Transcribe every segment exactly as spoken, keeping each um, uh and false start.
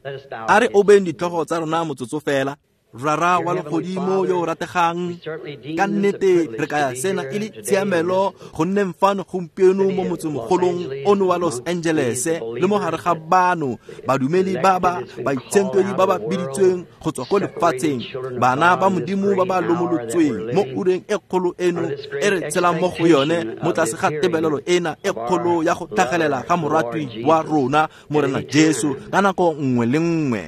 A re obeng ditlhogo tsa rona motsotso fela. Rara wa legodimo yo o rategang, ka nnete re kaya sena e le tshiamelo go nneng fano gompieno mo motsemogolong ono wa Los Angeles le mo gare ga bano badumedi ba ba baitshenkedwi ba ba biditsweng go tswa ko lefatsheng, bana ba Modimo ba ba lomolotsweng mo ureng e kgolo eno e re tshelang mo go yone mo tlase ga tebelelo ena e kgolo ya go tlhagelela ga moratwi wa rona Morena Jesu ka nako nngwe le nngwe.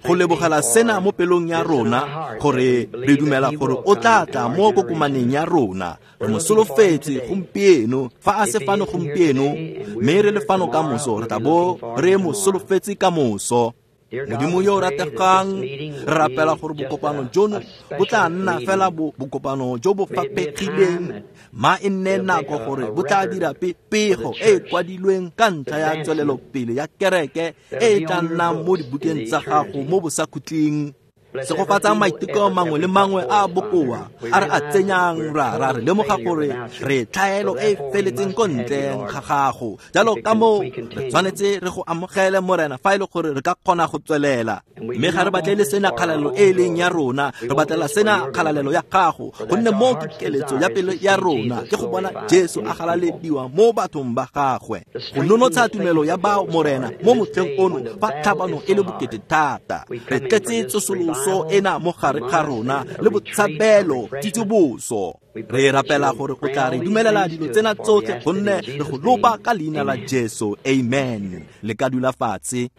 Go lebogela sena mo pelong ya rona gore re dumela gore o tla tla mo kokomaneng ya rona. Re mo solofetse gompieno, fa a se fano gompieno mme re le fano ka moso, re tla bo re mo solofetse ka moso. Modimo yo o rategang, re rapela gore bokopano jono bo tla nna fela bokopano jo bo faphegileng, ma e nne nako gore bo tla dira pego e e kwadilweng ka ntlha ya tswelelopele ya kereke e e tla nnang mo dibukeng tsa gago mo bosakhutleng. Segofatsa maiteko mangwe le mangwe a bokoa a re a tsenyang, ra re lemoga gore re tlhaelo e e feletseng ko ntle ga gago. Jalo ka moo re tshwanetse re go amogele Morena fa e le gore re ka kgona go tswelela. Mme ga re batlele sena kgalalelo e e leng ya rona, re batlela sena kgalalelo ya gago, gonne moo ke keletso ya pelo ya rona ke go bona Jesu a galalediwa mo bathong ba gagwe. Go nonotsha tumelo ya bao Morena mo motlheng ono fa tlhabano e le bokete thata. Re tletse tsosoloso ena mo gare ga rona le botshabelo tsitsoboso. Re rapela gore o tla re dumelela dilo tsena tsotlhe gonne re go lopa ka leina la Jesu. Amen. Le ka dula fatshe.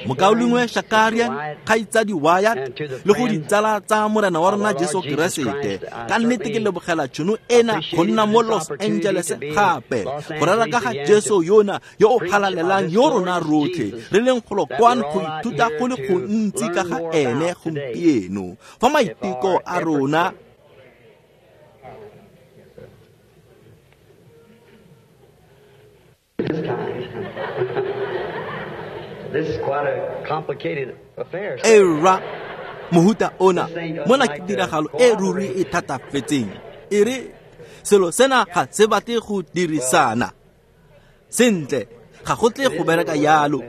Mokaulengwe Shakarian, kgaitsadi Wyatt le go ditsala tsa Morena wa rona Jesu Keresete, ka nnete ke lebogela tšhono ena go nna mo Los Angeles gape go rera ka ga Jesu yona yo o galalelang yo rona rotlhe re leng golo kwano go ithuta go le gontsi ka ga ene gompieno. Fa maiteko a rona This is quite a complicated affair. Era mohuta ona mona ke tiragalo e ruri e thatafetseng. E re selo sena ga se batle go dirisana sentle, ga go tle go bereka yalo.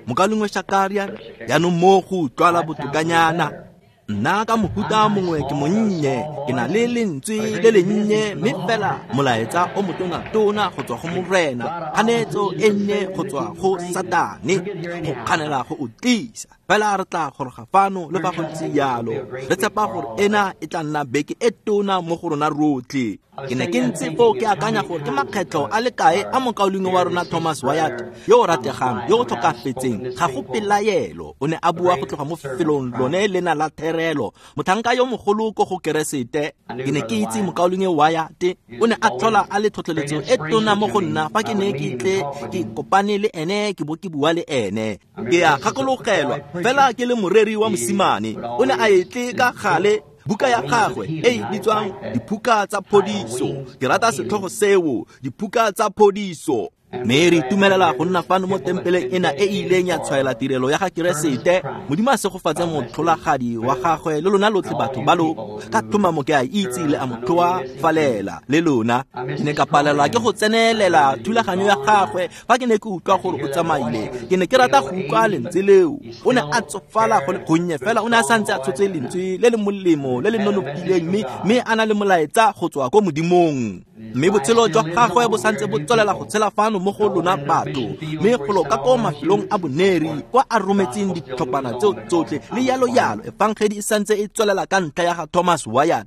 Mokaulengwe Shakarian, jaanong mo go utlwala botokanyana. Nna ka mohuta mongwe ke monnye, ke na le lentswe le lennye, mme fela molaetsa o motona-tona go tswa go Morena, kganetso e nnye go tswa go Satane go kganela go o tlisa. Fela re tla goroga fano le fa go ntse yalo, re tshepa gore ena e tla nna beke e tona mo go rona rotlhe. Ke ne ke ntse foo ke akanya gore ke makgetlho a le kae a mokaulengwe wa rona Thomas Wyatt yo o rategang yo o tlhokafetseng, ga go pelaelo o ne a bua go tloga mo felong lone lena la therelo, motlhanka yo mogolo ko go Keresete. Ke ne ke itse mokaulengwe Wyatt o ne a tlhola a le tlhotlheletso e tona mo go nna fa ke ne ke tle ke kopane le ene ke bo ke bua le ene. Ke a gakologelwa fela ke le moreri wa mosimane, o ne a etle ka gale buka ya gagwe e e bitswang Diphuka tsa Phodiso. Ke rata setlhogo seo, Diphuka tsa Phodiso. Mme re itumelela go nna fano mo tempeleng ena e e ileng ya tshwaela tirelo ya ga Keresete. Modimo a segofatse motlholagadi wa gagwe le lona lotlhe batho ba lo ka tlhomamo ke a itse le a mo tlhoafalela le lona. Ke ne ka palelwa ke go tsenelela thulaganyo ya gagwe fa ke ne ke utlwa gore o tsamaile. Ke ne ke rata go utlwa lentswe leo. O ne a tsofala go le gonnye fela o ne a santse a tshotse lentswe le le molemo le le nonofileng, mme mme a na le molaetsa go tswa ko Modimong. Mme botshelo jwa gagwe bo santse bo tswelela go tshela fano mo go lona batho, mme golo ka ko mafelong a boneri kwa a rometseng ditlhophana tseo tsotlhe le yalo yalo. Efangedi e santse e tswelela ka ntlha ya ga Thomas Wyatt.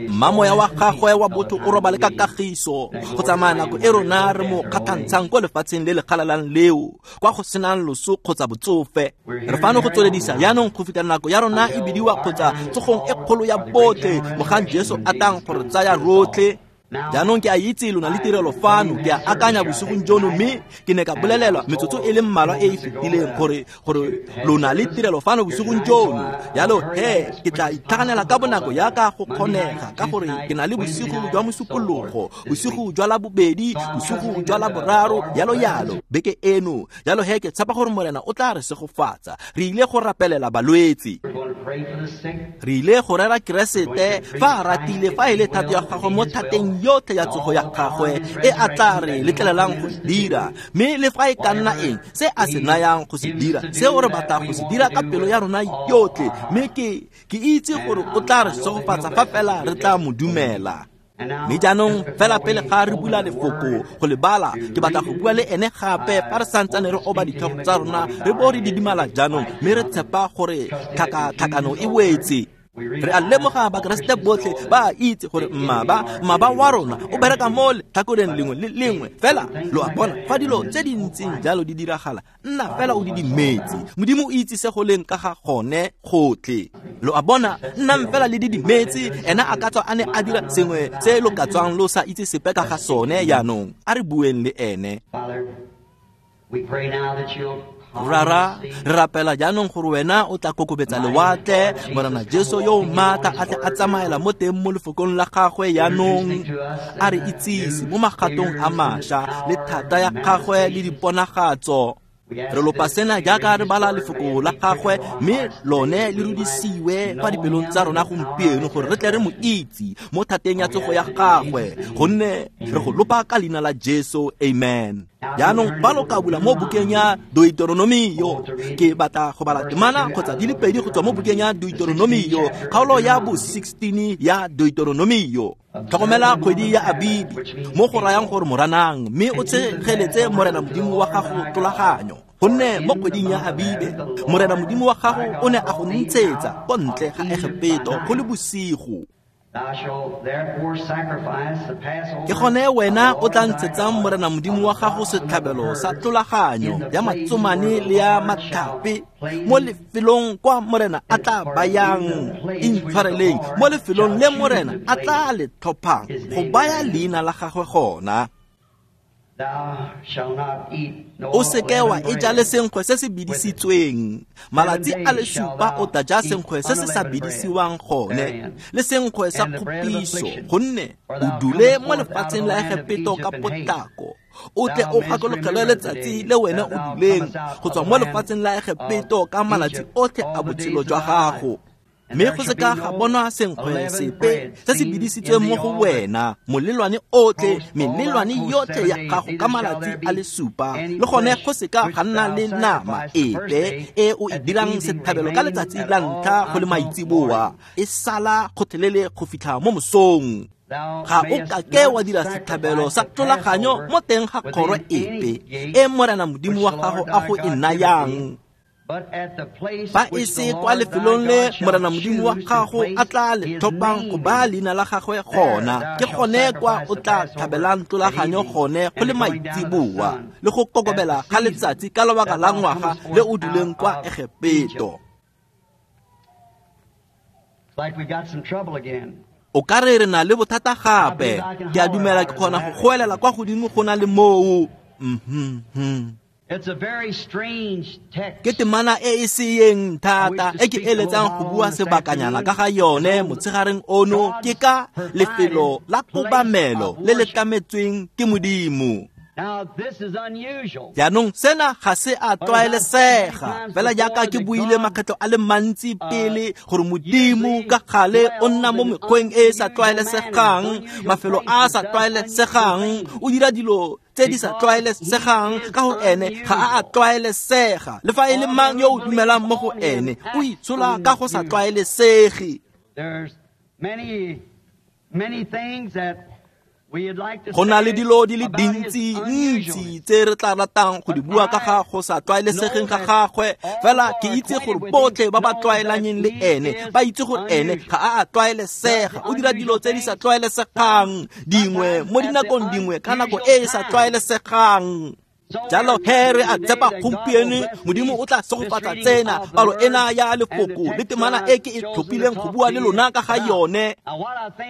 Mmamoya wa gagwe wa botho o robale ka kagiso go tsamaya nako e rona re mo kgatlhantshang ko lefatsheng le le kgalalang leo kwa go senang loso kgotsa botsofe. Re fano go tsweledisa jaanong go fitlha nako ya rona e bidiwa kgotsa tsogong e kgolo ya botlhe mogang Jesu a tlang go re tsaya rotlhe. Jaanong ke a itse lona le tirelo fano, ke a akanya bosigong jono, mme ke ne ka bolelelwa metsotso e le mmalwa e e fetileng gore gore lona le tirelo fano bosigong jono. Jalo he ke tla itlhaganela ka bonako yaka go kgonega, ka gore ke na le bosigo jwa Mosupologo, bosigo jwa Labobedi, bosigo jwa Laboraro, yalo yalo beke eno. Jalo he ke tshepa gore Morena o tla re segofatsa. Re ile go rapelela balwetse, re ile go rera Keresete fa a ratile, fa e le thato ya gagwe mo thateng yotlhe ya tsogo ya gagwe e a tla re letlelelang go dira, mme le fa e ka nna eng se a se nayang go se dira, seo re batla go se dira ka pelo ya rona yotlhe, mme ke ke itse gore o tla re segofatsa fa fela re tla mo dumela. Mme jaanong fela pele ga re bula lefoko go le bala, ke batla go bua le ene gape fa re santsane re oba ditlhogo tsa rona re bo re didimala jaanong, mme re tshepa gore tlhakatlhakano e wetse. Re a lemoga Bakeresete botlhe ba a itse gore mmaba mmaba wa rona o bereka mo letlhakoreng lengwe le lengwe. Fela lo a bona, fa dilo tse di ntseng jalo di diragala, nna fela o didimetse. Modimo o itse se go leng ka ga gone gotlhe. Lo a bona, nnang fela le didimetse. Ena a ka tswa a ne a dira sengwe se lo ka tswang lo sa itse sepe ka ga sone. Jaanong a re bueng le ene. Rara, re rapela jaanong gore wena o tla kokobetsa lewatle, Morena Jesu yo o maatla a tle a tsamaela mo teng mo lefokong la gagwe jaanong, a re itsise mo magatong a mašwa le thata ya gagwe le diponagatso. Re lopa sena jaaka re bala lefoko la gagwe, mme lone le rudisiwe fa dipelong tsa rona gompieno gore re tle re mo itse mo thateng ya tsogo ya gagwe, gonne re go lopa ka leina la Jesu, amen. Jaanong fa lo ka bula mo bukeng ya Deuteronomio, ke batla go bala temana kgotsa di le pedi go tswa mo bukeng ya Deuteronomio, kgaolo ya bo sixteen ya Deuteronomio. Tlhokomela kgwedi ya Abibi, mo go rayang gore Moranang, mme o tshegeletse Morena Modimo wa gago tlolaganyo. Gonne mo kgweding ya Abibe, Morena Modimo wa gago o ne a go ntshetsa ko ntle ga Egepeto go le bosigo. Ke gone wena o tla ntshetsang Morena Modimo wa gago setlhabelo sa tlolaganyo ya matsomane le ya matlhape mo lefelong kwa Morena a tla bayang, intshwareleng, mo lefelong le Morena a tla le tlhophang go baya leina la gagwe gona. O seke wa e ja le senkgwe se se bidisitsweng. Malatsi a le supa o tla ja senkgwe se se sa bidisiwang gone, le senkgwe sa kgopiso, gonne o dule mo lefatsheng la Egepeto ka potlako. O tle o gakologelwe letsatsi le wena o duleng go tswa mo lefatsheng la Egepeto ka malatsi otlhe a botshelo jwa gago. Mme go seka ga bonwa senkgwe sepe se se bidisitsweng mo go wena, molelwane otlhe, melelwane yotlhe ya gago ka malatsi a le supa, le gone go seka ga nna le nama epe e o e dirang setlhabelo ka letsatsi la ntlha go le maitseboa, e sala gotlhelele go fitlha mo mosong. Ga o kake wa dira setlhabelo sa tlolaganyo mo teng ga kgoro epe e Morena Modimo wa gago a go e nayang. Fa e se kwa lefelong le Morena Modimo wa gago a tla le tlhophang go baya leina la gagwe gona, ke gone kwa o tla tlhabelang tlolaganyo gone go le maitseboa le go kokobela ga letsatsi ka lobaka la ngwaga le o duleng kwa Egepeto. O ka re re na le bothata gape. Ke a dumela ke kgona go goelela kwa godimo go na le moo. Mhm. It's a very strange text. Ke temana e e seeng thata e ke eletsang go bua sebakanyana ka ga yone motshegareng ono, ke ka lefelo la kobamelo le le tlametsweng ke Modimo. Now this is unusual. Jaanong sena ga se a tlwaelesega, fela jaaka ke buile makgetlo a le mantsi pele gore Modimo ka gale o nna mo mekgweng e e sa tlwaelesegang, mafelo a a sa tlwaelesegang, o dira dilo tse di sa tlwaelesegang ka gore ene ga a a tlwaelesega. Le fa e le mang yo o dumelang mo go ene, o itshola ka go sa tlwaelesege. There's many, many things that Go na le dilo di le dintsi ntsi tse re tla ratang go di bua ka ga go sa tlwaelesegeng ga gagwe, fela ke itse gore botlhe ba ba tlwaelanyeng le ene ba itse gore ene ga a a tlwaelesega. O dira dilo tse di sa tlwaelesegang dingwe mo dinakong dingwe ka nako e e sa tlwaelesegang. Jalo he re a tshepa gompieno Modimo o tla segofatsa tsena palo ena ya lefoko le temana e ke e tlhophileng go bua le lona ka ga yone.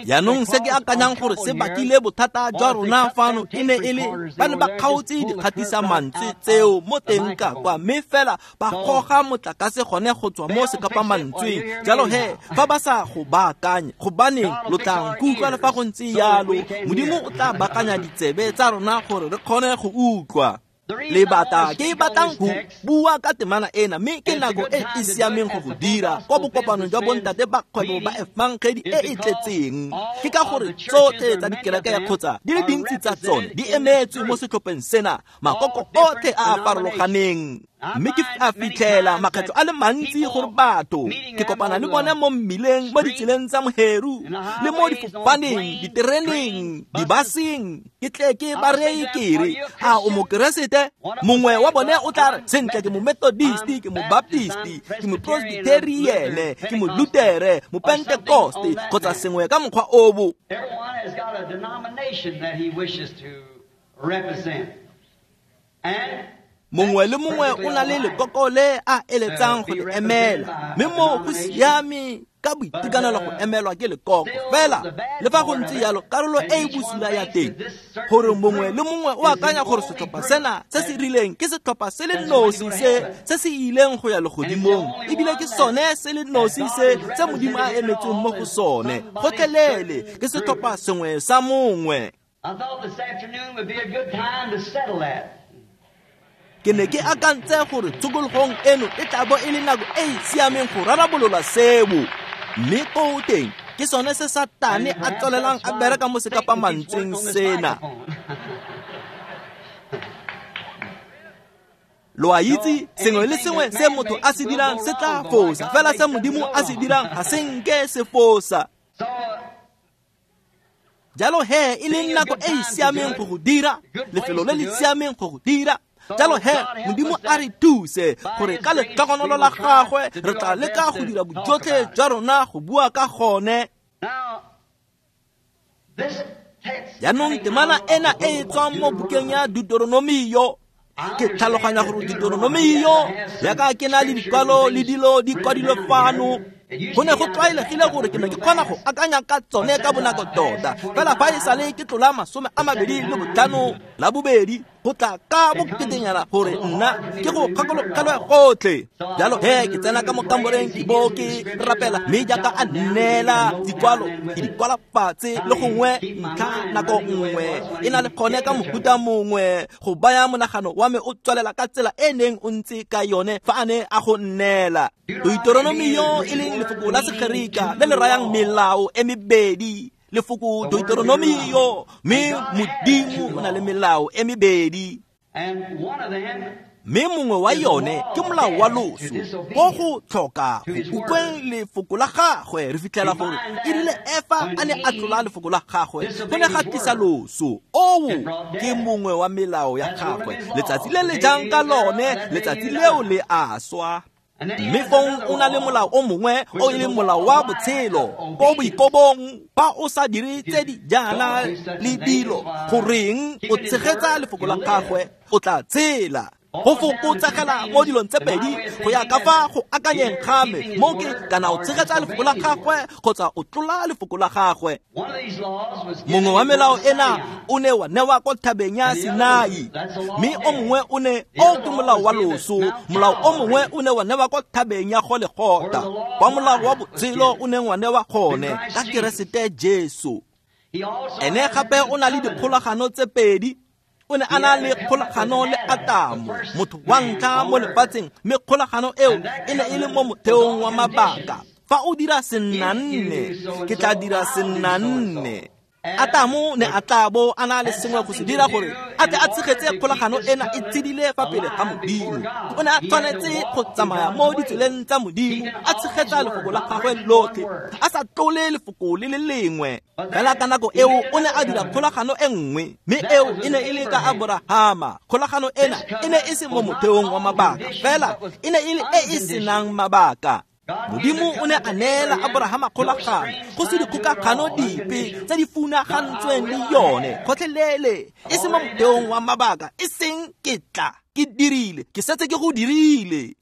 Jaanong se ke akanyang gore se bakile bothata jwa rona fano e ne e le ba ne ba kgaotse dikgatisa mantswe tseo mo teng ka kwa, mme fela ba goga motlakase gone go tswa mo sekapamantsweng. Jalo he fa ba sa go baakanye, gobaneng lo tla nkutlwa le fa go ntse jalo, Modimo o tla baakanya ditsebe tsa rona gore re kgone go utlwa. Lebata ke batlang go bua ka temana ena, mme ke nako e e siameng go go dira kwa bokopanong jwa bontate ba kgwebo ba efangedi e e tletseng. Ke ka gore tsotlhe tsa dikereke ya kgotsa di le dintsi tsa tsone di emetswe mo setlhopheng sena, makoko otlhe a a farologaneng. Mme ke a fitlhela makgetlho a le mantsi gore batho ke kopana le bone mo mmileng, mo ditseleng tsa moheru, le mo difofaneng, ditereneng, dibaseng. Ke tle ke ba reye ke re, a o mokeresete? Mongwe wa bone o tla re, sentle ke mo-Methodist, ke mo-Baptist, ke mo-Presbyterian, ke mo-Lutere, mo-Pentecost, kgotsa sengwe ka mokgwa obo. Everyone has got a denomination that he wishes to represent. And mongwe le mongwe o na le lekoko le a eletsang go le emela, mme mo go siame ka boitekanelo go emelwa ke lekoko. Fela le fa go ntse jalo, karolo e e bosula ya teng gore mongwe le mongwe o akanya gore setlhopha sena se se rileng ke setlhopha se le nosi se se se ileng go ya legodimong, ebile ke sone se le nosi se se Modimo a emetseng mo go sone. Gotlhelele ke setlhopha sengwe sa mongwe. I thought this afternoon would be a good time to settle that. Ke ne ke akantse gore tshokologong eno e tla bo e le nako e e siameng go rarabolola seo. Mme koo teng ke sone se Satane a tswelelang a bereka mo sekapamantsweng sena. Lo a itse, sengwe le sengwe se motho a se dirang se tla fosa, fela se Modimo a se dirang ga se nke se fosa. Jalo he, e leng nako e e siameng go go dira, lefelo le le siameng go go dira. Jalo he, Modimo a re thuse gore ka letlhogonolo la gagwe re tla leka go dira bojotlhe jwa rona go bua ka gone. Jaanong temana ena e e tswang mo bukeng ya Deuteronomio, ke tlhaloganya gore Deuteronomio yaka ke na le dikwalo le dilo di kwadilwe fano. Go ne go tlwaelegile gore ke ne ke kgona go akanya ka tsone ka bonako tota, fela fa e sale ke tlola masome a mabedi le botlhano la bobedi go tla ka boketenyana gore nna ke go kgakologelwe gotlhe. Jalo he, ke tsena ka mo kamoreng ke bo ke rapela, mme jaaka a nneela dikwalo ke di kwala fatshe le gongwe ntlha nako nngwe e na le gone ka mohuta mongwe go baya monagano wa me o tswelela ka tsela e neng o ntse ka yone fa a ne a go nneela. Deuteronomio e leng lefoko la Segerika le le rayang melao e mebedi, lefoko Deuteronomio, mme Modimo o na le melao e mebedi. Mme mongwe wa yone ke molao wa loso, ko go tlhoka go utlweng lefoko la gagwe. Re fitlhela gore e rile Efa a ne a tlola lefoko la gagwe, go ne ga tlisa loso. Oo ke mongwe wa melao ya gagwe. Letsatsi le le jang ka lone, letsatsi leo le a swa. Mme fong o na le molao o mongwe o e leng molao wa botshelo ko boikobong. Fa o sa dire tse di jaana le dilo, goreng o tshegetsa lefoko la gagwe, o tla tshela. Go fokotsegela mo dilong tse pedi go ya ka fa go akanyeng ga me, mo ke kana o tshegetsa lefoko la gagwe kgotsa o tlola lefoko la gagwe. Mongwe wa melao ena o ne wa newa kwa thabeng ya Sinai, mme o mongwe o ne o ke molao wa loso. Molao o mongwe o ne wa newa kwa thabeng ya Golegotha, kwa molao wa botshelo o neng wa newa gone ka Keresete Jesu. Ene gape o na le dikgolagano tse pedi. O ne a na le kgolagano le Atamo, motho wa ntlha mo lefatsheng, mme kgolagano eo e ne e le mo motheong wa mabaka. Fa o dira sennanne, ke tla dira sennanne. Atamo ne a tla bo a na le sengwe go se dira gore a tle a tshegetse kgolagano ena e tshedile fa pele ga Modimo. O ne a tshwanetse go tsamaya mo ditseleng tsa Modimo, a tshegetsa lefoko la gagwe lotlhe, a sa tlole lefoko le le lengwe. Fela ka nako eo o ne a dira kgolagano e nngwe, mme eo e ne e le ka Aborahama. Kgolagano ena e ne e se mo motheong wa mabaka, fela e ne e le e e senang mabaka. Modimo o ne a neela Aborahama kgolagano, go se dikgokagano dipe tse di funagantsweng le yone gotlhelele, e se mo motheong wa mabaka, e seng ke tla ke dirile, ke setse ke go dirile.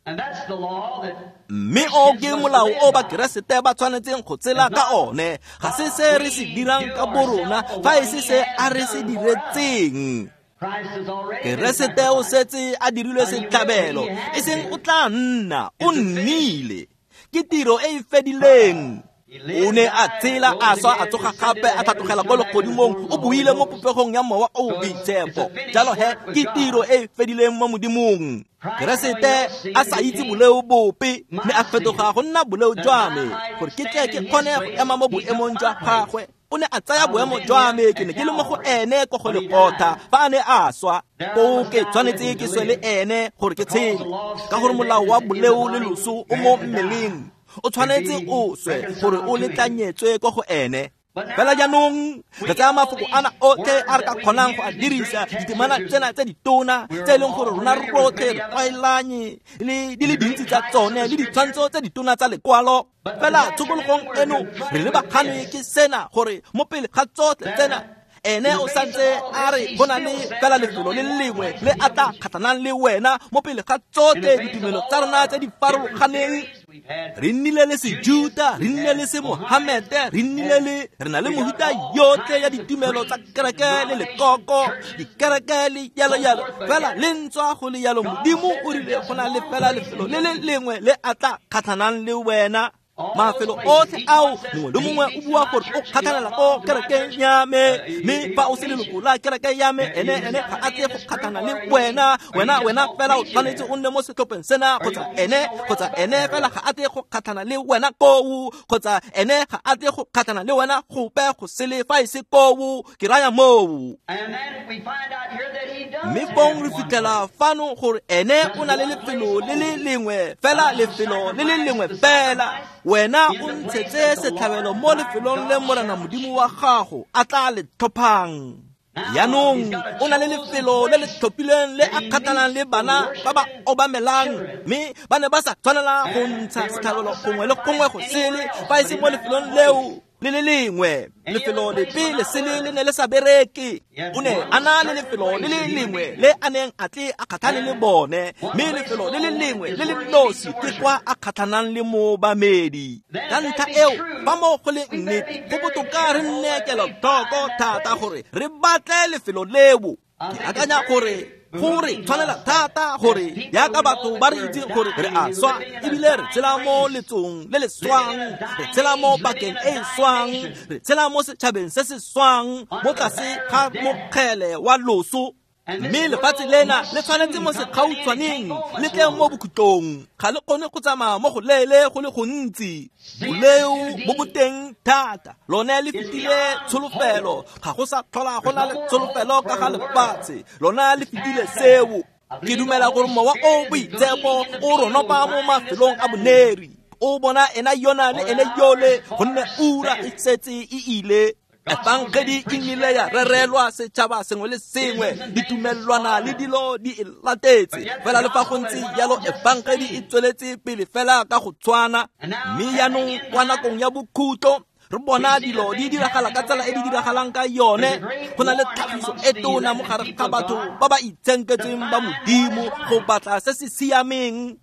Mme o ke molao o Bakeresete ba tshwanetseng go tsela ka one. Ga se se re se dirang ka borona, fa e se se a re se diretseng. Keresete o setse a dirilwe setlhabelo, e seng o tla nna, o nnile. Ke tiro e e fedileng. O ne a tsela a swa a tsoga gape a tlhatlogela ko legodimong, o buile mo popegong ya Mowa o o Boitshepo. Jalo he ke tiro e e fedileng mo Modimong. Keresete a sa itse boleo bope, mme a fetoga go nna boleo jwa me, gore ke tle ke kgone go ema mo boemong jwa gagwe. O ne a tsaya boemo jwa me, ke ne ke le mo go ene ko go Golgotha fa a ne a swa. Koo ke tshwanetse ke swe le ene gore ke tshele, ka gore molao wa boleo le loso o mo mmeleng. O tshwanetse o swe gore o letlanyetswe ko go ene. Fela jaanong re tsaya mafoko ana otlhe a re ka kgonang go a dirisa, ditemana tsena tse ditona tse e leng gore rona rotlhe re tlwaelanye le di le dintsi tsa tsone le ditshwantsho tse ditona tsa lekwalo. Fela tshokologong eno re lebagane ke sena, gore mo pele ga tsotlhe tsena ene o santse a re go na le fela lefelo le lengwe le a tla kgatlhanang le wena mo pele ga tsotlhe ditumelo tsa rona tse di farologaneng. Re nnile le Sejuta, re nnile le Semohamete, re nnile le re na le mohuta yotlhe ya ditumelo tsa kereke le lekoko, dikereke le yalo yalo. Fela le ntswa go le yalo, Modimo o rile go na le fela lefelo le le lengwe le a tla kgatlhanang le wena. Mafelo otlhe ao mongwe le mongwe o bua gore o kgatlhanela ko kerekeng ya me, mme fa o se leloko la kereke ya me, ene ene ga a tle go kgatlhana le wena. Wena wena fela o tshwanetse o nne mo setlhopheng sena, kgotsa ene kgotsa ene fela ga a tle go kgatlhana le wena koo, kgotsa ene ga a tle go kgatlhana le wena gope go sele fa e se koo. Ke raya moo. Mme fong re fitlhela fano gore ene o na le lefelo le le lengwe fela, lefelo le le lengwe fela. Wena o ntshetse setlhabelo mo lefelong le Morena Modimo wa gago a tla le tlhophang. Jaanong o na le lefelo le le tlhophileng le a kgatlhanang le bana ba ba obamelang, mme ba ne ba sa tshwanela go ntsha setlhabelo gongwe le gongwe go sele fa e se mo lefelong leo le le lengwe. Lefelo lepe le sele le ne le sa bereke. O ne a na le lefelo le le lengwe le a neng a tle a kgatlhane le bone, mme lefelo le le lengwe le le nosi ke kwa a kgatlhanang le moobamedi. Ka ntlha eo, fa mo go le nnete, go botoka re nne kelotlhoko thata gore re batle lefelo leo. Ke akanya gore gore tshwanela thata gore jaaka batho ba re itseng gore re a swa, ebile re tshela mo letsong le le swang, re tshela mo pakeng e e swang, re tshela mo setšhabeng se se swang, mo tlase ga mokgele wa loso. Mme lefatshe lena le tshwanetse mo segautshwaneng le tle mo bokhutlong. Ga le kgone go tsamaya mo go leele go le gontsi. Boleo bo boteng thata, lone le fetile tsholofelo. Ga go sa tlhola go na le tsholofelo ka ga lefatshe, lona le fetile seo. Ke dumela gore Mowa o Boitshepo o ronopa mo mafelong a boneri, o bona ena yona le ene yole, gonne ura e setse e ile. Efangedi e nnile ya rerelwa setšhaba sengwe le sengwe, ditumelwana le dilo di e latetse. Fela le fa go ntse jalo, efangedi e tsweletse pele fela ka go tshwana. Mme jaanong kwa nakong ya bokhutlo re bona dilo di diragala ka tsela e di diragalang ka yone. Go na le tlhagiso e tona mo gare ga batho ba ba itshenketsweng ba Modimo go batla se se siameng.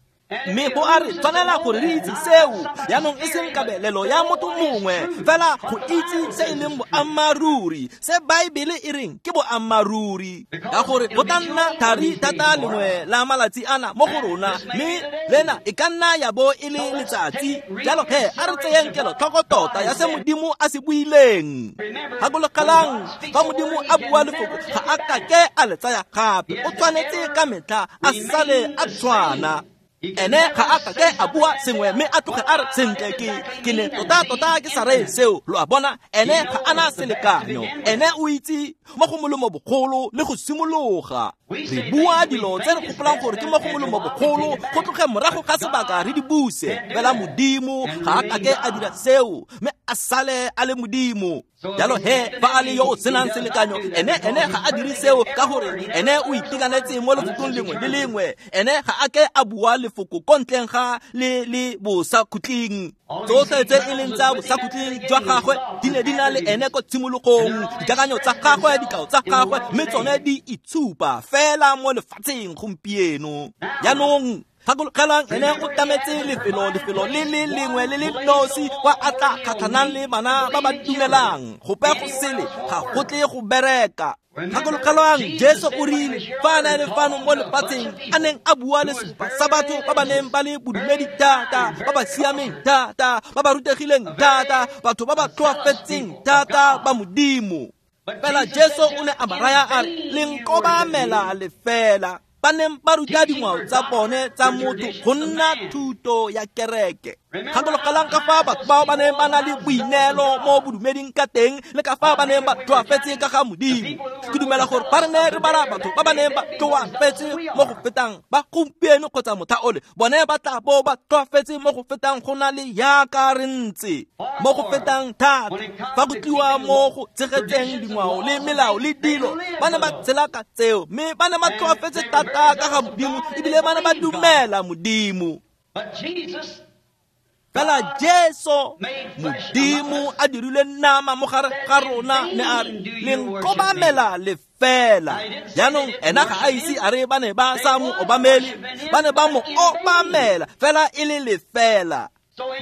Mme go a re tshwanela gore re itse seo, jaanong e seng kabelelo ya motho mongwe, fela go itse se e leng boammaaruri, se Baebele e reng ke boammaaruri. Ka gore go tla nna thari thata lengwe la malatsi ana mo go rona, mme lena e ka nna ya bo e le letsatsi. Jalo he a re tseyeng kelotlhoko tota ya se Modimo a se buileng. Gakologelang, fa Modimo a bua lefoko ga a kake a le tsaya gape, o tshwanetse ka metlha a sale a tshwana. Ene ga a kake a bua sengwe mme a tloge a re sentle ke ke ne tota tota ke sa reye seo. Lo a bona, ene ga ana selekanyo, ene o itse mo go molemo bogolo le go simologa. Re bua dilo tse re gopolang gore ke mo go molemo bogolo, go tloge morago ga sebaka re di buse. Fela Modimo ga a kake a dira seo, mme a sale a le Modimo. Jalo he fa a le yo o senang selekanyo, ene ene ga a dire seo, ka gore ene o itekanetse mo lefokong lengwe le lengwe. Ene ga a ke a bua lefoko ko ntleng ga le le bosakhutleng. Tsotlhe tse e leng tsa bosakhutleng jwa gagwe di ne di na le ene ko tshimologong. Dikakanyo tsa gagwe, dikao tsa gagwe, mme tsone di itshupa fela mo lefatsheng gompieno. Jaanong gakologelang, ene o tametse lefelo lefelo le le lengwe le le nosi kwa a tla kgatlhanang le bana ba ba dumelang. Gope go sele ga go tle go bereka. Gakologelwang Jesu o rile fa a ne a le fano mo lefatsheng a neng a bua le segopa sa batho ba ba neng ba le bodumedi thata, ba ba siameng thata, ba ba rutegileng thata, batho ba ba tlhoafetseng thata ba Modimo. Fela Jesu o ne a ba raya a re, le nkobamela lefela. Ba neng ba ruta dingwao tsa bone tsa motho go nna thuto ya kereke. Gakologelwang ka fa batho bao ba neng ba na le boineelo mo bodumeding ka teng le ka fa ba neng ba tlhoafetse ka ga Modimo. Ke dumela gore fa re ne re bala batho ba ba neng ba tlhoafetse mo go fetang ba gompieno kgotsa motlha ole, bone ba tla bo ba tlhoafetse mo go fetang go na le yaka re ntse, mo go fetang thata. Fa go tliwa mo go tshegetseng dingwao le melao le dilo, ba ne ba tshela ka tseo, mme ba ne ba tlhoafetse thata ka ga Modimo, ebile ba ne ba dumela Modimo. Fela Jesu, Modimo a dirile nama mo gare ga rona, ne a re, le nkobamela lefela. Jaanong ena ga a ise a re ba ne ba sa mo obamele, ba ne ba mo obamela fela e le lefela.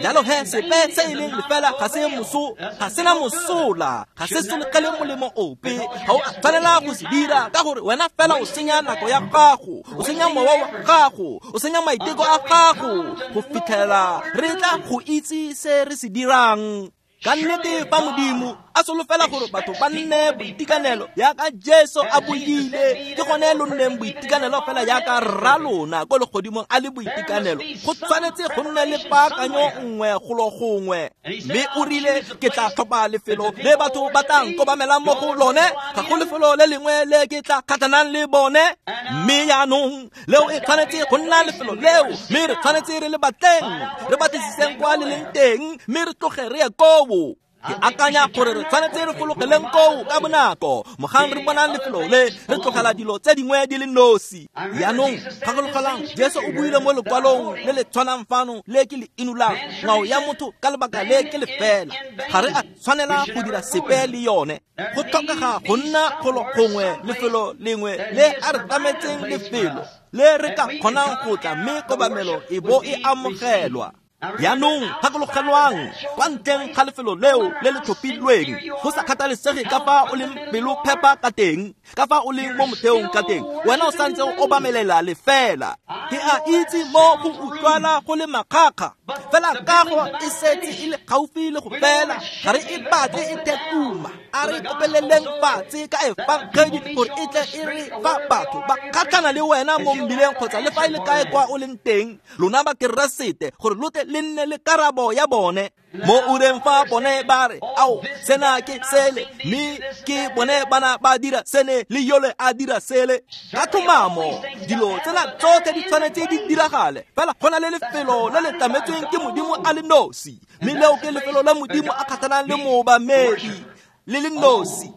Jalo he sepe se e leng lefela ga se moso, ga sena mosola, ga se sologele molemo ope. Ga o a tshwanela go se dira ka gore wena fela o senya nako ya gago, o senya mowa wa gago, o senya maiteko a gago go fitlhela re tla go itse se re se dirang. Ka nnete fa Modimo a solofela gore batho ba nne boitekanelo yaka Jesu a buile, ke gone lo nneng boitekanelo fela yaka rra lona ko legodimong a le boitekanelo. Go tshwanetse go nne le paakanyo nngwe golo gongwe. Mme o rile, ke tla tlhopha lefelo le batho ba tla nkobamelang mo go lone, ga go lefelo le lengwe le ke tla kgatlhanang le bone. Mme jaanong leo e tshwanetse go nna lefelo leo, mme re tshwanetse re le batleng, re batlisiseng kwa le leng teng, mme re tloge re ye koo. Ke akanya gore re tshwanetse re fologeleng koo ka bonako mogang re bonang lefelo le, re tlogela dilo tse dingwe di le nosi. Jaanong gakologelwang Jesu o buile mo lekwalong le le tshwanang fano le ke le inolang, ngwao ya motho ka lebaka le ke lefela, ga re a tshwanela go dira sepe le yone. Go tlhokega go nna golo gongwe lefelo lengwe le a re tlametseng lefelo le re ka kgonang go tla, mme kobamelo e bo e amogelwa. Jaanong gakologelwang kwa ntleng ga lefelo leo le le tlhophilweng, go sa kgathalesege ka fa o leng pelo phepa ka teng, ka fa o leng mo motheong ka teng, wena o santse o obamelela lefela. Ke a itse mo go utlwala go le makgakga, fela kago e setse e le gaufi le go fela, ga re e batle e thekuma. A re kopeleleng fatshe ka efangedi gore e tle e re fa batho ba kgatlhana le wena mo mmileng kgotsa le fa e le kae kwa o leng teng, lona ba Keresete, gore lo tle le nne le karabo ya bone. Mo ureng fa bone ba re, ao sena ke sele, mme ke bone bana ba dira sene le yole a dira sele. Ka tlhomamo dilo tsena tsotlhe di tshwanetse di diragale, fela go na le lefelo le le tlametsweng ke Modimo a le nosi, mme leo ke lefelo la Modimo a kgatlhanang le moobamedi le le nosi.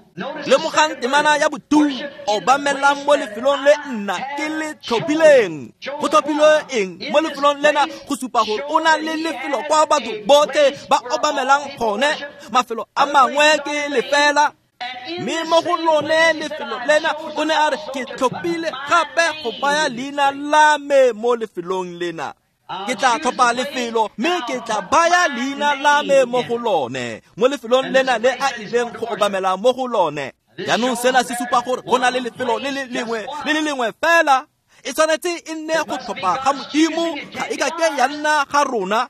Lemogang temana ya botu, obamelang mo lefelong le nna ke le tlhophileng. Go tlhophilwe eng mo lefelong lena? Go supa gore o na le lefelo kwa batho botlhe ba obamelang gone. Mafelo a mangwe ke lefela, mme mo go lone lefelo lena o ne a re, ke tlhophile gape go baya leina la me mo lefelong lena. Ke tla tlhopha lefelo mme ke tla baya leina la me mo go lone, mo lefelong lena le a ileng go obamela mo go lone. Jaanong sena se supa gore go na le lefelo le le lengwe le le lengwe fela. E tshwanetse e nne go tlhopha ga Modimo, ga e ka ke ya nna ga rona.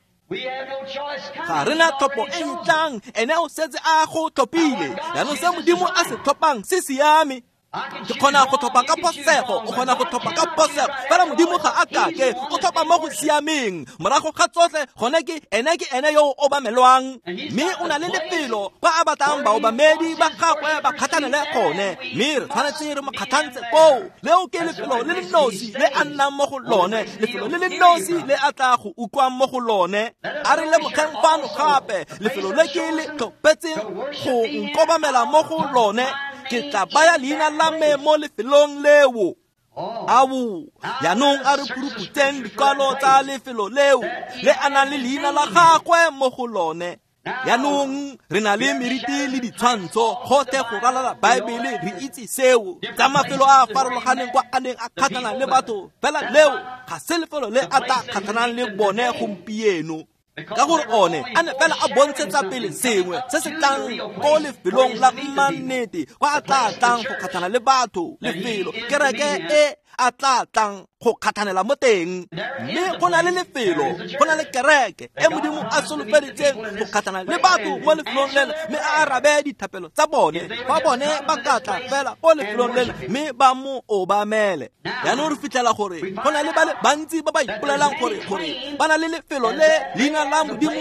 Ga re na tlhopho e e tlang, ene o setse a go tlhophile. Jaanong se Modimo a se tlhophang se siame. Ke kgona go tlhopha ka phosego, o kgona go tlhopha ka phosego, fela Modimo ga a kake, o tlhopha mo go siameng. Morago ga tsotlhe gone ke ene ke ene yo o obamelwang, mme o na le lefelo kwa a batlang baobamedi ba gagwe ba kgatlhanele gone, mme re tshwanetse re mo kgatlhantse koo. Leo ke lefelo le le nosi le a nnang mo go lone, lefelo le le nosi le a tla go utlwang mo go lone. A re lemogeng fano gape, lefelo le ke le tlhophetseng go nkobamela mo go lone, ke tla baya leina la me mo lefelong leo. Ao, jaanong a re puruputseng dikwalo tsa lefelo leo le a nang le leina la gagwe mo go lone. Jaanong re na le meriti le ditshwantsho gotlhe go ralala Baebele, re itse seo tsa mafelo a a farologaneng kwa a neng a kgatlhana le batho, fela leo ga se lefelo le a tla kgatlhanang le bone gompieno. Ka gore one a ne fela a bontshetsa pele sengwe se se tlang ko lefelong la mannete kwa a tla tlang go kgatlhana le batho, lefelo kereke e a tla tlang go kgatlhanela mo teng. Mme go na le lefelo, go na le kereke e Modimo a solofeditseng go kgatlhana le batho mo lefelong lena, mme a arabe dithapelo tsa bone fa bone ba ka tla fela ko lefelong lena mme ba mo obamele. Jaanong re fitlhela gore go na le ba le bantsi ba ba ipolelang gore gore ba na le lefelo le leina la Modimo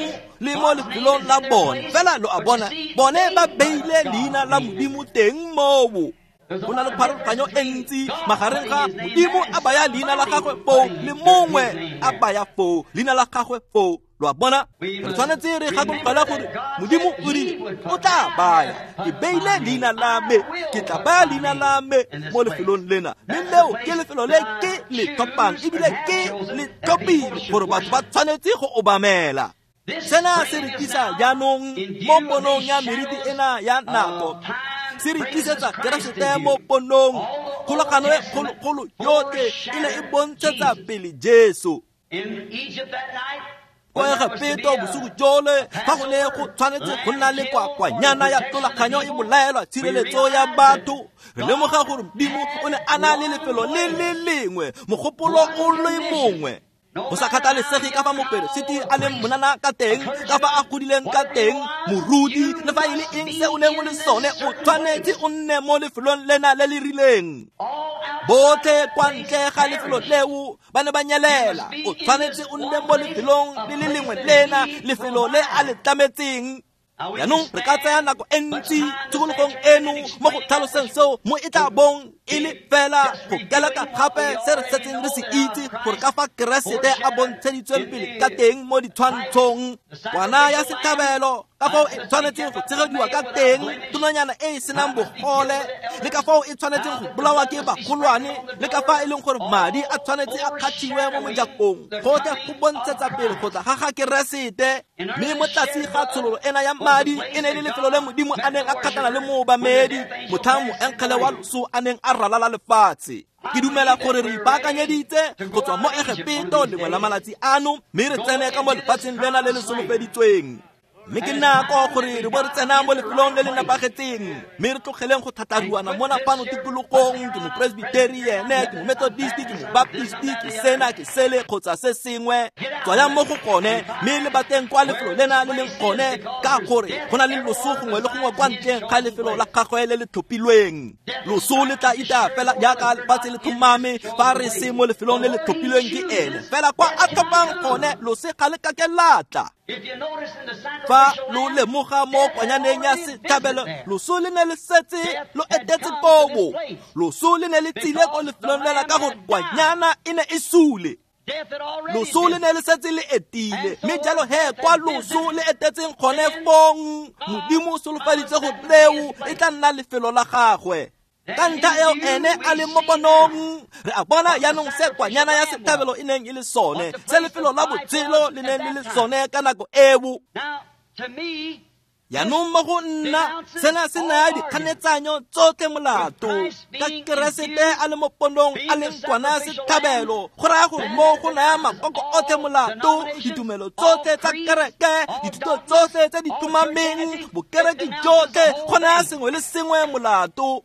le mo lefelong la bone, fela lo a bona bone ba beile leina la Modimo teng moo. Go na le pharologanyo e ntsi magareng ga Modimo a baya leina la gagwe foo le mongwe a baya foo leina la gagwe foo. Lo a bona, re tshwanetse re gakologelwa gore Modimo o rile o tla baya, ke beile leina la me, ke tla baya leina la me mo lefelong lena, mme leo ke lefelo le ke le tlhophang ebile ke le tlhophile gore batho ba tshwanetse go obamela. Sena se re tlisa jaanong mo ponong ya meriti ena ya nako, se re tlisetsa Keresete mo ponong. Kgolagano e kgologolo yotlhe e ne e bontshetsa pele Jesu. Kwa Egepeto bosigo jole fa go ne go tshwanetse go nna le kwakwanyana ya tlolaganyo e bolaelwa tshireletso ya batho, re lemoga gore Modimo o ne a na le lefelo le le lengwe, mogopolo o le mongwe. Go sa kgathalesege ka fa moperesiti a leng monana ka teng, ka fa a godileng ka teng, moruti le fa e le eng se o neng o le sone, o tshwanetse o nne mo lefelong lena le le rileng. Botlhe kwa ntle ga lefelo leo ba ne ba nyelela. O tshwanetse o nne mo lefelong le le lengwe lena, lefelo le a le tlametseng. Jaanong re ka tsaya nako e ntsi tshokologong eno mo go tlhaloseng seo mo e tla bong e le fela go keleka gape se re setseng re se itse gore ka fa Keresete a bontsheditsweng pele ka teng mo ditshwantshong. Kwana ya setlhabelo ka fao e tshwanetseng go tshegediwa ka teng, tonanyana e e senang bogole, le ka fao e tshwanetseng go bolawa ke bagolwane, le ka fa e leng gore madi a tshwanetse a kgathiwe mo mojakong, gotlhe go bontshetsa pele go tla ga ga Keresete. Mme mo tlase ga tshololo ena ya madi e ne e le lefelo le Modimo a neng a kgatlhana le moobamedi motlhang moengele wa loso a neng a ralala lefatshe. Ke dumela gore re ipaakanyeditse go tswa mo Egepeto lengwe la malatsi ano, mme re tsene ka mo lefatsheng lena le le solofeditsweng. Mme ke nako gore re bo re tsena mo lefelong le le nepagetseng, mme re tlogeleng go thatharuana mona fano tikologong, ke mopresbiteriene, ke momethodist, ke mobaptist, ke sena, ke sele kgotsa se sengwe. Tswayang mo go gone mme le bateng kwa lefelo lena le leng gone, ka gore go na le loso gongwe le gongwe kwa ntleng ga lefelo la gagwe le le tlhophilweng. Loso le tla ita fela jaaka lefatshe le tlhomame fa re se mo lefelong le le tlhophilweng ke ene, fela kwa a tlhophang gone lose ga le kake la tla. Fa lo lemoga mo kwanyaneng ya setlhabelo, loso le ne le setse lo etetse kobo. Loso le ne le tsile ko lefelong lela ka gore kwanyana e ne e sule. Loso le ne le setse le etile, mme jalo he kwa loso le etetseng gone fong, Modimo o solofeditse gore leo e tla nna lefelo la gagwe. Ka ntlha eo ene a leng mo ponong, re a bona jaanong se kwanyana ya setlhabelo e neng e le sone, se lefelo la botshelo le neng le le sone ka nako eo. Jaanong mo go nna sena se naya dikganetsanyo tsotlhe molato. Ka Keresete a le mo ponong a leng kwana ya setlhabelo, go raya gore mo go naya makoko otlhe molato, ditumelo tsotlhe tsa kereke, dithuto tsotlhe tse di tumameng, bokereke jotlhe, go naya sengwe le sengwe molato.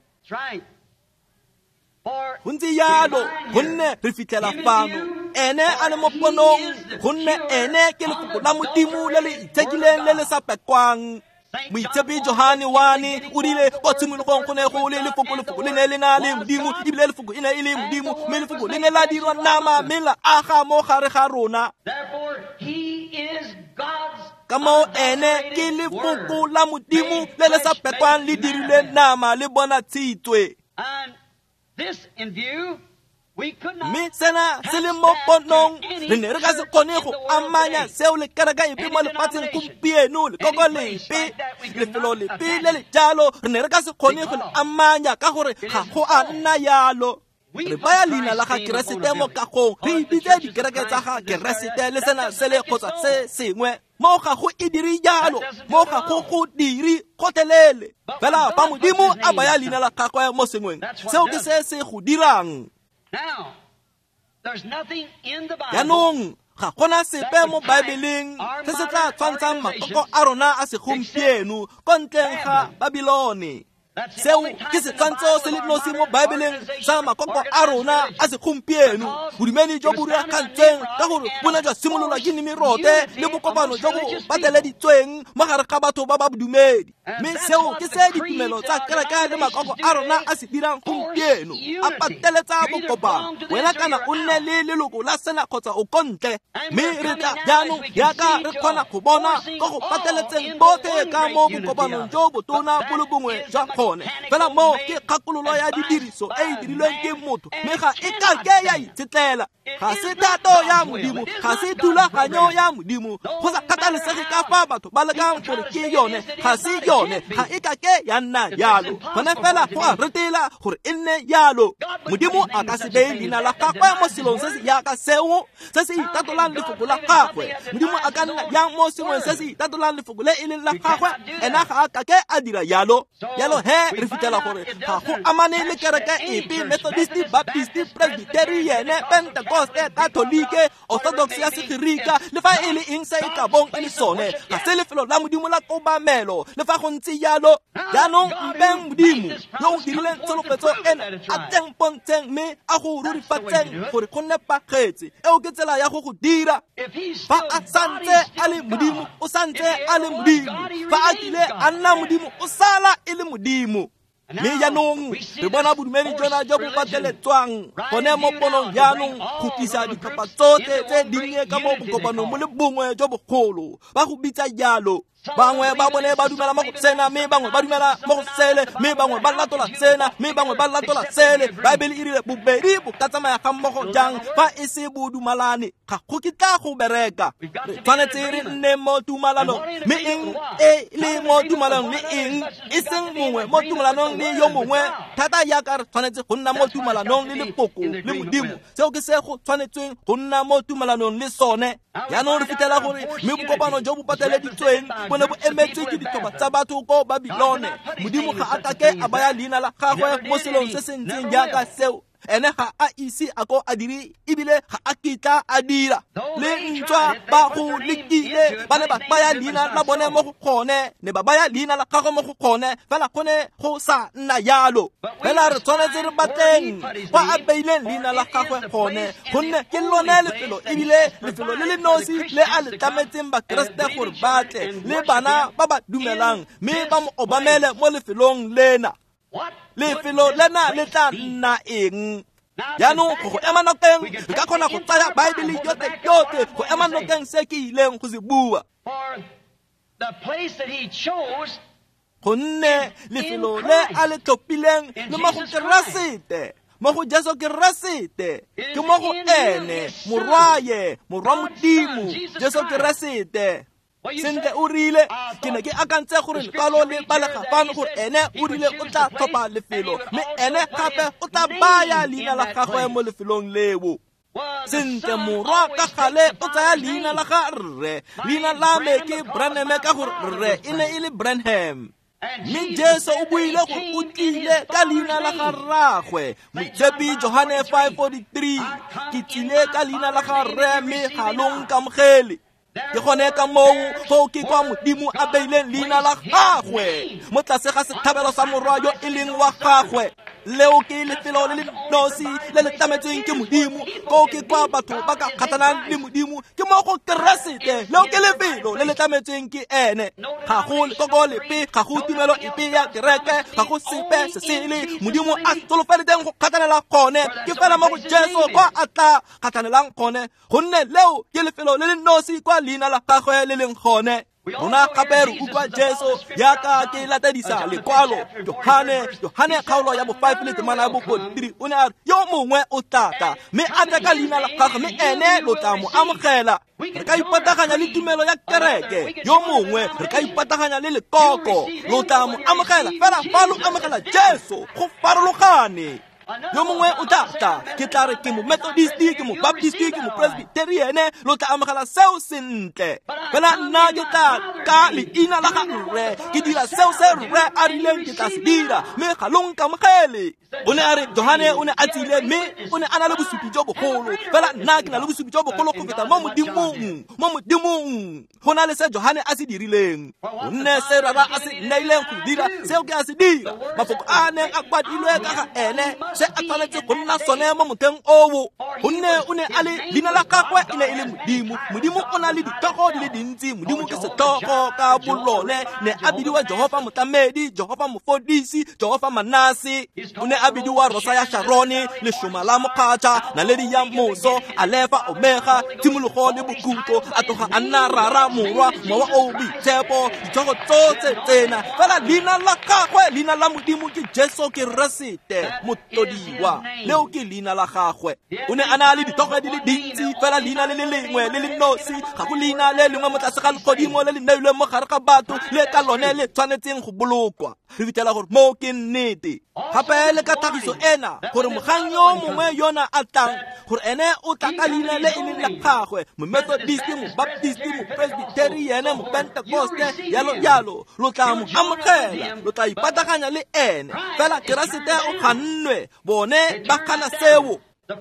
Go ntse jalo gonne re fitlhela fano ene a le mo ponong, gonne ene ke lefoko la Modimo le le itshekileng le le sa pekwang. Moitshepi Johane one o rile kwa tshimologong go ne go le lefoko, lefoko le ne le na le Modimo, ebile lefoko e ne e le Modimo, mme lefoko le ne la dirwa nama mme la aga mo gare ga rona. Ka moo ene ke lefoko la Modimo le le sa pekwang le dirile nama le bonatshitswe. Mme sena se le mo ponong, re ne re ka se kgone go amanya seo le kereke epe mo lefatsheng gompieno, lekoko lepe, lefelo lepe le le jalo, re ne re ka se kgone go le amanya ka gore ga go a nna yalo. Re baya leina la ga Keresete mo kagong, re ibitse dikereke tsa ga Keresete le sena sele kgotsa se sengwe. Mo ga go e dire jalo, mo ga go go dire gotlhelele. Fela fa Modimo a baya leina la gagwe mo sengweng, seo ke se se go dirang. Jaanong Ga gona sepe mo Baebeleng se se tla tshwantshang makoko a rona a segompieno ko ntleng ga Babilone. Seo ke setshwantsho se le nosi mo Baebeleng sa makoko a rona a segompieno. Bodumedi jo bo rulagantsweng ka gore bo ne jwa simololwa ke Nimirote le bokopano jo bo pateleditsweng mo gare ga batho ba ba bodumedi. Mme seo ke se ditumelo tsa kereke le makoko a rona a se dirang gompieno, a pateletsa bokopano. Wena kana o nne le leloko la sena kgotsa o ko ntle. Mme re tla jaanong jaaka re kgona go bona ko go pateletseng botlhe ka mo bokopanong jo botona bo le bongwe jwa gone. Fela moo ke kgakololo ya didiriso e e dirilweng ke motho, mme ga e ka ke ya itshetlela. Ga se thato ya Modimo, ga se thulaganyo ya Modimo. Go sa kgathalesege ka fa batho ba lekang gore ke yone, ga se yone, ga e ka ke ya nna jalo. Gone fela go a retela gore e nne jalo. Modimo a ka se beye leina la gagwe mo selong se se jaaka seo, se se itatolang lefoko la gagwe. Modimo a ka nna jang mo sengweng se se itatolang lefoko le e leng la gagwe? Ena ga a ka ke a dira jalo. Jalo he re fitlhela gore ga go amane le kereke epe, Methodist, Baptist, Presbyterian, Pentecost, Katolike, Orthodox ya Segerika, le fa e le eng se e ka bong e le sone, ga se lefelo la Modimo la kobamelo. Le fa go ntse jalo, jaanong mpeng Modimo yo o dirileng tsholofetso ena a tleng pontsheng mme a go rurifatseng gore go nepagetse. Eo ke tsela ya go go dira. Fa a santse a le Modimo, o santse a le Modimo. Fa a kile a nna Modimo, o sala e le Modimo. Mme jaanong re bona bodumedi jona jo bo pateletswang gone mo ponong jaanong go tlisa ditlhopha tsotlhe tse dinnye ka mo bokopanong bo le bongwe jo bogolo. Ba go bitsa jalo. Bangwe ba bone ba dumela mo go sena, mme bangwe ba dumela mo go sele, mme bangwe ba latola sena, mme bangwe ba latola sele. Baebele e rile bobedi bo ka tsamaya ga mmogo jang fa e se bo dumalane? Ga go kitla go bereka. Re tshwanetse re nne mo tumalanong, mme eng e le mo tumalanong le eng, e seng mongwe mo tumalanong le yo mongwe. Thata jaaka re tshwanetse go nna mo tumalanong le lefoko le Modimo, seo ke se go tshwanetsweng go nna mo tumalanong le sone. Jaanong re fitlhela gore mme bokopano jo bo pateleditsweng bo ne bo emetswe ke ditlhopha tsa batho ko Babilone. Modimo ga a kake a baya leina la gagwe mo selong se se ntseng jaaka seo. Ene ga a ise a ko a dire, ebile ga a kitla a dira. Le ntswa ba go lekile, ba ne ba baya leina la bone mo go gone, ne ba baya leina la gagwe mo go gone, fela go ne go sa nna jalo. Fela re tshwanetse re batleng kwa a beileng leina la gagwe gone, gonne ke lone lefelo, ebile lefelo le le nosi le a le tlametseng Bakeresete gore ba tle le bana ba ba dumelang, mme ba mo obamele mo lefelong lena. Lefelo lena le tla nna eng? Jaanong go go ema nokeng, re ka kgona go tsaya Baebele yotlhe yotlhe go ema nokeng se ke ileng go se bua. Gonne lefelo le a le tlhophileng le mo go Keresete, mo go Jesu Keresete, ke mo go ene Morwaye, Morwa Modimo, Jesu Keresete. Sentle o rile, ke ne ke akantse gore lekwalo le balega fano gore ene o rile o tla tlhopha lefelo, mme ene gape o tla baya leina la gagwe mo lefelong leo. Sentle morwa ka gale o tsaya leina la ga rre. Leina la me ke Branham ka gore rre e ne e le Branham. Mme Jesu o buile gore o tlile ka leina la ga rraagwe. Moitshepi Johane five forty-three, ke tlile ka leina la ga rre mme ga lo nkamogele. Ke gone ka moo foo ke kwa Modimo a beileng leina la gagwe mo tlase ga setlhabelo sa morwa yo e leng wa gagwe. Leo ke lefelo le le nosi le le tlametsweng ke Modimo, koo ke kwa batho ba ka kgathanang le Modimo, ke mo go Keresete. Leo ke lefelo le le tlametsweng ke ene. Ga go lekoko lepe, ga go tumelo epe ya kereke, ga go sepe se sele Modimo a solofeletseng go kgathanela gone, ke fela mo go Jesu kwa a tla kgathanelang gone, gonne leo ke lefelo le le nosi kwa leina la gagwe le leng gone. Rona gape re utlwa Jesu jaaka ke latedisa lekwalo Johane, Johane kgaolo ya bo five le temana ya bo forty-three, o ne a re yo mongwe o tla tla mme a tla ka leina la gagwe, mme ene lo tla mo amogela. Re ka ipataganya le tumelo ya kereke, yo mongwe re ka ipataganya le lekoko, lo tla mo amogela. Fela fa lo amogela Jesu go farologane. Yo mongwe o tla tla, ke tla re ke mo Methodist, ke mo Baptist, ke mo Presbyterian, lo tla amogela seo sentle. Fela nna ke tla ka leina la ga rre, ke dira seo se rre a rileng ke tla se dira, mme ga lo nkamogele. O ne a re Johane o ne a tsile, mme o ne a na le bosupi jo bogolo, fela nna ke na le bosupi jo bogolo go feta mo Modimong, mo Modimong. Go na le se Johane a se dirileng, gonne se rara a se nneileng go dira, seo ke a se dira. Mafoko a neng a kwadilwe ka ga ene, se a tshwanetse go nna sone mo motheng oo, gonne o ne a le leina la gagwe e ne e le Modimo. Modimo o na le ditlhogo di le dintsi, Modimo ke setlhogo ka bolone. Ne a bidiwa Jehofa Motlamedi, Jehofa Mofodisi, Jehofa Manase. O ne a bidiwa Rosa ya Sharone, leshoma la mokgatšha, naledi ya moso, Alefa Omega, tshimologo le bokhutlo. A tloga a nna Rara, Morwa, Mowa o Boitshepo, ditlhogo tsotlhe tsena. Fela leina la gagwe, leina la Modimo ke Jesu Keresete, motlodiwa. Leo ke leina la gagwe. O ne a na le ditlhogo di le dintsi, fela leina le le lengwe le le nosi. Ga go leina le lengwe mo tlase ga legodimo le le neilweng mo gare ga batho le ka lone le tshwanetseng go bolokwa. Re fitlhela gore moo ke nnete. Gape le ka tlhagiso ena, gore mogang yo mongwe yona a tlang, gore ene o tla ka leina le e leng la gagwe, mo-Methodist, mo-Baptist, mo-Presbyterian, mo-Pentecoste, yalo yalo, lo tla mo amogela, lo tla ipataganya le ene. Fela Keresete o gannwe, bone ba gana seo.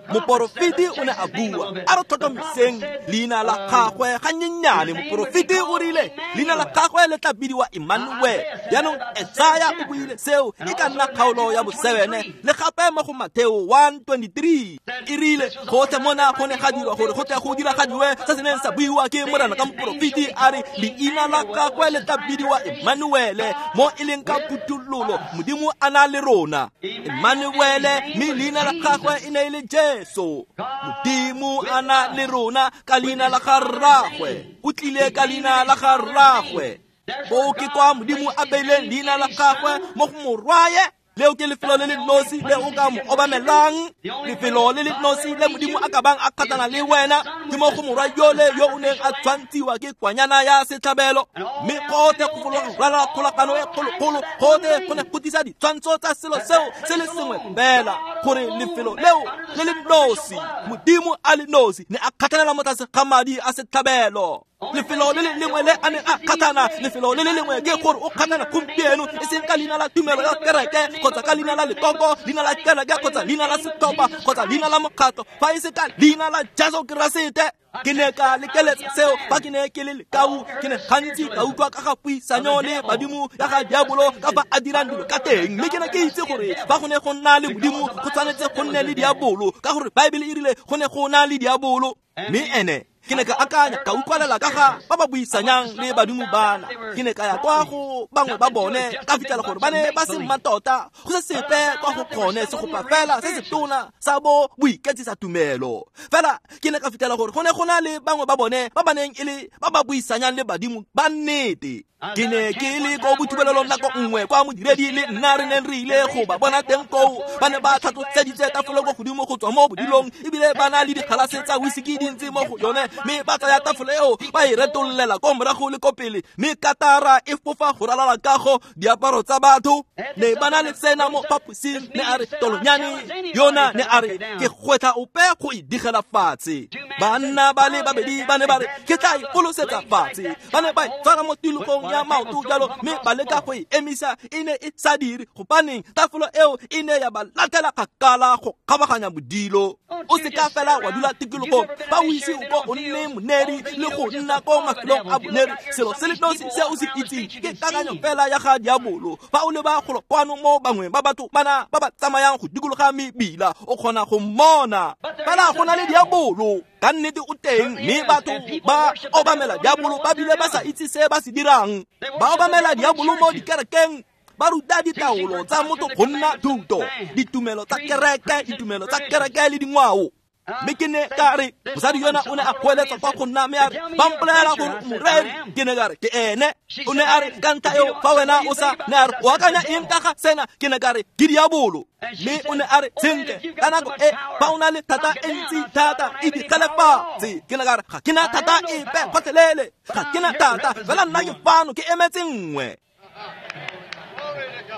Moporofeti o ne a bua, a re tlhotlhomiseng leina la gagwe ganyenyane. Moporofeti o rile leina la gagwe le tla bidiwa Emmanuel. Jaanong Esaya o buile seo e ka nna kgaolo ya bosebene, le gape mo go Mateo one twenty-three. E rile gotlhe mona go ne ga dirwa gore go tle go diragadiwe se se neng sa buiwa ke Morena ka moporofeti, a re leina la gagwe le tla bidiwa Emmanuel, mo e leng ka phuthololo Modimo a na le rona. Emmanuel, mme leina la gagwe e ne e le Jesu. Modimo a na le rona ka leina la ga rragwe, o tlile ka leina la ga rragwe. Bo ke kwa Modimo a beileng leina la gagwe mo go morwaye. Leo ke lefelo le le nosi le o ka mo obamelang, lefelo le le nosi le Modimo a ka bang a kgatlhana le wena, ke mo go morwa yole yo o neng a tshwantshiwa ke kwanyana ya setlhabelo. Mme gotlhe go fologa ralala kgolagano e kgologolo, gotlhe go ne go tlisa ditshwantsho tsa selo seo se le sengwe fela, gore lefelo leo le le nosi, Modimo a le nosi, ne a kgatlhanela mo tlase ga madi a setlhabelo. Lefelo le le lengwe le a neng a kgatlhana, lefelo le le lengwe ke gore o kgatlhana gompieno, e seng ka leina la tumelo ya kereke, kgotsa ka leina la lekoko, leina la kereke, kgotsa leina la setlhopha, kgotsa leina la mokgatlho, fa e se ka leina la Jesu Keresete. Ke ne ka lekeletsa seo fa ke ne ke le lekau. Ke ne gantsi ka utlwa ka ga puisanyo le badimo ya ga diabolo ka fa a dirang dilo ka teng, mme ke ne ke itse gore fa go ne go nna le Modimo go tshwanetse go nne le diabolo, ka gore Baebele e rile go ne go na le diabolo. Mme ene ke ne ka akanya, ka utlwalela ka ga ba ba buisanyang le badimo bana. Ke ne ka ya kwa go bangwe ba bone, ka fitlhela gore ba ne ba se mmatota, go se sepe kwa go kgone segopa fela se se tona sa bo boiketsisa tumelo. Fela ke ne ka fitlhela gore go ne go na le bangwe ba bone ba ba neng e le ba ba buisanyang le badimo ba nnete. Ke ne ke le ko bothubelelong nako nngwe kwa modiredi le nna re neng re ile go ba bona teng koo. Ba ne ba tlhatlotseditse tafole ko godimo go tswa mo bodilong, ebile ba na le digalase tsa whisky dintsi mo go yone, mme ba tsaya tafole eo ba e retollela ko morago le ko pele, mme katara e fofa go ralala kago diaparo tsa batho. Ne ba na le tsena mo phaposing, ne a re tolonyane yona, ne a re ke gwetlha ope go e digela fatshe. Banna ba le babedi ba ne ba re ke tla e folosetsa fatshe. Ba ne ba e tshwara mo tilogong ya maoto jalo, mme ba leka go e emisa, e ne e sa dire, gobaneng tafolo eo e ne ya ba latela kgakala go kgabaganya bodilo. O seka fela wa dula tikologong fa o ise o ko o nne moneri le go nna ko mafelong a boneri. Selo se le nosi se o se itseng ke kakanyo fela ya ga diabolo. Fa o leba golo kwano mo bangwe ba batho bana ba ba tsamayang go dikologa mebila, o kgona go mmona. Fela go na le diabolo, ka nnete o teng, mme batho ba obamela diabolo ba bile ba sa itse se ba se dirang. Ba obamela diabolo mo dikerekeng, ba ruta ditaolo tsa motho go nna thuto, ditumelo tsa kereke, ditumelo tsa kereke le dingwao. Mme ke ne ka re mosadi yona o ne a goeletsa kwa go nna, mme a re ba mpolelela gore o moreri. Ke ne ka re ke ene. O ne a re ka ntlha eo fa wena o sa, ne a re o akanya eng ka ga sena? Ke ne ka re ke diabolo. Mme o ne a re sentle ka nako e fa o na le thata e ntsi thata e digele fatshe. Ke ne ka re ga ke na thata epe gotlhelele, ga ke na thata, fela nna ke fano ke emetse nngwe.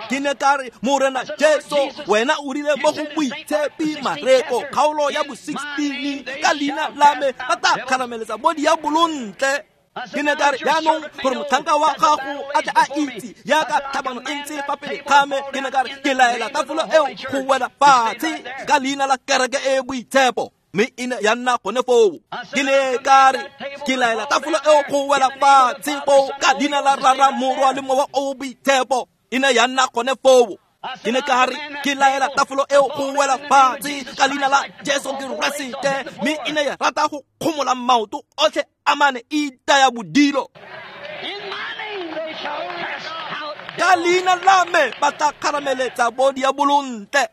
Ke ne ka re Morena Jesu wena o rile mo go Moitshepi Mareko kgaolo ya bo sixteen ka leina la me ba tla kgarameletsa bo diabolo ntle. Ke ne ka re jaanong gore motlhanka wa gago a tle a itse jaaka tlhabano e ntse fa pele ga me. Ke ne ka re ke laela tafolo eo go wela fatshe ka leina la kereke e boitshepo, mme e ne ya nna gone foo. Ke ne ka re ke laela tafolo eo go wela fatshe foo ka leina la Rara, Morwa le Mowa o Boitshepo, e ne ya nna gone foo. Ke ne ka re ke laela tafolo eo go wela fatshe ka leina la Jesu Keresete, mme e ne ya rata go kgomola maoto otlhe a mane e itaya bodilo. Ka leina la me ba tla kgarameletsa bo diabolo ntle.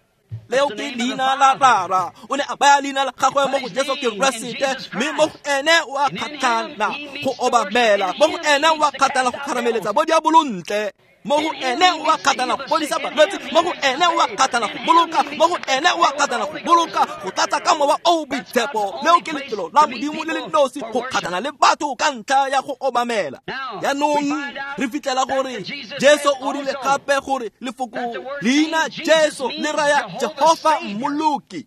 Leo ke leina la Rara. O ne a baya leina la gagwe mo go Jesu Keresete, mme mo go ene o a kgatlhana go obamela, mo go ene o a kgatlhana go kgarameletsa bo diabolo ntle, mo go ene o a kgatlhana go fodisa balwetse, mo go ene o a kgatlhana go boloka, mo go ene o a kgatlhana go boloka, go tlatsa ka Mowa o o Boitshepo. Leo ke lefelo la Modimo le le nosi go kgatlhana le batho ka ntlha ya go obamela. Jaanong re fitlhela gore Jesu o rile gape gore lefoko leina Jesu le raya Jehofa Mmoloki.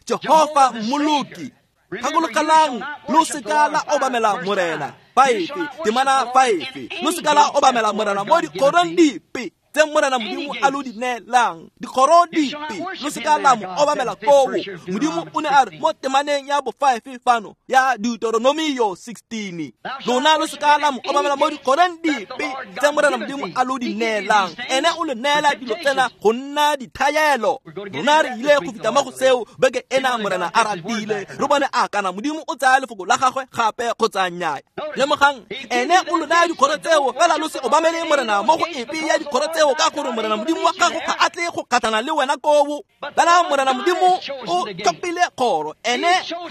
Jehofa Mmoloki. Gakologelang, lo seka la obamela Morena five, temana five. Lo seka la obamela Morena mo dikgorong dipe tse Morena Modimo a lo di neelang. Dikgoro dipe lo seka la mo obamela koo. Modimo o ne a re mo temaneng ya bo five fano ya Deuteronomio sixteen, lona lo seka la mo obamela mo dikgorong dipe tse Morena Modimo a lo di neelang. Ene o le neela dilo tsena go nna dithaelo. Rona re ile go fita mo go seo beke ena Morena a ratile, re bone a kana Modimo o tsaya lefoko la gagwe gape kgotsa nnyaa. Lemogang, ene o lo naya dikgoro tseo, fela lo se obamele Morena mo go epe ya dikgoro tseo, ka gore Morena Modimo wa gago ga a tle go kgatlhana le wena koo. Fela Morena Modimo o tlhophile kgoro, ene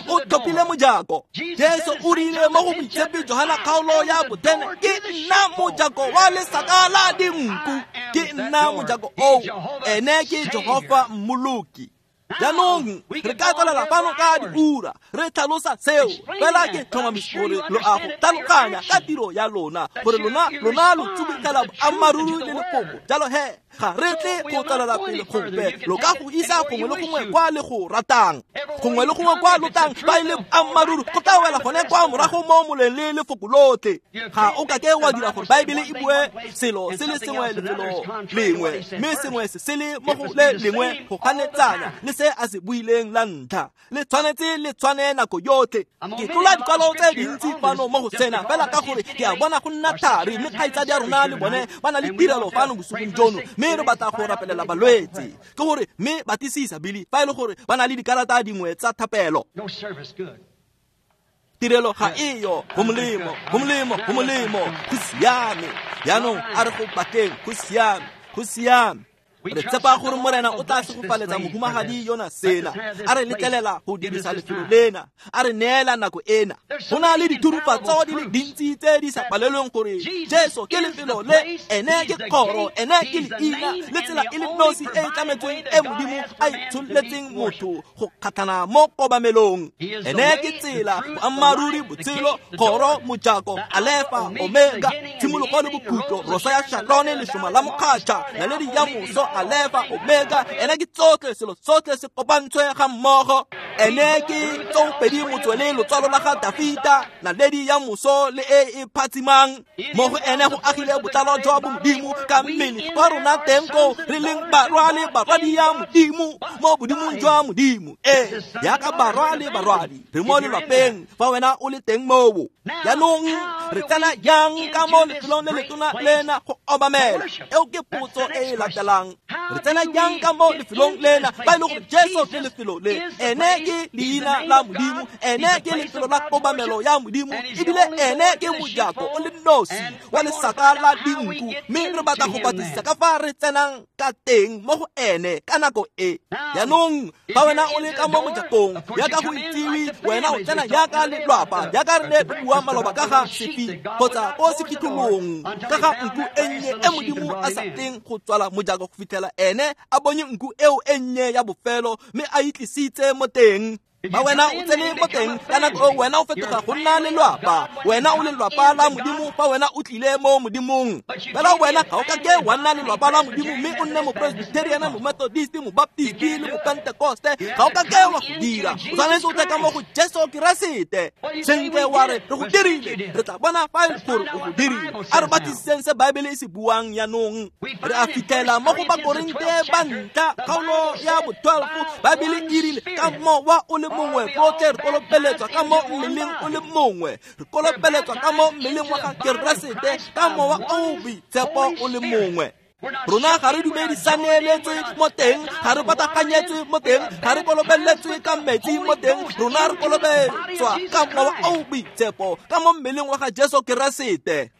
o tlhophile mojako. Jesu o rile mo go Moitshepi Johana kgaolo ya botene, ke nna mojako wa lesaka la dinku, ke nna mojako oo, ene ke Jehofa Mmoloki. Jaanong re ka tswelela fano ka diura re tlhalosa seo, fela ke tlhomamisa gore lo a go tlhaloganya ka tiro ya lona, gore lona lona lo tsubutlela boammaaruri le lefoko. Jalo he ga re tle go tswelela pele gope, lo ka go isa gongwe le gongwe kwa le go ratang, gongwe le gongwe kwa lo tlang fa e le boammaaruri go tla wela gone kwa morago mo moleng le lefoko lotlhe. Ga o ka ke wa dira gore Baebele e bue selo se le sengwe lefelo lengwe, mme sengwe se se le mo go le lengwe go ganetsana le se a se buileng la ntlha. Le tshwanetse le tshwane nako yotlhe. Ke tlola dikwalo tse dintsi fano mo go sena fela ka gore ke a bona go nna thari, mme kgaitsadi ya rona le bone ba na le tirelo fano bosigong jono, mme re batla go rapelela balwetse. Ke gore mme batlisisa Billy fa e le gore ba na le dikarata dingwe tsa thapelo. Tirelo ga eyo, go molemo, go molemo, go molemo, go siame. Jaanong a re go batleng, go siame, go siame. Re tshepa gore Morena o tla segofaletsa mohumagadi yona sena, a re letlelela go dirisa lefelo lena, a re neela nako ena. Go na le dithurufatso di le dintsi tse di sa palelweng gore Jesu ke lefelo le, ene ke kgoro, ene ke leina le tsela e le nosi e e tlametsweng e Modimo a itshololetseng motho go kgatlhana mo kobamelong. Ene ke tsela, boammaaruri, botshelo, kgoro, mojako, Alefa, Omega, tshimologo le bokhutlo, rosa ya Sharone, lešoma la mokgatšha, naledi ya moso, Alefa, Omega. Ene ke tsotlhe, selo sotlhe se kopantshwe ga mmogo. Ene ke tsoopedi motswele lotswalo la ga Dafita, naledi ya moso le e e phatsimang. Mo go ene go agile botlalo jwa bomodimo ka mmele kwa rona teng koo re leng barwa le barwadi ya Modimo, mo bodimong jwa Modimo. Ee, jaaka barwa le barwadi re mo lelwapeng fa wena o le teng moo. Jaanong re tsena jang ka mo lefelong le letona lena go obamela? Eo ke potso e e latelang. Re tsena jang ka mo lefelong lena fa e le gore Jesu ke lefelo le, ene ke leina la Modimo, ene ke lefelo la kobamelo ya Modimo, ebile ene ke mojako o le nosi wa lesaka la dinku. Mme re batla go batlisisa ka fa re tsenang ka teng mo go ene ka nako e. Jaanong fa wena o le ka mo mojakong, jaaka go itsiwe, wena o tsena jaaka lelwapa, jaaka re ne re bua maloba ka ga sefi kgotsa ko sefitlholong, ka ga nku e nnye e Modimo a sa tleng go tswala mojako go fitlhela ene a bonye nku eo e nnye ya bofelo mme a itlisitse mo teng. Ba wena o tsene mo teng ka nako eo wena o fetoga go nna lelwapa. Wena o lelwapa la Modimo fa wena o tlile mo Modimong. Fela wena ga o ka ke wa nna lelwapa la Modimo mme o nne mopresbyterian, momethodist, mobaptist le mopentekoste. Ga o ka ke wa go dira. O tshwanetse o tle ka mo go Jesu Keresete. Sentle wa re re go dirile, re tla bona fa e le gore o go dirile. A re batlisiseng se Baebele e se buang jaanong. Re a fitlhela mo go Bakorinte ba ntlha kgaolo ya bo twelve, Baebele e rile ka mowa o le mongwe rotlhe re kolobeletswa ka mo mmeleng o le mongwe. Re kolobeletswa ka mo mmeleng wa ga Keresete ka mowa o o boitshepo o le mongwe. Rona ga re dumedisaneletswe mo teng, ga re pataganyetswe mo teng, ga re kolobeletswe ka metsi mo teng. Rona re kolobeletswa ka mowa o o boitshepo ka mo mmeleng wa ga Jesu Keresete.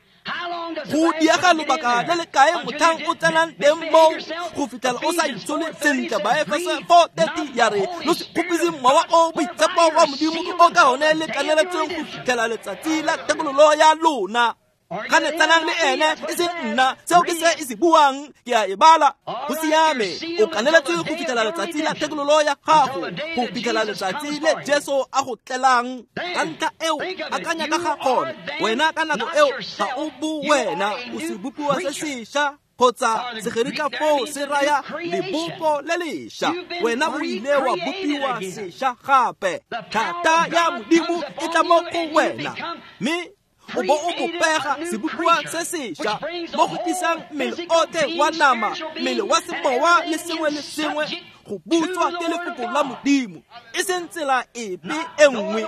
Go diega lobaka le le kae motlhang o tsenang teng moo go fitlhela o sa itshole sentle. Baefeso four thirty ya re lo se kgopise mowa o boitshepo wa Modimo o ka one le kaneletsweng go fitlhela letsatsi la thekololo ya lona. Ga ne tsenang le ene e seng nna, seo ke se e se buang, ke a e bala. Go siame, o kaneletswe go fitlhela letsatsi la thekololo ya gago, go fitlhela letsatsi le Jesu a go tlelang. Ka ntlha eo, akanya ka ga gone. Wena ka nako eo ga o bo wena, o sebopiwa se sešwa kgotsa segerika foo se raya lebopo le lešwa. Wena o ile wa bopiwa sešwa gape. Thata ya Modimo e tla mo go wena, mme o bo o bopega sebopiwa se sešwa mo go tlisang mmele otlhe wa nama, mmele wa semowa le sengwe le sengwe go butswa ke lefoko la Modimo, e seng tsela epe e nngwe.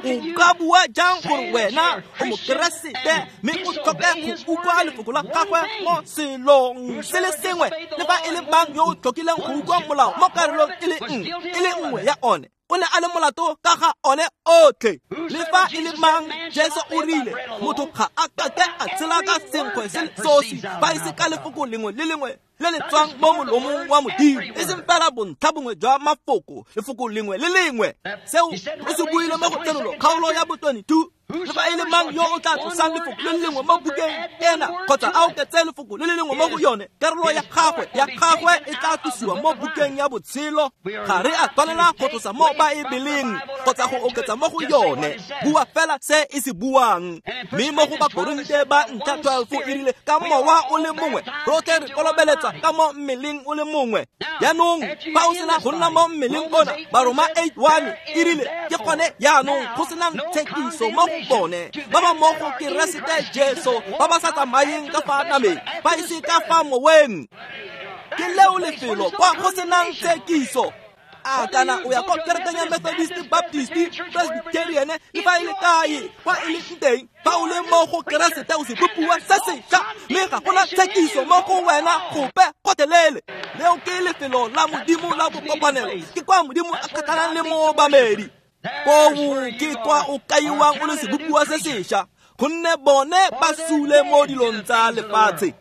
O ka bua jang gore wena o mokeresete mme o tlhoke go utlwa lefoko la gagwe mo selong se le sengwe? Le fa e le mang yo o tlhokileng go utlwa molao mo karolong e le nngwe e le nngwe ya one, o ne a le molato ka ga one otlhe. Le fa e le mang, Jesu o rile motho ga a ka ke a tshela ka senkgwe se le sosi fa e se ka lefoko lengwe le lengwe le le tswang mo molomong wa Modimo, e seng fela bontlha bongwe jwa mafoko, lefoko lengwe le lengwe. Seo o se buile mo go Tshenolo kgaolo ya bo twenty-two. Le fa e le mang yo o tla tlosang lefoko le le lengwe mo bukeng ena kgotsa a oketse lefoko le le lengwe mo go yone, karolo ya gagwe ya gagwe e tla tlosiwa mo bukeng ya botshelo. Ga re a tshwanela go tlosa mo Baebeleng kgotsa go oketsa mo go yone. Bua fela se e se buang. Mme mo go Bakorinte ba ntlha twelve e rile ka mowa o le mongwe rotlhe re kolobeletswa ka mo mmeleng o le mongwe. Jaanong fa o sena go nna mo mmeleng ona, Baroma eight one e rile ke gone jaanong go senang tshekiso mo go bone ba ba mo go Keresete Jesu, ba ba sa tsamayeng ka fa nameng, ba ise ka fa moweng. Ke leo lefelo kwa go senang tshekiso. A kana o ya kwa kerekeng ya Methodist, Baptist, Presbyterian, le fa e le kae kwa e leng teng, fa o le mo go Keresete o sebopiwa se sešwa, mme ga gona tshekiso mo go wena gope gotlhelele. Leo ke lefelo la Modimo la bokopanelo, ke kwa Modimo a kgatlhanang le moobamedi. Koo ke kwa o kaiwang o le sebopiwa se sešwa, gonne bone ba sule mo dilong tsa lefatshe.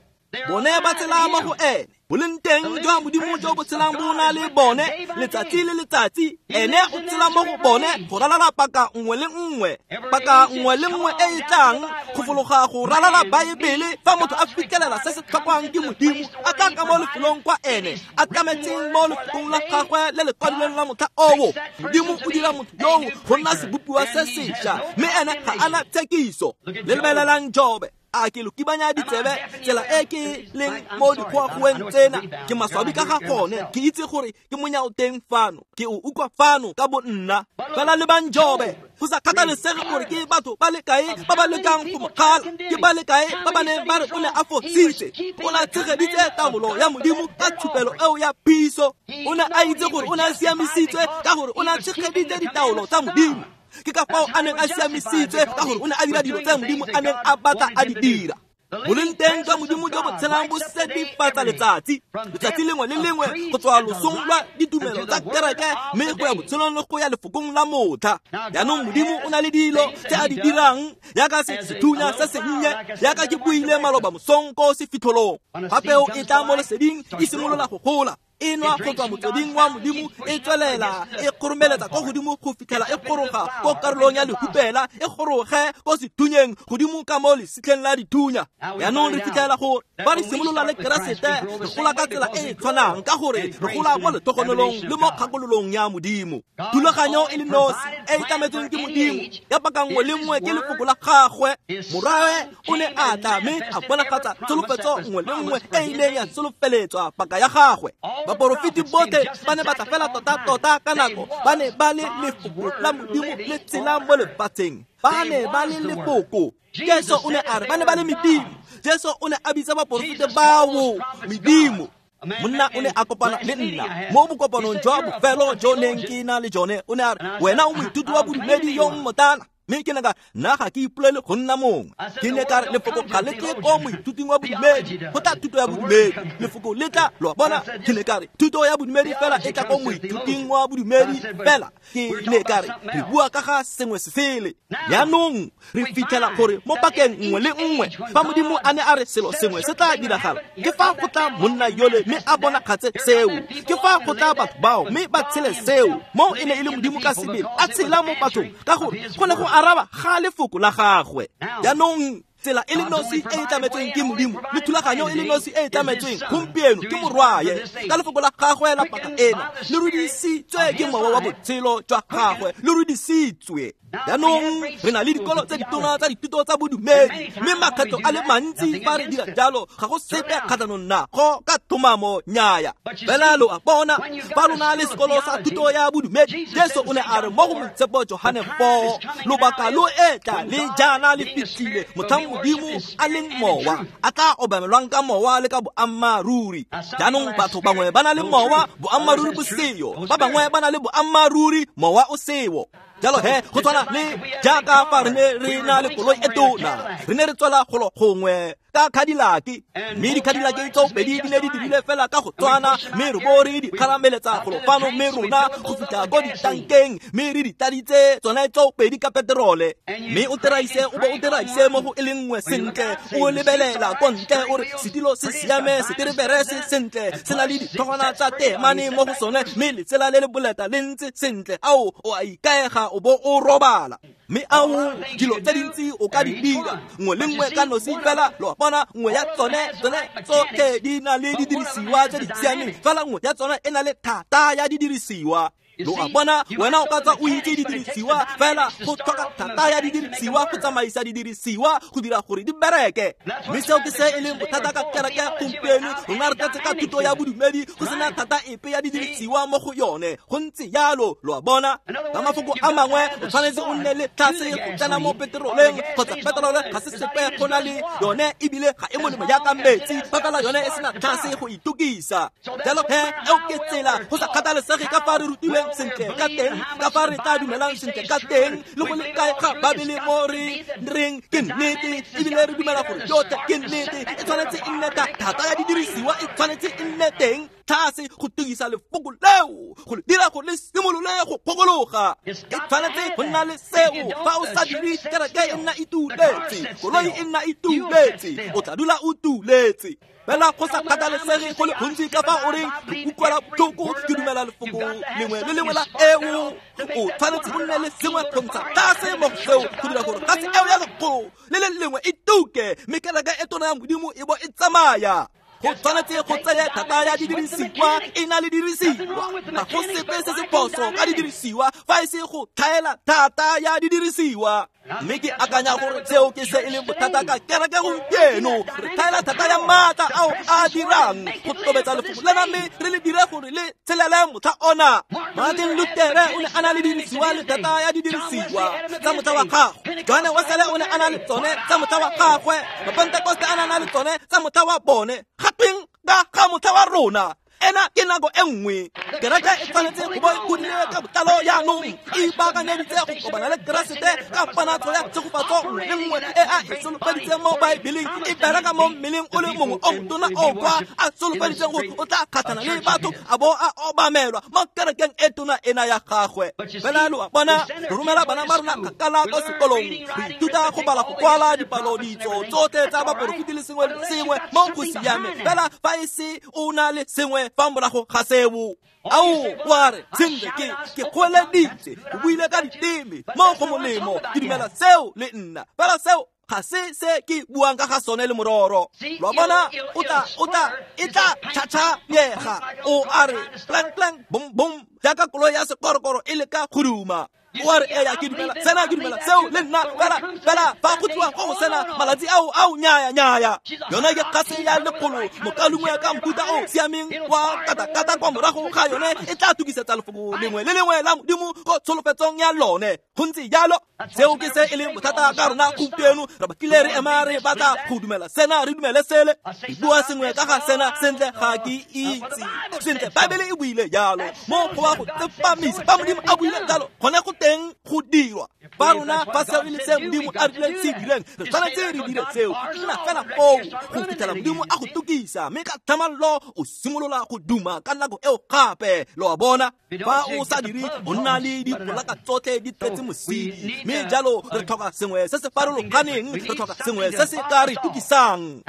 Bone ba tshela mo go ene. Boleng teng jwa Modimo jo bo tshelang bo na le bone letsatsi le letsatsi. Ene o tshela mo go bone go ralala paka nngwe le nngwe, paka nngwe le nngwe e e tlang go fologa go ralala Baebele. Fa motho a fitlhelela se se tlhokwang ke Modimo, a tla ka mo lefelong kwa ene a tlametseng mo lefokong la gagwe le le kwadilweng la motlha oo, Modimo o dira motho yoo go nna sebopiwa se sešwa, mme ene ga a na tshekiso. Le lebelelang Jobe. A ke lo kibanya ditsebe tsela e ke leng mo dikgoagoeng tsena. Ke maswabi ka ga gone, ke itse gore ke monyao teng fano, ke o utlwa fano ka bo nna. Fela lebang Jobe, go sa kgathalesege gore ke batho ba le kae ba ba lekang go mo kgala, ke ba le kae ba ba neng ba re o ne a fositse, o ne a tshegeditse taolo ya Modimo ka tshupelo eo ya phiso. O ne a itse gore o ne a siamisitswe ka gore o ne a tshegeditse ditaolo tsa Modimo. Ke ka fao a neng a siamisitswe ka gore o ne a dira dilo tse Modimo a neng a batla a di dira. Boleng teng jwa Modimo jo bo tshelang bo sedifatsa letsatsi, letsatsi lengwe le lengwe go tswa losong lwa ditumelo tsa kereke mme go ya botshelong le go ya lefokong la motlha. Jaanong Modimo o na le dilo tse a di dirang yaka sethunya se sennye, yaka ke buile maloba mosong ko sefitlholong. Fa peo e tla mo leseding e simolola go gola. E nwa go tswa motsweding wa Modimo, e tswelela e kgoromeletsa ko godimo go fitlhela e goroga ko karolong ya lehupela, e goroge ko sethunyeng godimo ka mo lesitlheng la dithunya. Jaanong re fitlhela gore fa re simolola le Keresete, re gola ka tsela e e tshwanang, ka gore re gola mo letogonolong le mo kgakololong ya Modimo. Thulaganyo e le nosi e e tlametsweng ke Modimo ya paka nngwe le nngwe ke lefoko la gagwe. Morwawe o ne a tla mme a bonagatsa tsholofetso nngwe le nngwe e ileng ya solofeletswa paka ya gagwe. Baporofeti botlhe ba ne ba tla fela tota-tota ka nako, ba ne ba le lefoko la Modimo le tsela mo lefatsheng. Ba ne ba le lefoko. Jesu o ne a re ba ne ba le medimo. Jesu o ne a bitsa baporofeti bao medimo. Monna o ne a kopana le nna mo bokopanong jwa bofelo jo neng ke na le jone. O ne a re, wena o moithuti wa bodumedi yo mmotana. Mme ke ne ka nna ga ke ipolele go nna mongwe. Ke ne ka re lefoko ga le tle ko moithuting wa bodumedi, go tla thuto ya bodumedi. Lefoko le tla, lo a bona. Ke ne ka re thuto ya bodumedi fela e tla ko moithuting wa bodumedi fela. Ke ne ka re re bua ka ga sengwe se sele. Jaanong re fitlhela gore mo pakeng nngwe le nngwe fa Modimo a ne a re selo sengwe se tla diragala, ke fa go tla monna yole mme a bonagatse seo. Ke fa go tla batho bao mme ba tshele seo. Mo e ne e le Modimo ka sebele a tshela mo bathong, ka gore go ne go araba ga lefoko la gagwe. Jaanong tsela e le nosi e e tlametsweng ke Modimo le thulaganyo e le nosi e e tlametsweng gompieno ke Morwaye ka lefoko la gagwe la paka ena, le rudisitswe ke mowa wa botshelo jwa gagwe, le rudisitswe. Jaanong re na le dikolo tse ditona tsa dithuto tsa bodumedi, mme makgetlo a le mantsi fa re dira jalo ga go sepe kgatlhanong nago ka thomamo nnyaya. Fela lo a bona, fa lona le sekolo sa thuto ya bodumedi, Jesu o ne a re mo go Moitshepo Johane four, lobaka lo etla le jaana le fitlhile motlhang Modimo a leng mowa a tla obamelwang ka mowa le ka boammaaruri. Jaanong batho bangwe ba na le mowa, boammaaruri bo seyo. Ba bangwe ba na le boammaaruri, mowa o seyo. Jalo he, go tshwana le jaaka fa re ne re na le koloi e tona, re ne re tswela golo gongwe ka Cadillac, mme di-Cadillac tseo pedi di ne di dirile fela ka go tshwana, mme re bo re di kgarameletsa golo fano, mme rona go fitlha ko ditankeng, mme re di tladitse tsone tseo pedi ka peterole. Mme o teraise, o bo o teraise mo go e le nngwe sentle, o lebelela ko ntle o re setilo se siame, seterebere se sentle, se na le ditlhogwana tsa teemane mo go sone, mme letsela le le boleta le ntse sentle. Ao, o a ikaega o bo o robala. Mme ao, dilo tse dintsi o ka di dira, nngwe le nngwe ka nosi fela, lo a bona, nngwe ya tsone tsone tsotlhe di na le didirisiwa tse di siameng, fela nngwe ya tsone e na le thata ya didirisiwa. Lo a bona, wena o ka tswa o itse didirisiwa, fela go tlhoka thata ya didirisiwa go tsamaisa didirisiwa go dira gore di bereke. Mme seo ke se e leng bothata ka kereke gompieno. Rona re tletse ka thuto ya bodumedi go sena thata epe ya didirisiwa mo go yone. Go ntse jalo, lo a bona. Ka mafoko a mangwe, o tshwanetse o nne le tlhase go tsena mo peteroleng, kgotsa peterole ga se sepe go na le yone, ebile ga e molemo jaaka metsi, fa fela yone e sena tlhase go itokisa. Jalo he, eo ke tsela go sa kgathalesege ka fa re rutilweng sentle ka teng, ka fa re tla dumelang sentle ka teng, le go le kae ga Babele mo re reng ke nnete, ebile re dumela gore yotlhe ke nnete. E tshwanetse e nne thata ya didirisiwa, e tshwanetse e nne teng tlhase go tokisa lefoko leo, go le dira gore le simolole go kgokologa. E tshwanetse go nna le seo. Fa o sa dire, kereke e nna e tuletse, koloi e nna e tuletse, o tla dula o tuletse. Fela go sa kgathalesege go le gontsi ka fa o reng re utlwela botlhoko, ke dumela lefoko lengwe le lengwe la eo, o tshwanetse o nne le sengwe go ntsha tlase mo go seo go dira gore tlase eo ya lekgolo le le lengwe e tuke, mme kereke e tona ya Modimo e bo e tsamaya. Go tshwanetse go tseye thata ya didirisiwa, e na le dirisiwa. Ga go sepe se se phoso ka didirisiwa fa e se go tlhaela thata ya didirisiwa. Mme ke akanya gore seo ke se e leng bothata ka kereke gompieno. Re tlhaela thata ya maatla ao a dirang go tobetsa lefoko lena, mme re le dire gore le tshelele motlha ona. Martin Luther o ne a na le didirisiwa le thata ya didirisiwa tsa motlha wa gagwe. John Wesley o ne a na le tsone tsa motlha wa gagwe. Mapentekoste a na le tsone tsa motlha wa bone. Gatweng ka ga motlha wa rona? Ena ke nako e nngwe. Kereke e tshwanetse go bo e godile ka botlalo jaanong, e ipaakanyeditse go kopana le Keresete ka ponatso ya tshegofatso nngwe le nngwe e a e solofeditseng mo Baebeleng, e bereka mo mmeleng o le mongwe o motona o kwa a solofeditseng gore o tla kgatlhana le batho a bo a obamelwa mo kerekeng e tona ena ya gagwe. Fela lo a bona, re romela bana ba rona kgakala kwa sekolong, re ithuta go bala, go kwala dipalo, ditso tsotlhe tsa baporofeti le sengwe le sengwe mo go siame. Fela fa e se o na le sengwe sepe fa morago ga seo. Ao wa re sentle ke ke goeleditse, ke buile ka diteme mo go molemo, ke dumela seo le nna, fela seo ga se se ke buang ka ga sone le mororo. Lo bona, o tla o tla e tla tšhatšhanyega, o a re plank plank bom bom jaaka koloi ya sekorokoro e leka go duma. O a re eya ke dumela sena, ke dumela seo le nna, fela fela fa go tliwa go go sena malatsi ao ao nyaya nyaya. Yone ke kgase ya lekgolo, mokalungwe ka mohuta o siameng wa katakata kwa morago ga yone e tla tukisetsa lefoko lengwe le lengwe la Modimo go tsholofetsong ya lone. Go ntse jalo, seo ke se e leng bothata ka rona gompieno. Re bakile re ema re batla go dumela sena, re dumele sele, re bua sengwe ka ga sena, sentle ga ke itse. Sentle Baebele e buile jalo, mo go wa go tsepamisa fa Modimo a buile jalo, gone go teng go dirwa. Fa rona fa seo e le se Modimo a rileng se direng, re tshwanetse re dire seo. Nna fela foo go fitlhela Modimo a go tukisa, mme ka tlhamallo o simolola go duma ka nako eo gape. Lo a bona, fa o sa dire o nna le dipolaka tsotlhe di tletse mosidi, mme jalo re tlhoka sengwe se se farologaneng, re tlhoka sengwe se se ka re tukisang.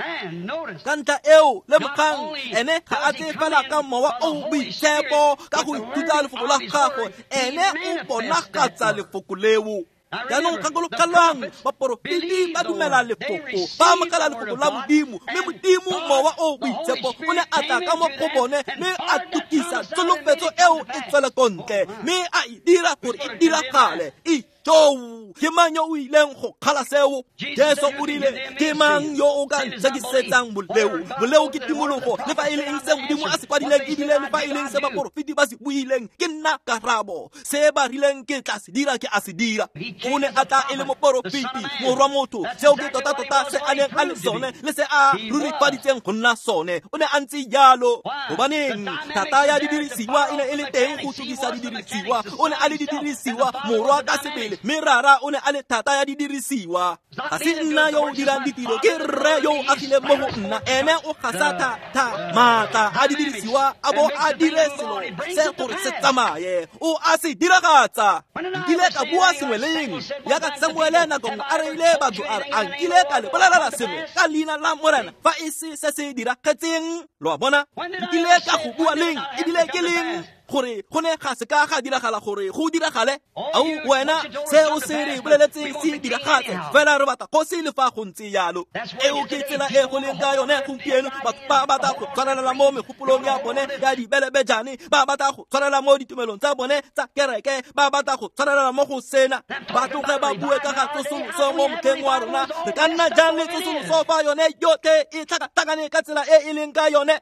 Ka ntlha eo lemogang, ene ga a tle fela ka mowa o boitshepo ka go ithuta lefoko la gagwe, ene o bonagatsa lefoko leo. Jaanong gakologelwang, baporofeti ba dumela lefoko, ba amogela lefoko la Modimo, mme Modimo mowa o boitshepo o ne a tla ka mo go bone mme a tukisa tsholofetso eo e tswele ko ntle, mme a e dira gore e diragale. Ijoo, ke mang yo o ileng go kgala seo? Jesu o rile, ke mang yo o ka ntshekisetsang boleo? Boleo ke timologo, le fa e le eng se Modimo a se kwadileng, ebile le fa e leng se baporofeti ba se buileng, ke nna karabo. Se ba rileng ke tla se dira, ke a se dira. O ne a tla e le moporofeti, morwa motho, seo ke tota-tota se a neng a le sone le se a rurifaditseng go nna sone. O ne a ntse jalo. Gobaneng? Thata ya didirisiwa e ne e le teng go tukisa didirisiwa. O ne a le didirisiwa, morwa ka sebele, mme rara o ne a le thata ya didirisiwa. Ga se nna yo o dirang ditiro, ke rre yo o agileng mo go nna. Ene o gasa thata maatla a didirisiwa a bo a dire selo se gore se tsamaye, o a se diragatsa. Nkile ka bua sengwe leng yaka Samuele nako nngwe a reile batho a re, a nkile ka le bolelela sengwe ka leina la Morena fa e se se se diragetseng. Lo a bona, nkile ka go bua leng ebile ke leng gore go ne ga se ka ga diragala gore go diragale? Ao wena, se o se re boleletseng se diragatse, fela re batla kgosi le fa go ntse jalo. Eo ke tsela e go leng ka yone gompieno. Batho ba batla go tshwarelela mo megopolong ya bone ya dibelebejane, ba batla go tshwarelela mo ditumelong tsa bone tsa kereke, ba batla go tshwarelela mo go sena. Ba tloge ba bue ka ga tsosoloso mo motlheng wa rona. Re ka nna jang le tsosoloso fa yone yotlhe e tlhakatlhakane ka tsela e e leng ka yone?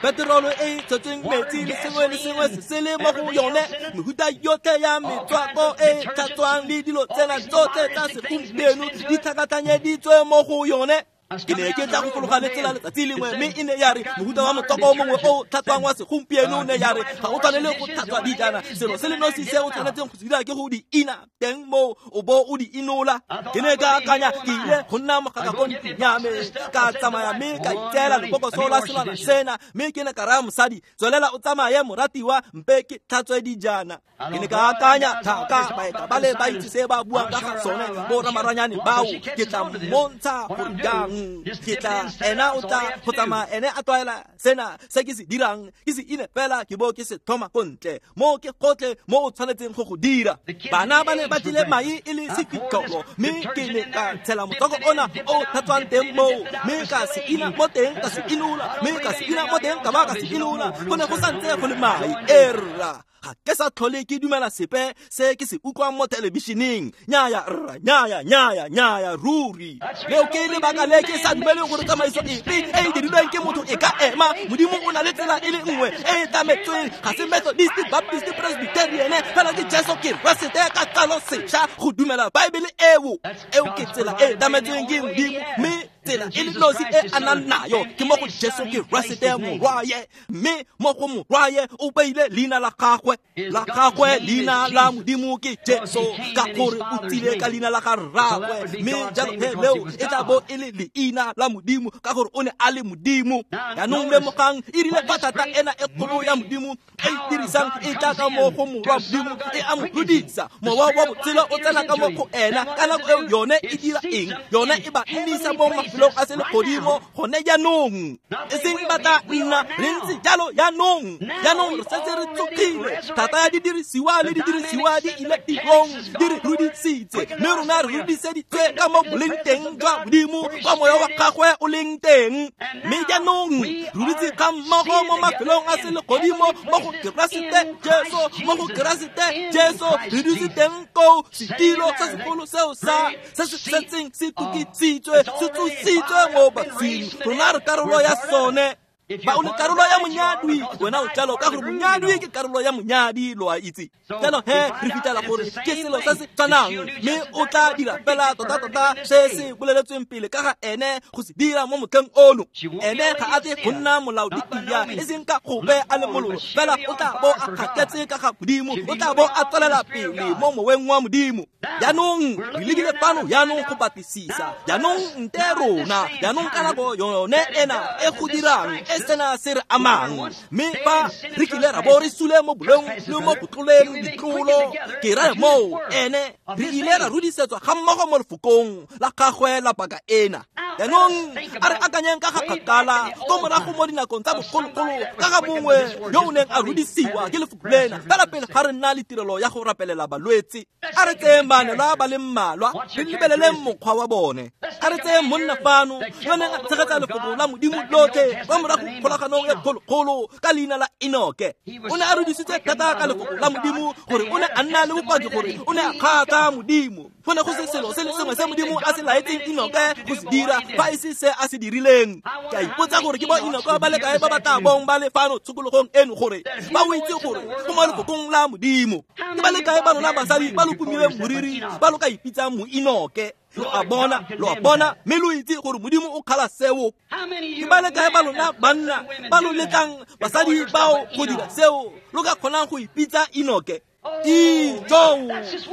Peterolo e tshetsweng metsi le sengwe le sengwe se se le mo go yone, mehuta yotlhe ya metswako e tlhatswang le dilo tsena tsotlhe tsa segompieno di tlhakatlhanyeditswe mo go yone. Ke ne ke tla go fologa le tsela letsatsi lengwe, mme e ne ya re mohuta wa motswako o mongwe o tlhatswang wa segompieno ne ya re ga o tshwanele go tlhatswa dijana, selo se le nosi se o tshwanetseng go se dira ke go di ina teng moo o bo o di inola. Ke ne ka akanya, ke ile go nna mogaka ko ntlong ya me, ka tsamaya mme ka itseela lebokoso la selwana sena, mme ke ne ka raya mosadi, tswelela o tsamaye moratiwa, mpe ke tlhatswe dijana. Ke ne ka akanya, thaka baeta ba le ba itse se ba buang ka ga sone, bo ramaranyane bao, ke tla mmontsha gore jang. Ke tla ena o tla go tsamaya ene a tlwaela sena se ke se dirang, ke se ine fela ke bo ke se thoma ko ntle mo ke gotlhe mo o tshwanetseng go go dira. Bana ba ne ba tlile mai e le sefitlholo, mme ke ne ka tshela motswako ona o tlhatswang teng moo, mme ka se ina mo teng ka se inola, mme ka se ina mo teng ka ba ka se inola. Go ne go santse go le mai. Erra, ga ke sa tlhole ke dumela sepe se ke se utlwang mo thelebišeneng. Nyaya rra, nyaya, nyaya, nyaya, ruri. Leo ke lebaka le ke sa dumeleng gore tsamaiso epe e e dirilweng ke motho e ka ema. Modimo o na le tsela e le nngwe e e tlametsweng, ga se Methodist, Baptist, Presbyterian, fela ke Jesu Keresete ka tsalo sešwa go dumela Baebele eo. Eo ke tsela e e tlametsweng ke Modimo, mme tsela e le nosi e a nang nayo ke mo go Jesu Keresete morwaye, mme mo go morwaye o beile leina la gagwe. La gagwe leina la Modimo ke Jesu, ka gore o tsile ka leina la ga rraagwe, mme jalo he leo e tla bo e le leina la Modimo ka gore o ne a le Modimo. Jaanong lemogang, e rile fa thata ena e kgolo ya Modimo e e dirisang e tla ka mo go morwa Modimo, e a mo tlodisa, mowa wa botshelo o tsena ka mo go ena. Ka nako eo yone e dira eng? Yone e ba nnisa mo mafelong mafelong a selegodimo gone jaanong. E seng ba tla nna, re ntse jalo jaanong. Jaanong re setse re tsogile. Thata ya didirisiwa le didirisiwa di ile tirong, di re rudisitse, mme rona re rudiseditswe ka mo boleng teng jwa Modimo, kwa moya wa gagwe o leng teng. Mme jaanong re dutse ga mmogo mo mafelong a selegodimo mo go Keresete Jesu, mo go Keresete Jesu re dutse teng koo. Setilo se segolo seo sa se se setseng se tukisitswe, se tsositswe mo baswing. Rona re karolo ya sone. Ba o le karolo ya monyadwi, wena o jalo ka gore monyadwi ke karolo ya monyadi, lo a itse. Jalo he re fitlhela gore ke selo se se tshwanang, mme o tla dira fela tota-tota se se boleletsweng pele ka ga ene go se dira mo motlheng ono. Ene ga a tle go nna molaoditia, e seng ka gope a le mololo, fela o tla bo a kgaketse ka ga Modimo, o tla bo a tswelela pele mo moweng wa Modimo. Jaanong re lebile fano jaanong go batlisisa, jaanong nte rona, jaanong ka nako yone ena e go dirang e sena se re amang. Mme fa re kile ra bo re sule mo boleng le mo go tloleng ditlolo, ke raya moo ene re ile ra rudisetswa ga mmogo mo lefokong la gagwe la paka ena. Jaanong a re akanyeng ka ga kgakala ko morago mo dinakong tsa bogologolo ka ga mongwe yo o neng a rudisiwa ke lefoko lena fela pele ga re nna le tirelo ya go rapelela balwetse. A re tseyeng baanelwa ba le mmalwa, re lebeleleng mokgwa wa bone. A re tseyeng monna fano yo neng a tshegetsa lefoko la Modimo lotlhe kwa morago kgolaganong e kgolokgolo ka leina la Enoke. O ne a rudisitse thata ka lefoko la Modimo gore o ne a nna le bopaki gore o ne a kgatlha Modimo. Go ne go se selo se le sengwe se Modimo a se laetseng Enoke go se dira fa e se se a se dirileng. Ke a ipotsa gore ke bo Enoke ba le kae ba ba tla bong ba le fano tshokologong eno gore ba o itse gore go mo lefokong la Modimo. Ke ba le kae ba lona basadi ba lo pomileng moriri ba lo ka ipitsang mo Enoke? Lo a bona, lo a bona, mme lo itse gore Modimo o kgala seo. Ke ba le kae ba lona banna ba lo letlang basadi bao go dira seo lo ka kgonang go ipitsa Enoke? Ijo,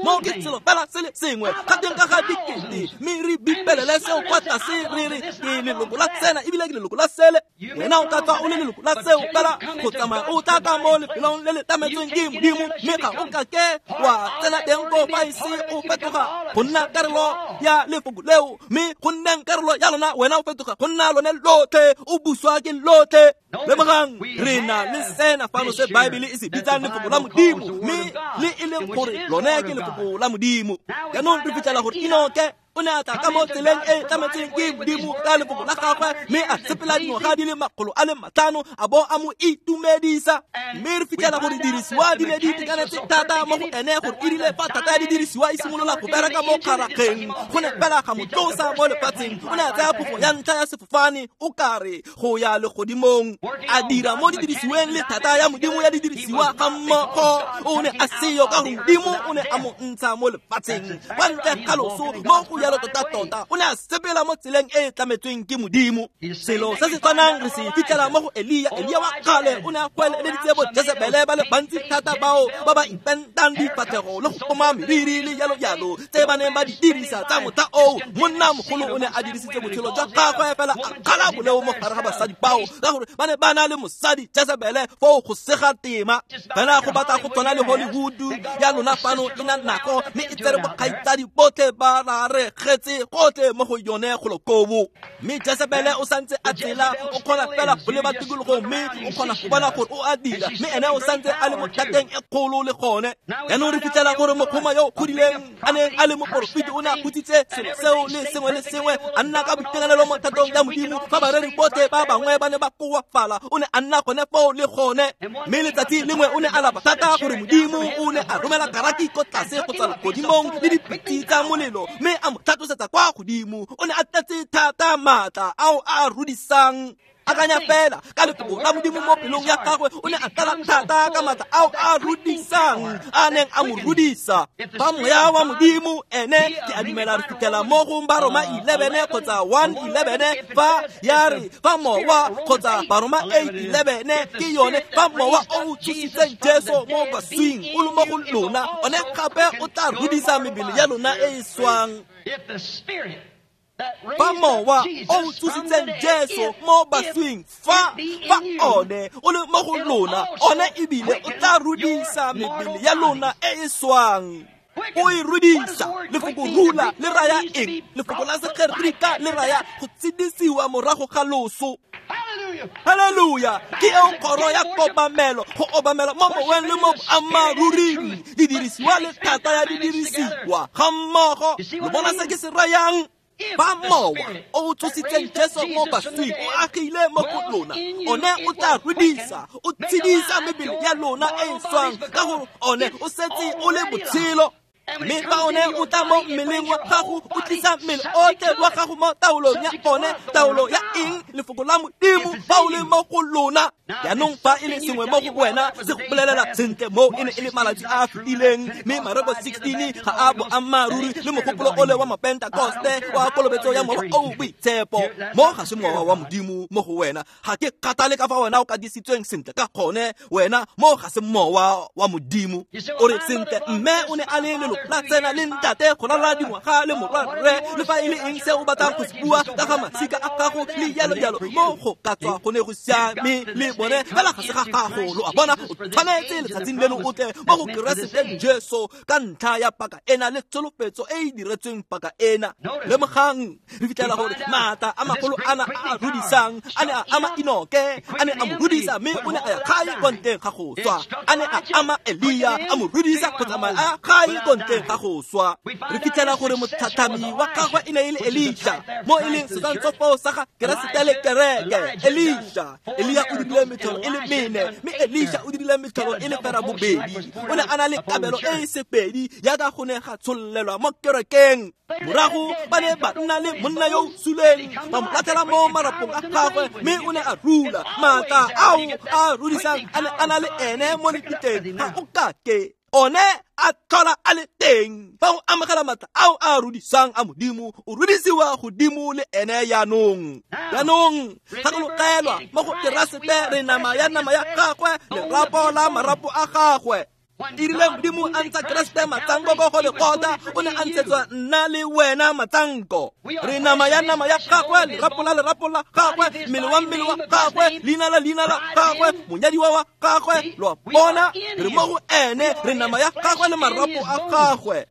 mo ke selo fela se le sengwe ga teng ka ga dikete, mme re bipelele seo kwa tlase re re ke leloko la tsena ebile ke leloko la sele. Wena o ka tswa o le leloko la seo fela go tsamaya o tla ka mo lefelong le le tlametsweng ke Modimo, mme ga o ka ke wa tsena teng ko fa ise o fetoga go nna karolo ya lefoko leo, mme go nneng karolo ya lona wena o fetoga go nna lone lotlhe, o buswa ke lotlhe. Lemogang re na le sena fano se Baebele e se bitsang lefoko la Modimo, mme le e leng gore lone ke lefoko la Modimo. Jaanong re fitlhela gore Enoke o ne a tla ka mo tseleng e tlametsweng ke Modimo ka lefoko la gagwe, mme a sepela dingwaga di le makgolo a le matlhano a bo a mo itumedisa. Mme re fitlhela gore didirisiwa di ne di itekanetse thata mo go ene gore e rile fa thata ya didirisiwa e simolola go bereka mo kgarageng, go ne fela ga mo tlosa mo lefatsheng. O ne a tsaya phofo ya ntlha ya sefofane o kare go ya legodimong, a dira mo didirisiweng le thata ya Modimo ya didirisiwa ga mmogo. O ne a seyo ka gore Modimo o ne a mo ntsha mo lefatsheng kwa ntle ga loso mo go jalo tota-tota. O ne a sepela mo tseleng e e tlametsweng ke Modimo. Selo se se tshwanang re se fitlhela mo go Elia. Elia wa kgale o ne a goeleditse bo Jezebele ba le bantsi thata bao ba ba ipentang difatlhego le go poma meriri le jalo jalo tse ba neng ba di dirisa tsa motlha oo. Monna mogolo o ne a dirisitse botshelo jwa gagwe fela a kgala boleo mo gare ga basadi bao ka gore ba ne ba na le mosadi Jezebele foo go sega tema. Fela go batla go tshwana le Hollywood ya lona fano e na nako, mme e tsere bokgaitsadi botlhe ba ra re getse gotlhe mo go yone golo koo. Mme Jezebele o santse a tsela, o kgona fela go leba tikologong mme o kgona go bona gore o a dira, mme ene o santse a le mo thateng e kgolo le gone. Jaanong re fitlhela gore mokgoma yo o godileng a neng a le moporofeti o ne a hutsitse selo seo le sengwe le sengwe, a nna ka boitekanelo mo thatong ya Modimo. Fa bareri botlhe ba bangwe ba ne ba koafala, o ne a nna gone foo le gone. Mme letsatsi lengwe o ne a lapa thata gore Modimo o ne a romela karaki ko tlase go tswa legodimong le dipitse tsa molelo, mme a mo tlhatlosetsa kwa godimo. O ne a tletse thata maatla ao a rudisang. Akanya fela ka lefoko la Modimo mo pelong ya gagwe, o ne a tlala thata ka maatla ao a rudisang a neng a mo rudisa. Fa moya wa Modimo ene ke a dumela re fitlhela mo go Baroma eleven kgotsa one eleven fa ya re fa mowa kgotsa Baroma eight eleven ke yone fa mowa o o tsositseng Jesu mo baswing o le mo go lona, one gape o tla rudisa mebele ya lona e e swang. Fa mowa o tsositseng Jesu mo baswing fa fa one o le mo go lona, one ebile o tla rudisa mebele ya lona e e swang. O e rudisa. Lefoko rula le raya eng? Lefoko la Segerika le raya go tshedisiwa morago ga loso. Haleluya. Ke eo kgoro ya kobamelo, go obamela mo moweng le mo boammaaruring. Didirisiwa le thata ya didirisiwa ga mmogo. Lo bona se ke se rayang? Fa mowa o tsositseng Jesu mo baswing o agile mo go lona, one o tla rudisa, o tshedisa mebele ya lona e e swang, ka gore one o setse o le botshelo. Mme fa one o tla mo mmeleng wa gago, o tlisa mmele otlhe wa gago mo taolong ya one. Taolo ya eng? Lefoko la Modimo fa o le mo go lona. Jaanong fa e le sengwe mo go wena se go bolelela sentle mo e ne e le malatsi a a fetileng, mme Mareko sixteen ga a boammaaruri le mogopolo ole wa Mapentakoste wa kolobetso ya Mowa o o Boitshepo. Mo ga se mowa wa Modimo mo go wena. Ga ke kgathale ka fa wena o kadisitsweng sentle ka gone, wena mo ga se mowa wa Modimo. O re sentle, mme o ne a le leloko la tsena le ntate go ralala dingwaga le morwarre, le fa e le eng se o batlang go se bua ka ga masika a gago le jalo jalo, mo go ka tswa go ne go siame le bone, fela ga se ga gago. Lo a bona, o tshwanetse letsatsing leno o tle mo go Keresete Jesu ka ntlha ya paka ena le tsholofetso e e diretsweng paka ena. Lemogang, re fitlhela gore maatla a magolo ana a a rudisang a ne a ama Enoke, a ne a mo rudisa mme o ne a ya gae kwa ntleng ga go swa. A ne a ama Elia, a mo rudisa go tsamaya a ya gae kwa ntleng ga go swa. Re fitlhela gore motlhatlhami wa gagwe e ne e le Elisha, mo e leng setshwantsho sa ga Keresete le kereke. Elisha, Elia o dirile metlholo e le mene, mme Elisha o dirile metlholo e le fera bobedi. O ne a na le kabelo e e sepedi jaaka go ne ga tshololelwa mo kerekeng. Morago ba ne ba nna le monna yo o suleng, ba mo latlhela mo marapong a gagwe, mme o ne a rula. Maatla ao a rudisang a ne a na le ene mo lebitleng, ga o kake one a tlhola a le teng. Fa o amogela maatla ao a rudisang a Modimo, o rudisiwa godimo le ene jaanong. Jaanong gakologelwa mo go Keresete re nama ya nama ya gagwe, lerapo la marapo a gagwe. E rile Modimo a ntsha Keresete matsanko ko go lekgotla, o ne a ntshetswa nna le wena matsanko. Re nama ya nama ya gagwe, lerapo la lerapo la gagwe, mmele wa mmele wa gagwe, leina la leina la gagwe, monyadiwa wa gagwe. Lo a bona, re mo go ene, re nama ya gagwe le marapo a gagwe.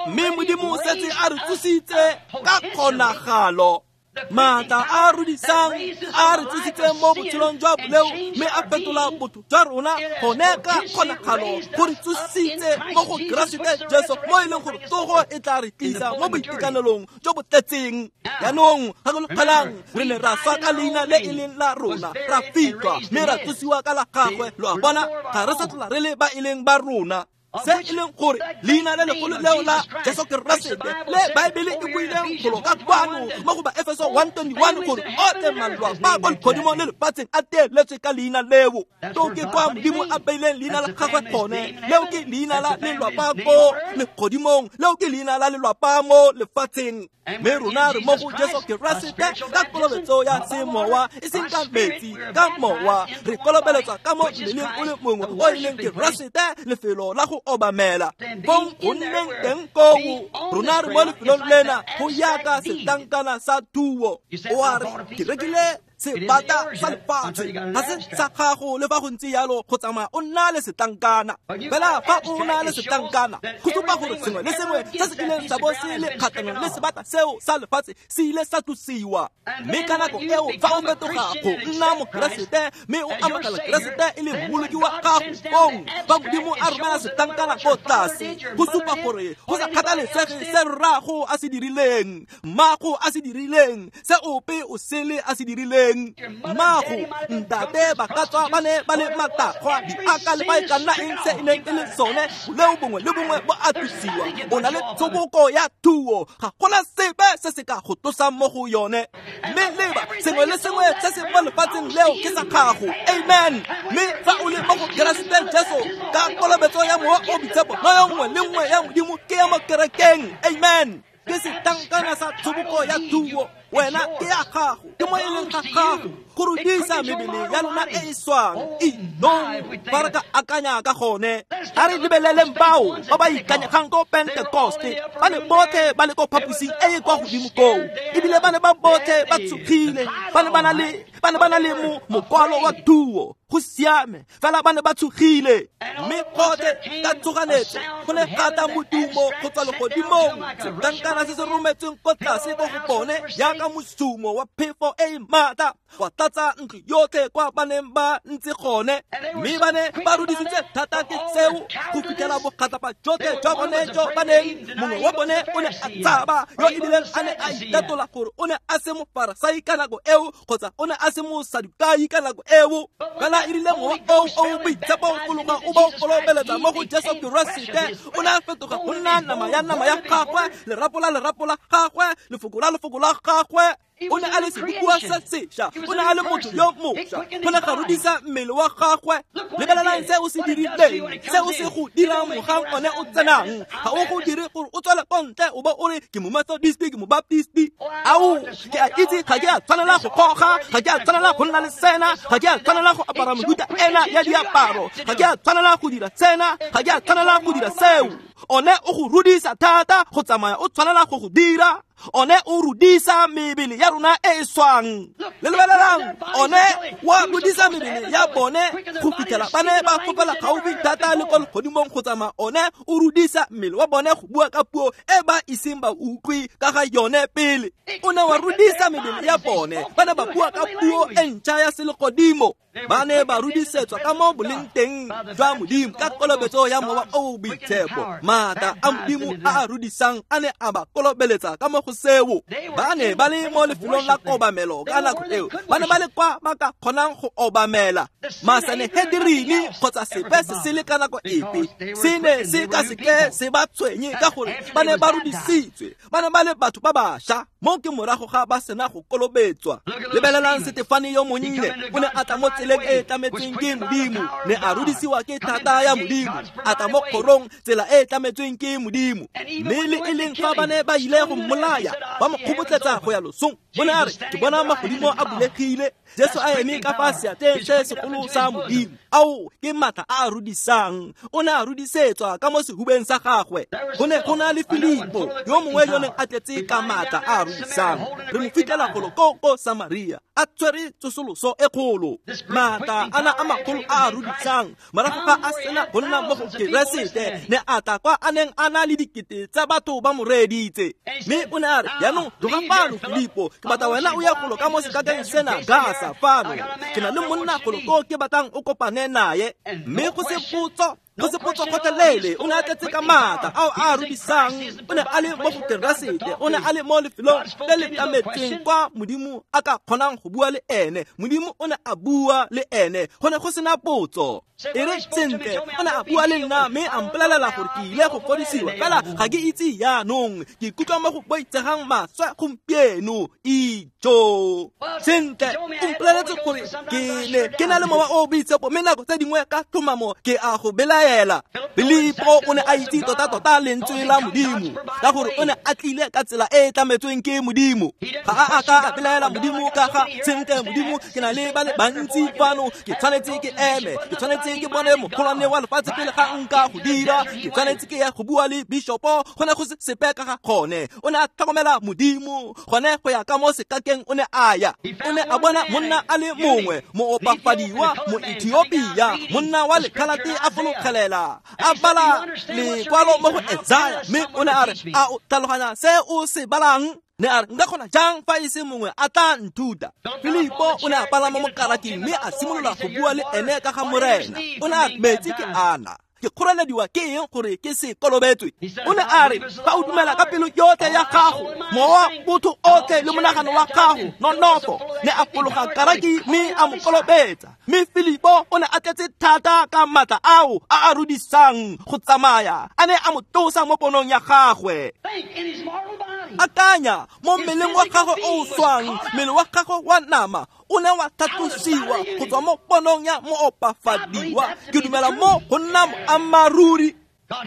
Mme Modimo o setse a re tsositse ka kgonagalo. Maatla a rudisang a re tsositseng mo botshelong jwa boleo, mme a fetola botho jwa rona gone ka kgonagalo go re tsositse mo go Keresete Jesu, mo e leng gore tsogo e tla re tlisa mo boitekanelong jo bo tletseng. Jaanong gakologelang, re ne ra swa ka leina le e leng la rona, ra fitlhwa mme ra tsosiwa ka la gagwe. Lo a bona, ga re sa tlhola re le ba e leng ba rona. Se e leng gore leina le legolo leo la Jesu Keresete le Baebele e buileng golo ka kwano mo go ba Efeso one twenty-one gore otlhe malwapa kwa legodimong le lefatsheng a teeletswe ka leina leo. To ke kwa Modimo a beileng leina la gagwe gone. Leo ke leina la lelwapa ko legodimong, leo ke leina la lelwapa mo lefatsheng. Mme rona re mo go Jesu Keresete ka kolobetso ya semowa, e seng ka metsi, ka mowa. Re kolobeletswa ka mo mmeleng o le mongwe o e leng Keresete, lefelo la go obamela. Fong go nneng teng koo, rona re mo lefelong lena go yaka setlankana sa thuo. O a re, ke rekile sebata sa lefatshe, ga se sa gago. Le fa go ntse jalo, go tsamaya o nna le setlankana. Fela fa o na le setlankana, go supa gore sengwe le sengwe se se kileng sa bo se le kgatlhanong le sebata seo sa lefatshe se ile sa tlosiwa. Mme ka nako eo fa o fetoga go nna Mokeresete mme o amogela Keresete e le mmoloki wa gago, fong fa Modimo a romela setlankana ko tlase, go supa gore go sa kgathalesege se rrago a se dirileng, mmago a se dirileng, se ope o sele a se dirileng, mmago, ntate ba ka tswa ba ne ba le matagwa, diaka le ba e ka nna eng se e neng e le sone, boleo bongwe le bongwe bo a tlosiwa. O na le tshoboko ya thuo, ga gona sepe se se ka go tlosang mo go yone. Mme leba, sengwe le sengwe se se mo lefatsheng leo ke sa gago. Amen. Mme fa o le mo go Keresete Jesu ka kolobetso ya Mowa o Boitshepo, noyo nngwe le nngwe ya Modimo ke ya mo kerekeng. Amen. Ke setlankana sa tshoboko ya thuo. Wena ke ya gago, ke mo e leng ga gago, go rudisa mebele ya lona e e swang. Inong fa re ka akanya ka gone, a re lebeleleng bao ba ba ikanyegang ko Pentekoste. Ba ne botlhe ba le ko phaposing e e kwa godimo koo, ebile ba ne ba botlhe ba tshogile, ba ne ba na le ba ne ba na le mo mokwalo wa thuo. Go siame, fela ba ne ba tshogile. Mme gotlhe ka tshoganyetso go ne ga tla modumo go tswa legodimong, setlankana se se rometsweng ko tlase ko go bone jaaka mosumo wa phefo e e maatla, wa tlatsa ntlo yotlhe kwa ba neng ba ntse gone. Mme ba ne ba rudisitswe thata ke seo go fitlhela bogatlapa jotlhe jwa bone jo ba neng mongwe wa bone o ne a tshaba, yo ebileng a ne a itatola gore o ne a se mofarasai ka nako eo, kgotsa o ne a se mosadukai ka nako eo. Fela e rile mowa oo o boitshepo o fologa o ba o kolobeletsa mo go Jesu Keresete, o ne a fetoga go nna nama ya nama ya gagwe, lerapo la lerapo la gagwe, lefoko la lefoko la gagwe. O ne a le sebopiwa se sešwa, o ne a le motho yo mošwa, go ne ga rudisa mmele wa gagwe. Lebelelang se o se dirileng, se o se go dirang mogang one o tsenang. Ga o go dire gore o tswele ko ntle o bo o re ke mo Methodist, ke mo Baptist. Ao, ke a itse ga ke a tshwanela go goga, ga ke a tshwanela go nna le sena, ga ke a tshwanela go apara mehuta ena ya diaparo, ga ke a tshwanela go dira sena, ga ke a tshwanela go dira seo. One o go rudisa thata go tsamaya o tshwanela go go dira. One o rudisa mebele ya rona e e swang. Le lebelelang, one wa rudisa mebele ya bone go fitlhela ba ne ba fofela gaufi thata le ko legodimong go tsamaya. One o rudisa mmele wa bone go bua ka puo e ba iseng ba utlwe ka ga yone pele. O ne wa rudisa mebele ya bone, ba ne ba bua ka puo e ntšha ya selegodimo. Ba ne ba rudisetswa ka mo boleng teng jwa Modimo ka kolobetso ya mowa o o boitshepo. Maatla a Modimo a a rudisang a ne a ba kolobeletsa ka mo go seo. Ba ne ba le mo lefelong la kobamelo ka nako eo, ba ne ba le kwa ba ka kgonang go obamela. Masanehedirini kgotsa sepe se se le ka nako epe se ne se ka seke se ba tshwenye, ka gore ba ne ba rudisitswe, ba ne ba le batho ba bašwa. Mo ke morago ga ba sena go kolobetswa. Lebelelang Setefane yo monnye, o ne a tla mo tseleng e e tlametsweng ke Modimo, ne a rudisiwa ke thata ya Modimo, a tla mo kgorong tsela e e tlametsweng ke Modimo. Mme le e leng fa ba ne ba ile go mmolaya, ba mo kgobotletsa go ya losong, o ne a re, ke bona magodimo a bulegile, Jesu a eme ka fa seatleng se segolo sa Modimo. Ao, ke maatla a a rudisang. O ne a rudisetswa ka mo sehubeng sa gagwe. Go ne go na le Filipo, yo mongwe yo neng a tletse ka maatla a a rudisang. Re mo fitlhela golo ko ko Samaria, a tshwere tsosoloso e kgolo. Maatla ana a magolo a a rudisang, morago ga a sena go nna mo go Keresete, ne a tla kwa a neng a na le dikete tsa batho ba mo reeditse. Mme o ne a re, jaanong tloga fano Filipo, ke batla wena o ye golo ka mo sekakeng sena Gasa fano. Ke na le monna golo ko ke batlang o kopane naye. Mme go se potso, go se potso gotlhelele, o ne a tletse ka maatla ao a rudisang. O ne a le mo go Keresete, o ne a le mo lefelong le le tlametsweng kwa Modimo a ka kgonang go bua le ene. Modimo o ne a bua le ene, go ne go sena potso. E re sentle, o ne a bua le nna mme a mpolelela gore ke ile go fodisiwa, fela ga ke itse jaanong, ke ikutlwa mo go boitsegang maswe gompieno. Ijo sentle, o mpoleletse gore ke ne ke na le mowa o boitshepo, mme nako tse dingwe ka tlhomamo ke a go belaela. Filipo o ne a itse tota-tota lentswe la Modimo, ka gore o ne a tlile ka tsela e e tlametsweng ke Modimo. Ga a a ka a belaela Modimo ka ga sentle, Modimo ke na le ba le bantsi fano, ke tshwanetse ke eme, ke tshwanetse ke bone mogolwane wa lefatshe pele ga nka go dira, ke tshwanetse ke ye go bua le bishopo. Go ne go se sepe ka ga gone. O ne a tlhokomela Modimo gone go ya ka mo sekakeng. O ne a ya, o ne a bona monna a le mongwe, moopafadiwa, Moethiopia, monna wa lekhalate a fologelela, a bala lekwalo mo go Esaya. Mme o ne a re, a o tlhaloganya se o se balang? Ne a re, nka kgona jang fa e se mongwe a tla nthuta? Filipo o ne a palama mo karaking mme a simolola go bua le ene ka ga Morena. O ne a re, metsi ke ana, ke kgorelediwa ke eng gore ke se kolobetswe? O ne a re, fa o dumela ka pelo yotlhe ya gago, mowa botho otlhe le monagano wa gago, nonofo. Ne a fologa karaki mme a mo kolobetsa. Mme Filipo o ne a tletse thata ka maatla ao a a rudisang go tsamaya, a ne a mo tlosa mo ponong ya gagwe. Akanya mo mmeleng wa gagwe o o swang, mmele wa gagwe wa nama o ne wa tlhatlosiwa go tswa mo ponong ya moopafadiwa. Ke dumela mo go nna moammaaruri.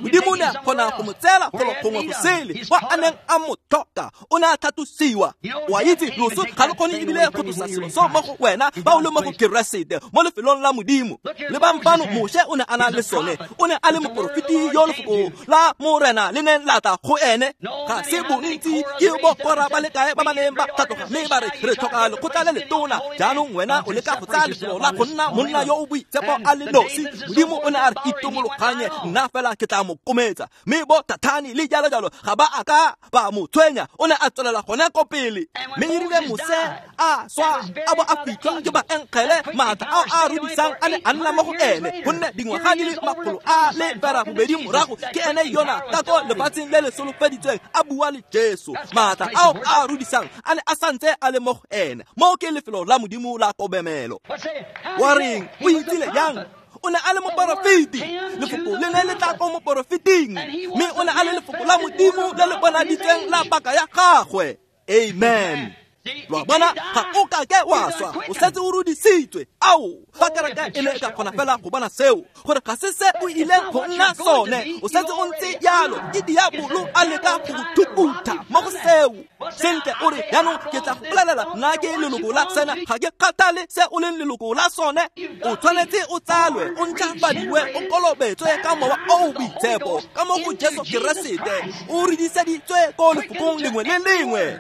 Modimo ne a kgona go mo tseela golo gongwe go sele kwa a neng a mo tlhoka. O ne a tlhatlosiwa. O a itse loso ga lo kgone ebile go tlosa selo seo mo go wena ba o le mo go Keresete mo lefelong la Modimo. Lebang fano, Moshe o ne a na le sone. O ne a le moporofeti yo lefoko la Morena le neng la tla go ene. Ga se bontsi ke bo Kora ba le kae ba ba neng ba tlhatloga mme ba re re tlhoka lekgotla le letona. Jaanong wena o leka go tsaya lefelo la go nna monna yo o boitshepo a le nosi. Modimo o ne a re itomologanye, nna fela ke tla mo kometsa. Mme bo Thathani le jalo jalo ga ba a ka ba mo tshwenya. O ne a tswelela gone ko pele. Mme erile Mose a swa a bo a fitlhwa ke baengele, maatla ao a rudisang a ne a nna mo go ene, gonne dingwaga di le makgolo a le ferabobedi morago ke ene yona ka ko lefatsheng le le solofeditsweng a bua le Jesu. Maatla ao a rudisang a ne a santse a le mo go ene. Moo ke lefelo la Modimo la kobamelo. Wa reng o itsile yang? O ne a le moporofeti. Lefoko le ne le tla ko moporofeting, mme o ne a le lefoko la Modimo le le bonaditsweng la paka ya gagwe. Amen. Lo a bona, ga o ka ke wa swa, o setse o rudisitswe. Ao, fa kereke e ne e ka kgona fela go bona seo, gore ga se se o ileng go nna sone, o setse o ntse jalo, ke diabolo a leka go go thukutha mo go seo. Sentle o re, jaanong ke tla go bolelela, nna ke leloko la sena, ga ke kgathale se o leng leloko la sone. O tshwanetse o tsalwe, o ntšhafadiwe, o kolobetswe ka Mowa o o Boitshepo, ka mo go Jesu Keresete, o rudiseditswe ko lefokong lengwe le lengwe.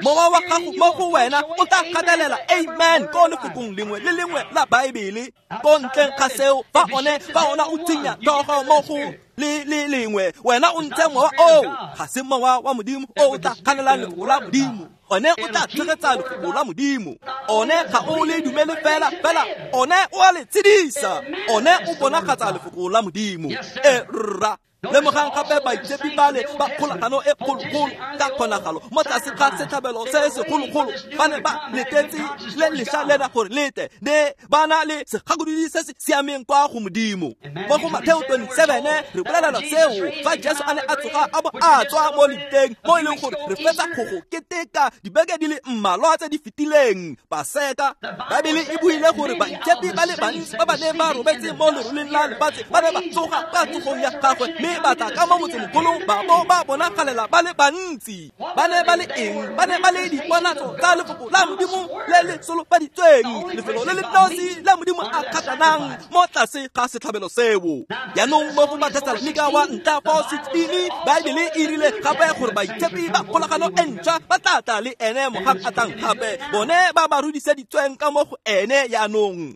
Mowa wa gago mo go wena o tla gatelela amen ko lefokong lengwe le lengwe la Baebele. Ko ntleng ga seo, fa one fa ona o thinya tlhogo mo go le le lengwe, wena o ntshe mowa oo. Ga se mowa wa Modimo o o tla kganelang lefoko la Modimo. One o tla tshegetsa lefoko la Modimo. One ga o le dumele fela fela, one o a le tshedisa. One o bonagatsa lefoko la Modimo. E rra. Lemogang gape baitshepi bale ba kgolagano e kgologolo ka kgonagalo mo tlase ga setlhabelo se segologolo ba ne ba letetse le lešwa lena gore lete ne ba na le segakolodi se se siameng kwa go Modimo. Mo go Mateo twenty-seven re bolelela seo fa Jesu a ne a tsoga a bo a tswa mo lebitleng, mo e leng gore re fetsa go go keteka dibeke di le mmalwa tse di fetileng Paseka. Baebele e buile gore baitshepi ba le bantsi ba ba neng ba robetse mo leroleng la lefatshe ba ne ba tsoga ka tsogong ya gagwe, mme ba tla ka mo motsemogolong ba bo ba bonagalela ba le bantsi. Ba ne ba le eng? Ba ne ba le diponatso tsa lefoko la Modimo le le solofaditsweng, lefelo le le nosi la Modimo a kgatlanang mo tlase ga setlhabelo seo. Jaanong mo go Bathesalonika wa ntlha four sixteen, Baebele e rile gape gore baitshepi ba kgolagano e ntšhwa ba tla tla le ene mogang a tlang gape, bone ba ba rudiseditsweng ka mo go ene. Jaanong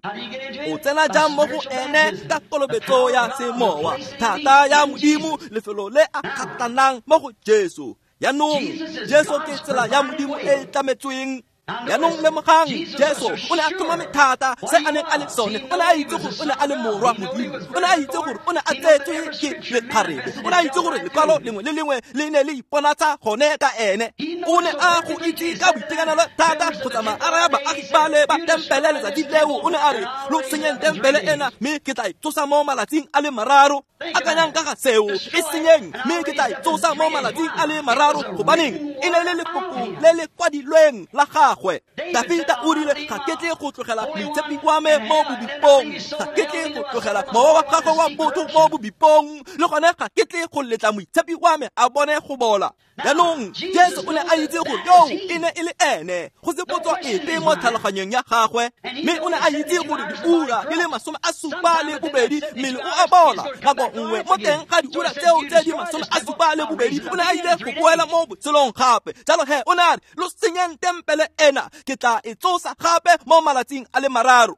o tsena jang mo go ene? Ka kolobetso ya semowa, thata ya Modimo, lefelo le a kgatlanang mo go Jesu. Jaanong Jesu ke tsela ya Modimo e e tlametsweng. Jaanong lemogang, Jesu o ne a tlhomame thata se a neng a le sone. O ne a itse gore o ne a le morwa Modimo. O ne a itse gore o ne a tsetswe ke lekgarebe. O ne a itse gore lekwalo lengwe le lengwe le ne le iponatsa gone ka ene. O ne a go itse ka boitekanelo thata go tsamaya a raya baagi bale ba tempele letsatsi leo. O ne a re, lo senyeng tempele ena, mme ke tla e tsosa mo malatsing a le mararo. Akanyang ka ga seo, e senyeng, mme ke tla e tsosa mo malatsing a le mararo. Gobaneng? E ne le lefoko le le kwadilweng la gagwe. Dafita o rile, ga ke tle go tlogela moitshepi wa me mo bobipong, ga ke tle go tlogela mowa wa gagwe wa botho mo bobipong, le gone ga ke tle go letla moitshepi wa me a bone go bola. Jaanong Jesu o ne a itse gore yoo e ne e le ene, go se potso epe mo tlhaloganyong ya gagwe, mme o ne a itse gore diura di le masome a supa le bobedi mmele o a bola. Nako nngwe mo teng ga diura tseo tse di masome a supa le bobedi o ne a ile go boela mo botshelong gape. Jalo he o ne a re, lo senyeng tempele ena, ke tla e tsosa gape mo malatsing a le mararo.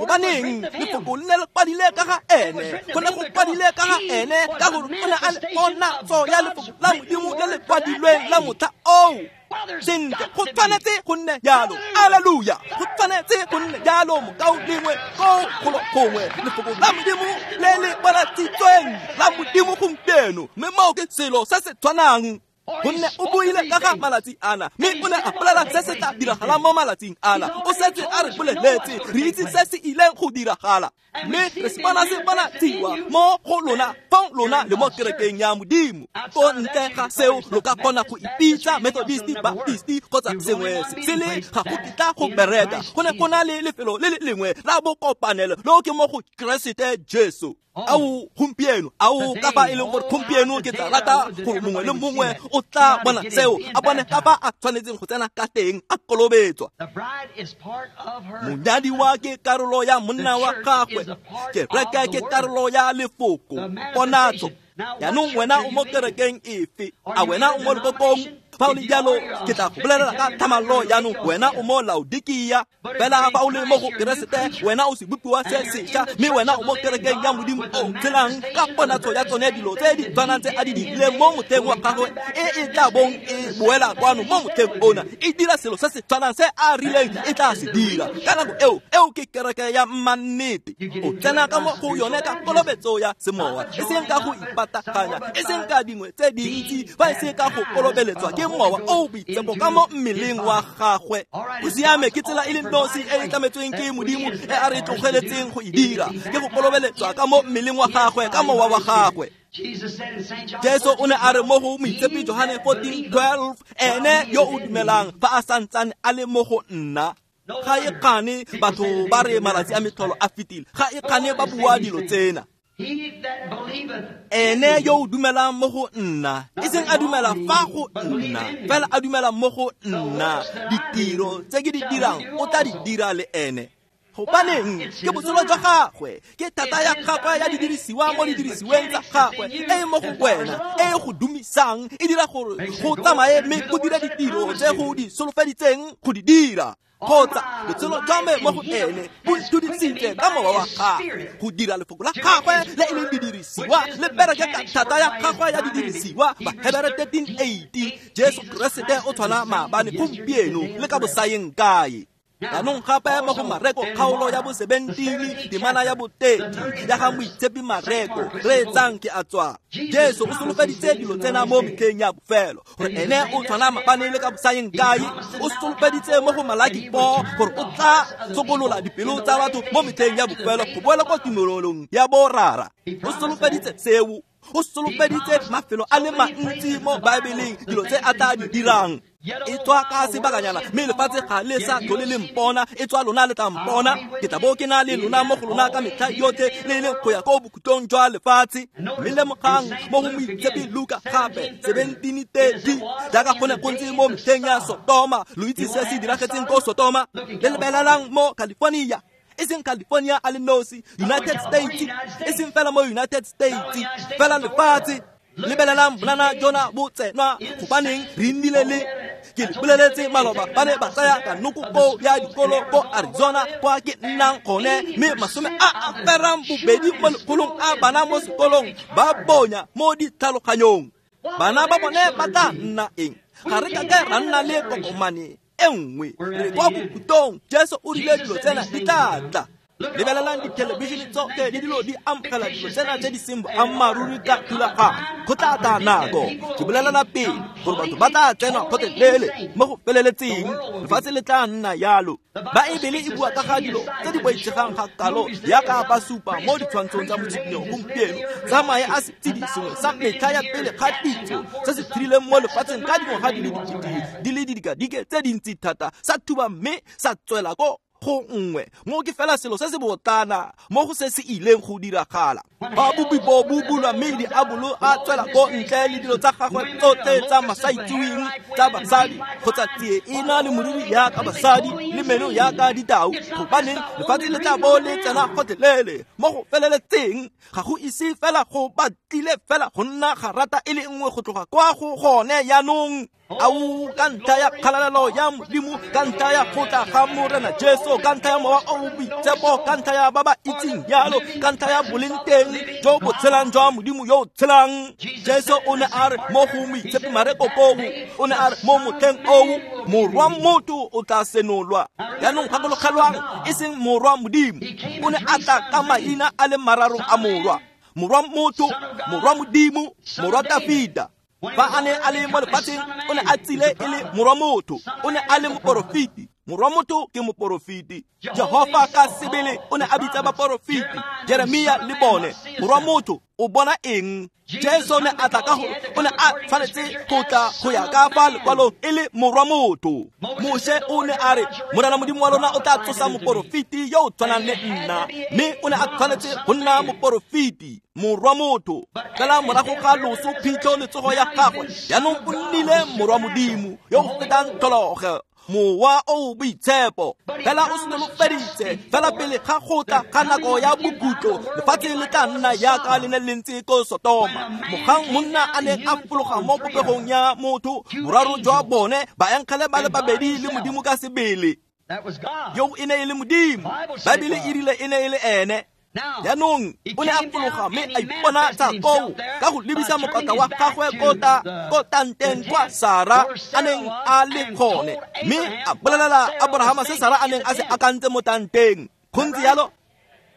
Gobaneng? Lefoko le ne le kwadile ka ga ene, go ne go kwadile ka ga ene, ka gore o ne a le ponatso ya lefoko la Modimo le le kwadilweng la motlha oo. Sentle, go tshwanetse go nne jalo. Alleluia, go tshwanetse go nne jalo mokaulengwe ko golo gongwe. Lefoko la Modimo le le bonatshitsweng la Modimo gompieno, mme moo ke selo se se tshwanang. Gonne o buile ka ga malatsi ana, mme o ne a bolela se se tla diragalang mo malatsing ana. O setse a re boleletse, re itse se se ileng go diragala, mme re se bona se bonatshiwa mo go lona, fong lona le mo kerekeng ya Modimo. Ko ntle ga seo lo ka kgona go ipitsa Methodist, Baptist kgotsa sengwe se sele, ga go kitla go bereka. Go ne go na le lefelo le le lengwe la bokopanelo, leo ke mo go Keresete Jesu. Ao gompieno, ao ka fa e leng gore gompieno ke tla rata gore mongwe le mongwe o tla bona seo, a bone ka fa a tshwanetseng go tsena ka teng a kolobetswa. Monyadiwa ke karolo ya monna wa gagwe, kereke ke karolo ya lefoko, ponatso. Jaanong wena o mo kerekeng efe? A wena o mo lekokong? Fa o le jalo, ke tla go bolelela ka thamallo jaanong wena o mo Laodikia. Fela fa o le mo go Keresete, wena o sebopiwa se sešwa, mme wena o mo kerekeng ya Modimo o tshelang ka ponatso ya tsone dilo tse di tshwanang tse a di dirileng mo motlheng wa gagwe, e e tla bong e boela kwano mo motlheng ona, e dira selo se se tshwanang se a rileng e tla se dira. Ka nako eo, eo ke kereke ya mannete. O tsena ka mo go yone ka kolobetso ya semowa, e seng ka go ipataganya, e seng ka dingwe tse dintsi, fa e se ka go kolobeletswa ke mowa o boitshepo ka mo mmeleng wa gagwe. Go siame, ke tsela e le nosi e e tlametsweng ke Modimo e a re tlogeletseng go e dira, ke go kolobeletswa ka mo mmeleng wa gagwe, ka mowa wa gagwe. Jesu o ne a re mo go Moitshepi Johane fourteen twelve, ene yo o dumelang fa a santsane a le mo go nna. Ga e kgane batho ba re malatsi a metlholo a fetile, ga e kgane ba bua dilo tsena. Ene yo o dumelang mo go nna, e seng a dumela fa go nna, fela a dumela mo go nna, ditiro tse ke di dirang o tla di dira le ene. Gobaneng? Ke botshelo jwa gagwe, ke thata ya gagwe ya didirisiwa mo didirisiweng tsa gagwe, e e mo go wena, e e go dumisang, e dira gore go tsamaye mme go dira ditiro tse go di solofeditseng go di dira. Kgotsa botshelo jwa me mo go ene bo ntudisitse ka mowa wa gagwe go dira lefoko la gagwe le e leng didirisiwa, le bereke ka thata ya gagwe ya didirisiwa. Bahebere thirteen eighty, Jesu Keresete o tshwana maabane, gompieno le ka bosayeng kae. Jaanong gape mo go Mareko kgaolo ya bo seventeen temana ya bo thirty ya ga Moitshepi Mareko, reetsang ke a tswa. Jesu o solofeditse dilo tsena mo metlheng ya bofelo, gore ene o tshwana maabane le ka bosayeng kae. O solofeditse mo go Malaki four gore o tla sokolola dipelo tsa batho mo metlheng ya bofelo go boela kwa tumelong ya borara. O solofeditse seo, o solofeditse mafelo a le mantsi mo Baebeleng dilo tse a tla di dirang. E tswa ka sebakanyana, mme lefatshe ga le sa tlhole le mpona, e tswa lona le tla mpona. Ke tla bo ke na le lona mo go lona ka metlha yotlhe, le le go ya ko bokhutlong jwa lefatshe. Mme lemogang mo go Moitshepi Luka gape seventeen thirty, jaaka go ne go ntse mo metlheng ya Sotoma. Lo itse se se diragetseng ko Sotoma. Le lebelelang mo California, e seng California a le nosi, United States, e seng fela mo United States, fela lefatshe. Lebelelang bonana jona bo tsenwa, gobaneng re nnile le ke le boleletse maloba, ba ne ba tsaya kanoko ko ya dikolo ko Arizona kwa ke nnang gone, mme masome a a ferang bobedi mo lekgolong a bana mo sekolong ba bonya mo ditlhaloganyong. Bana ba bone ba tla nna eng? Ga re kake ra nna le kokomane e nngwe. Re kwa bokhutlong. Jesu o rile dilo tsena di tla tla. Lebelelang dithelebišene tsotlhe le dilo di amogela dilo tsena tse di seng boammaaruri ka thulaganyo. Go tla tla nako, ke bolelela pele, gore batho ba tla tsenwa gotlhelele mo go feleletseng. Lefatshe le tla nna yalo. Baebele e bua ka ga dilo tse di boitshegang ga kalo yaka ba supa mo ditshwantshong tsa motshikinyo gompieno tsa mae a setshedi sengwe sa metlha ya pele ga pitso se se thirileng mo lefatsheng ka dingwaga di le dikete di le didikadike tse dintsi thata, sa thuba mme sa tswela ko go nngwe. Mo ke fela selo se se botlana mo go se se ileng go diragala. Ba bopi bo bo bulwa mme diabolo a tswela ko ntle le dilo tsa gagwe tsotlhe tsa masaitseweng tsa basadi, kgotsa tsie e na le moriri yaka basadi le meno yaka ditau. Gobaneng lefatshe le tla bo le tsena gotlhelele mo go feleletseng. Ga go ise fela go batlile fela go nna ga rata e le nngwe go tloga kwa go gone jaanong. Ao, ka ntlha ya kgalalelo ya Modimo, ka ntlha ya go tla ga Morena Jesu, ka ntlha ya mowa o o boitshepo, ka ntlha ya ba ba itseng jalo, ka ntlha ya boleng teng jo bo tshelang jwa Modimo yo o tshelang. Jesu o ne a re mo go Moitshepi Mareko koo, o ne a re mo motlheng oo, morwa motho o tla senolwa. Jaanong gakologelwang, e seng morwa Modimo. O ne a tla ka maina a le mararo a morwa: morwa motho, morwa Modimo, morwa Dafita. Fa a ne a le mo lefatsheng, o ne a tsile e le morwa motho, o ne a le moporofeti, Morwa motho ke moporofeti. Jehofa ka sebele o ne a bitsa baporofeti, Jeremia le bone. Morwa motho o bona eng? Jesu ne a tla ka gore o ne a tshwanetse go tla go ya ka fa lekwalong e le morwa motho. Moshe o ne a re Morena Modimo wa lona o tla tsosa moporofeti yo o tshwanang le nna, mme o ne a tshwanetse go nna moporofeti, morwa motho. Fela morago ga loso, phitlho le tsogo ya gagwe, jaanong o nnile morwa Modimo yo o fetang tlholego, Mowa o boitshepo. Fela o solofeditse fela pele ga go tla ga nako ya bokhutlo, lefatshe le tla nna jaaka le ne le ntse ko Sotoma. Mogang monna a neng a fologa mo popegong ya motho, boraro jwa bone baengele ba le babedi le Modimo ka sebele. Yo e ne e le Modimo, Baebele e rile e ne e le ene. Jaanong o ne a fologa mme a iponatsa koo ka go lebisa mokotla wa gagwe ko ta ko tanteng kwa Sara a neng a le gone, mme a bolelela Aborahama se Sara a neng a se akantse mo tanteng. Go ntse jalo.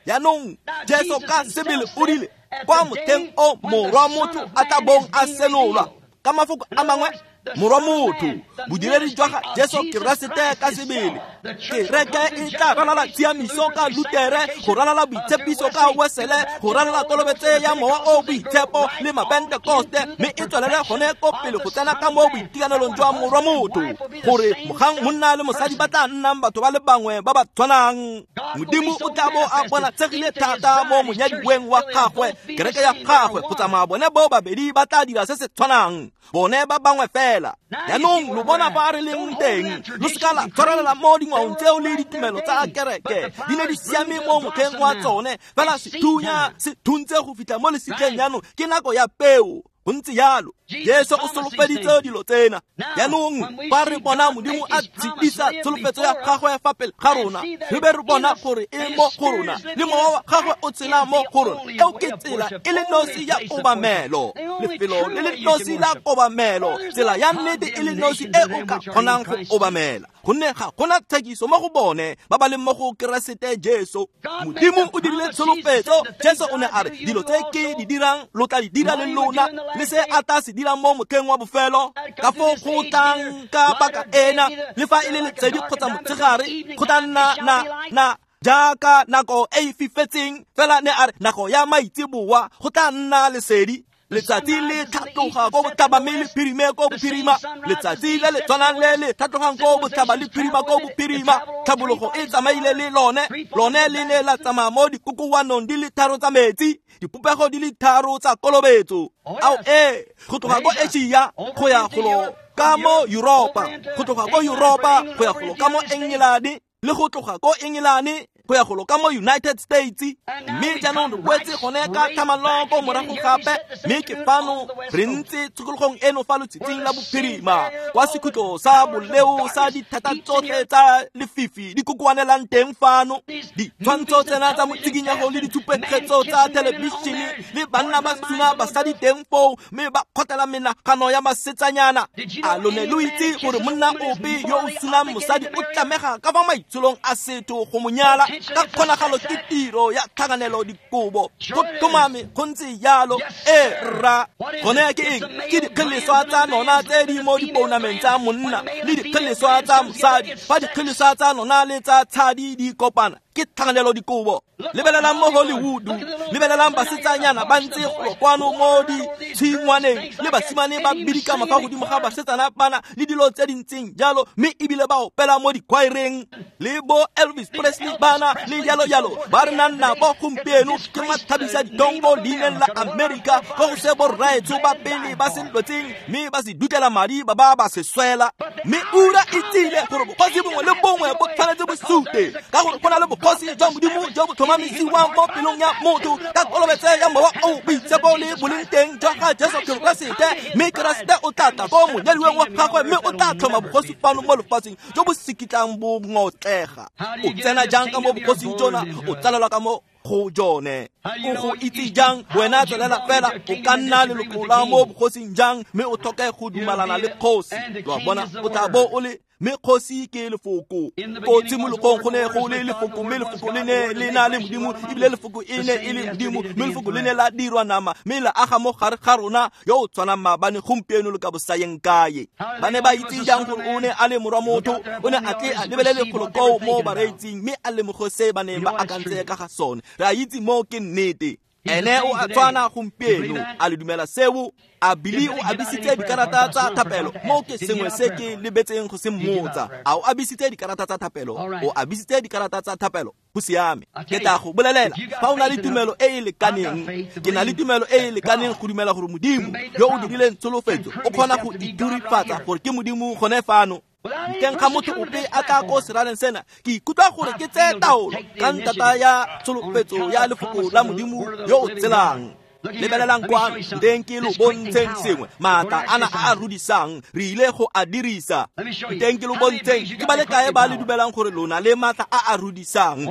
Jaanong Jesu ka sebele o rile kwa motheng o morwa motho a tla bong a senolwa. Ka mafoko a mangwe, morwa motho, bodiredi jwa ga Jesu Keresete ka sebele. Kereke e tla ralala tshiamiso ka Lutere, go ralala boitshepiso ka Wesele, go ralala kolobetso ya Mowa o Boitshepo le Mapentekoste, mme e tswelele gone ko pele go tsena ka mo boitekanelong jwa morwa motho, gore mogang monna le mosadi ba tla nnang batho ba le bangwe ba ba tshwanang. Modimo o tla bo a bonatshegile thata mo monyadiweng wa gagwe, kereke ya gagwe, go tsamaya bone bo babedi ba tla dira se se tshwanang, bone ba bangwe fela. Jaanong lo bona fa re leng teng, lo seka la tshwarelela mo dingwaong tseo le ditumelo tsa kereke. Di ne di siame mo motlheng wa tsone, fela sethunya se thuntse go fitlha mo lesitleng. Jaanong ke nako ya peo. Go ntse jalo. Jesu o solofeditse dilo tsena. Jaanong fa re bona Modimo a tshedisa tsholofetso ya gagwe fa pele ga rona, re be re bona gore e mo go rona, le mowa wa gagwe o tshela mo go rona. Eo ke tsela e le nosi ya kobamelo, lefelo le le nosi la kobamelo, tsela ya nnete e le nosi e o ka kgonang go obamela, gonne ga gona tshekiso mo go bone ba ba leng mo go Keresete Jesu. Modimo o dirile tsholofetso. Jesu o ne a re dilo tse ke di dirang lo tla di dira le lona, le se a tla se dirang mo motlheng wa bofelo, ka foo go tlang ka paka ena, le fa e le letsedi kgotsa motshegare, go tla nna na na jaaka nako e e fifetseng. Fela ne a re nako ya maitseboa go tla nna lesedi. Letsatsi le tlhatloga ko botlhaba mme le phirime ko bophirima. Letsatsi le le tshwanang le le tlhatlogang ko botlhaba le phirima ko bophirima. Tlhabologo e tsamaile le lone, lone le ne la tsamaya mo dikokoanong di le tharo tsa metsi, dipopego di le tharo tsa kolobetso. Ao ee, go tloga ko Asia go ya golo ka mo Yuropa, go tloga ko Yuropa go ya golo ka mo Engelane, le go tloga ko Engelane go ya golo ka mo United States. Mme jaanong re boetse gone ka tlhamallo ko morago gape, mme ke fano re ntse tshokologong eno fa lotshitshing la bophirima, kwa sekhutlo sa boleo sa dithata tsotlhe tsa lefifi di kokoanelang teng fano. Ditshwantsho tsena tsa motsikinyago le ditshupetso tsa thelebišene le banna ba suna basadi teng foo, mme ba kgotlela menagano ya basetsanyana. A lo ne lo itse gore monna ope yo o sunang mosadi o tlamega ka fa maitsholong a setho go mo nyala? Ka kgonagalo ke tiro ya tlhakanelo dikobo. Go tlhomame go ntse jalo. E rra, gone ke eng? Ke dikgeleswa tsa nona tse di mo dipounameng tsa monna le dikgeleswa tsa mosadi. Fa dikgeleswa tsa nona le tsa tshadi di kopana, ke tlhakanelo dikobo. Lebelelang mo Hollywood, lebelelang basetsanyana ba ntse golo kwano mo ditshingwaneng, le basimane ba bidikama fa godimo ga basetsana bana le dilo tse di ntseng jalo, mme ebile ba opela mo dikwaereng le bo Elvis Presley bana le jalo jalo. Ba re nang nabo gompieno ke mathabisa ditongo leineng la Amerika, go go se borraetsho ba pele ba se lwetseng mme ba se dutlela madi ba ba ba se swela. Mme ura e tsile gore bogosi bongwe le bongwe bo tshwanetse bo sute, ka gore go na le bogosi jwa Modimo jo bo tlhomamisiwang mo pelong ya motho ka kolobetso ya Mowa o Boitshepo le boleng teng jwa ga Jesu Keresete. Mme Keresete o tla tla ko monyadiweng wa gagwe, mme o tla tlhoma bogosi fano mo lefatsheng jo bo sekitlang bo ngotlega. O tsena jang ka mo bogosing jona? O tsalelwa ka mo go jone. O go itse jang wena tswelela fela o ka nna leloko la mo bogosing jang mme o tlhoke go dumalana le kgosi. Lo a bona, o tla bo o le mme kgosi ke lefoko. Ko tshimologong go ne go le lefoko, mme lefoko le ne le na le Modimo, ebile lefoko e ne e le Modimo, mme lefoko le ne la dirwa nama mme la aga mo gare ga rona yo o tshwanang maabane, gompieno le ka bosayeng kae. Ba ne ba itse jang gore o ne a le morwa motho? O ne a tle a lebelele golo koo mo bareetsing mme a lemoge se ba neng ba akantse ka ga sone. Re a itse moo ke nnete. Ene o a tshwana gompieno. A le dumela seo? A Bili o abisitse dikarata tsa thapelo? Mo ke sengwe se ke lebetseng go se mmotsa. A o abisitse dikarata tsa thapelo? O abisitse dikarata tsa thapelo? Go siame. Ke tla go bolelela, fa o na le tumelo e e lekaneng, ke na le tumelo e e lekaneng go dumela gore Modimo yo o dirileng tsholofetso o kgona go iturifatsa gore ke Modimo gone fano. Ntleng ga motho ope a tla ko seraleng sena, ke ikutlwa gore ke tseye taolo ka ntata ya tsholofetso ya lefoko la Modimo yo o tselang. Lebelelang kwano, nteng ke lo bontsheng sengwe. Maatla ana a a rudisang re ile go a dirisa. Nteng ke lo bontsheng ke ba le kae ba le dumelang gore lona le maatla a a rudisang.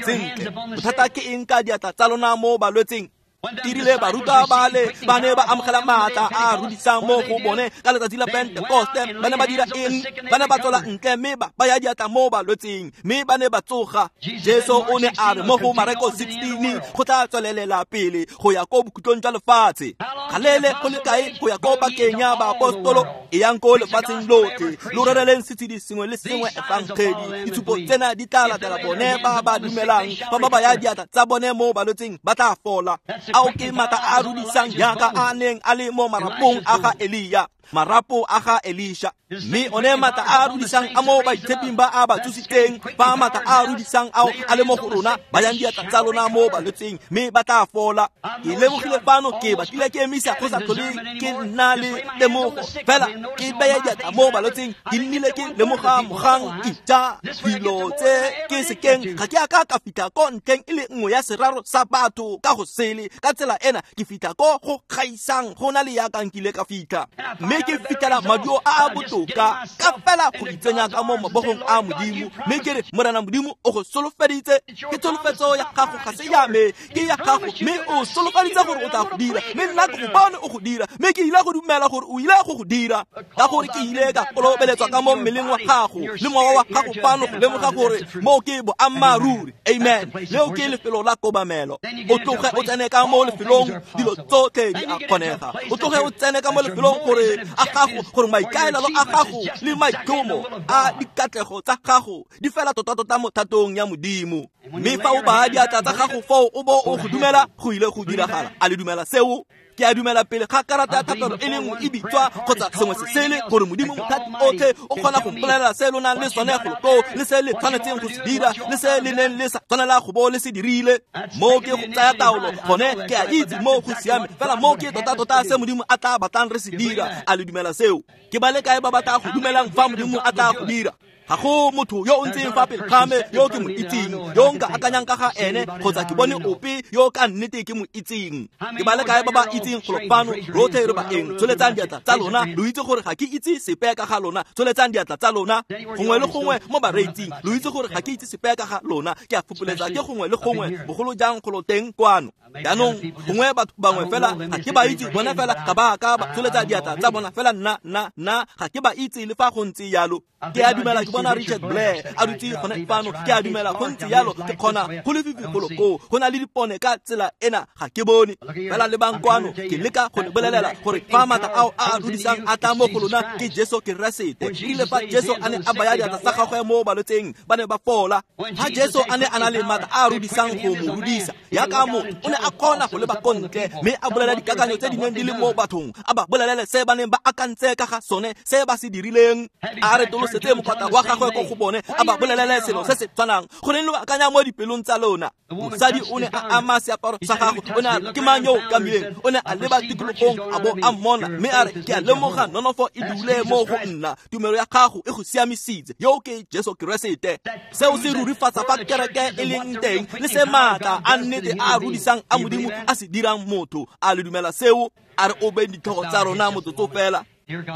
Sentle, bothata ke eng ka diatla tsa lona mo balwetseng? Erile barutwa ba le ba ne ba amogela maatla a a rudisang mo go bone ka letsatsi la Pentekoste. Ba ne ba dira eng? Ba ne ba tswela ntle mme ba baya diatla mo balwetseng, mme ba ne ba tsoga. Jesu o ne a re mo go Mareko sixteen, go tla tswelelela pele go ya ko bokhutlong jwa lefatshe. Galele go le kae go ya ko pakeng ya baapostolo? E yang ko lefatsheng lotlhe, lo rereleng setshedi sengwe le sengwe efangedi. Ditshupo tsena di tla latela bone ba ba dumelang. Fa ba baya diatla tsa bone mo balwetseng ba tla fola. Ao ke maatla a a rudisang jaaka a neng a le mo marapong a ga Elia, marapo a ga Elisha. Mme one maatla a a rudisang a mo baitsheping ba a ba tsositseng, fa maatla a a rudisang ao a le mo go rona, bayang diatla tsa lona mo balwetseng mme ba tla fola. Ke lemogile fano ke batlile ke emisa go sa tlhole ke nna le temogo, fela ke baya diatla mo balwetseng, ke nnile ke lemoga mogang ija dilo tse ke sekeng ga ke a ka ka fitlha ko ntlheng e le nngwe ya seraro sa batho ka go sele. Ka tsela ena ke fitlha ko go gaisang go na le yaka nkile ka fitlha, mme ke fitlhela maduo a a botoka ka fela go itsenya ka mo mabogong a Modimo. Mme ke re, Morena Modimo o go solofeditse, ke tsholofetso ya gago, ga se ya me, ke ya gago, mme o solofeditse gore o tla go dira, mme nna ke go bone o go dira, mme ke ile go dumela gore o ile go go dira, ka gore ke ile ka kolobeletswa ka mo mmeleng wa gago le mowa wa gago fano go lemoga gore mo ke boammaaruri. Amen. Leo ke lefelo la kobamelo. O tloge o tsene ka mo lefelong dilo tsotlhe di a kgonega. O tloge o tsene ka mo lefelong gore a gago, gore maikaelelo a gago le maitlhomo a dikatlego tsa gago di fela tota-tota mo thatong ya Modimo. Mme fa o baya diatla tsa gago foo o bo o go dumela, go ile go diragala. A le dumela seo? Ke a dumela pele ga karata ya thapelo e le nngwe e bitswa kgotsa sengwe se sele, gore Modimo mothati otlhe o kgona go mpolelela se lo nang le sone golo koo, le se le tshwanetseng go se dira, le se le neng le sa tshwanela go bo le se dirile. Mo ke go tsaya taolo gone, ke a itse mo go siame, fela mo ke tota-tota se Modimo a tla batlang re se dira. A le dumela seo? Ke ba le kae ba ba tla go dumelang fa Modimo a tla go dira? Ga go motho yo o ntseng fa pele ga me yo ke mo itseng, yo nka akanyang ka ga ene, kgotsa ke bone ope yo ka nnete ke mo itseng. Ke ba le kae ba ba itseng golo fano? Rotlhe re ba eng? Tsholetsang diatla tsa lona. Lo itse gore ga ke itse sepe ka ga lona. Tsholetsang diatla tsa lona gongwe le gongwe mo bareetsing. Lo itse gore ga ke itse sepe ka ga lona. Ke a fopoletsa ke gongwe le gongwe, bogolo jang golo teng kwano. Jaanong gongwe batho bangwe fela ga ke ba itse, bona fela ga ba ka ba tsholetsa diatla tsa bona fela, nna nna nna ga ke ba itse le fa go ntse jalo. Ke a dumela ke bona Richard Blair a dutse gone fano. Ke a dumela go ntse jalo, ke kgona go lefifi golo koo, go na le dipone ka tsela ena ga ke bone. Fela lebang kwano, ke leka go le bolelela gore fa maatla ao a a rudisang a tla mo go lona ke Jesu Keresete. Erile fa Jesu a ne a baya diatla tsa gagwe mo balwetseng, ba ne ba fola. Fa Jesu a ne a na le maatla a a rudisang go mo rudisa, yaka motho o ne a kgona go leba ko ntle mme a bolela dikakanyo tse di neng di le mo bathong, a ba bolelele se ba neng ba akantse ka ga sone, se ba se dirileng. A retolosetse mokgwata wa gagwe ko go bone, a ba bolelele selo se se tshwanang. Goreng lo akanya mo dipelong tsa lona? Mosadi o ne a ama seaparo sa gagwe, o ne a re, ke mang yo o kamileng? O ne a leba tikologong a bo a mmona, mme a re, ke a lemoga nonofo e dule mo go nna, tumelo ya gago e go siamisitse. Yo ke Jesu Keresete. Seo se rurifatsa fa kereke e leng teng le se maatla a nnete a a rudisang a Modimo a se dirang motho. A le dumela seo? A re obeng ditlhogo tsa rona motsotso fela.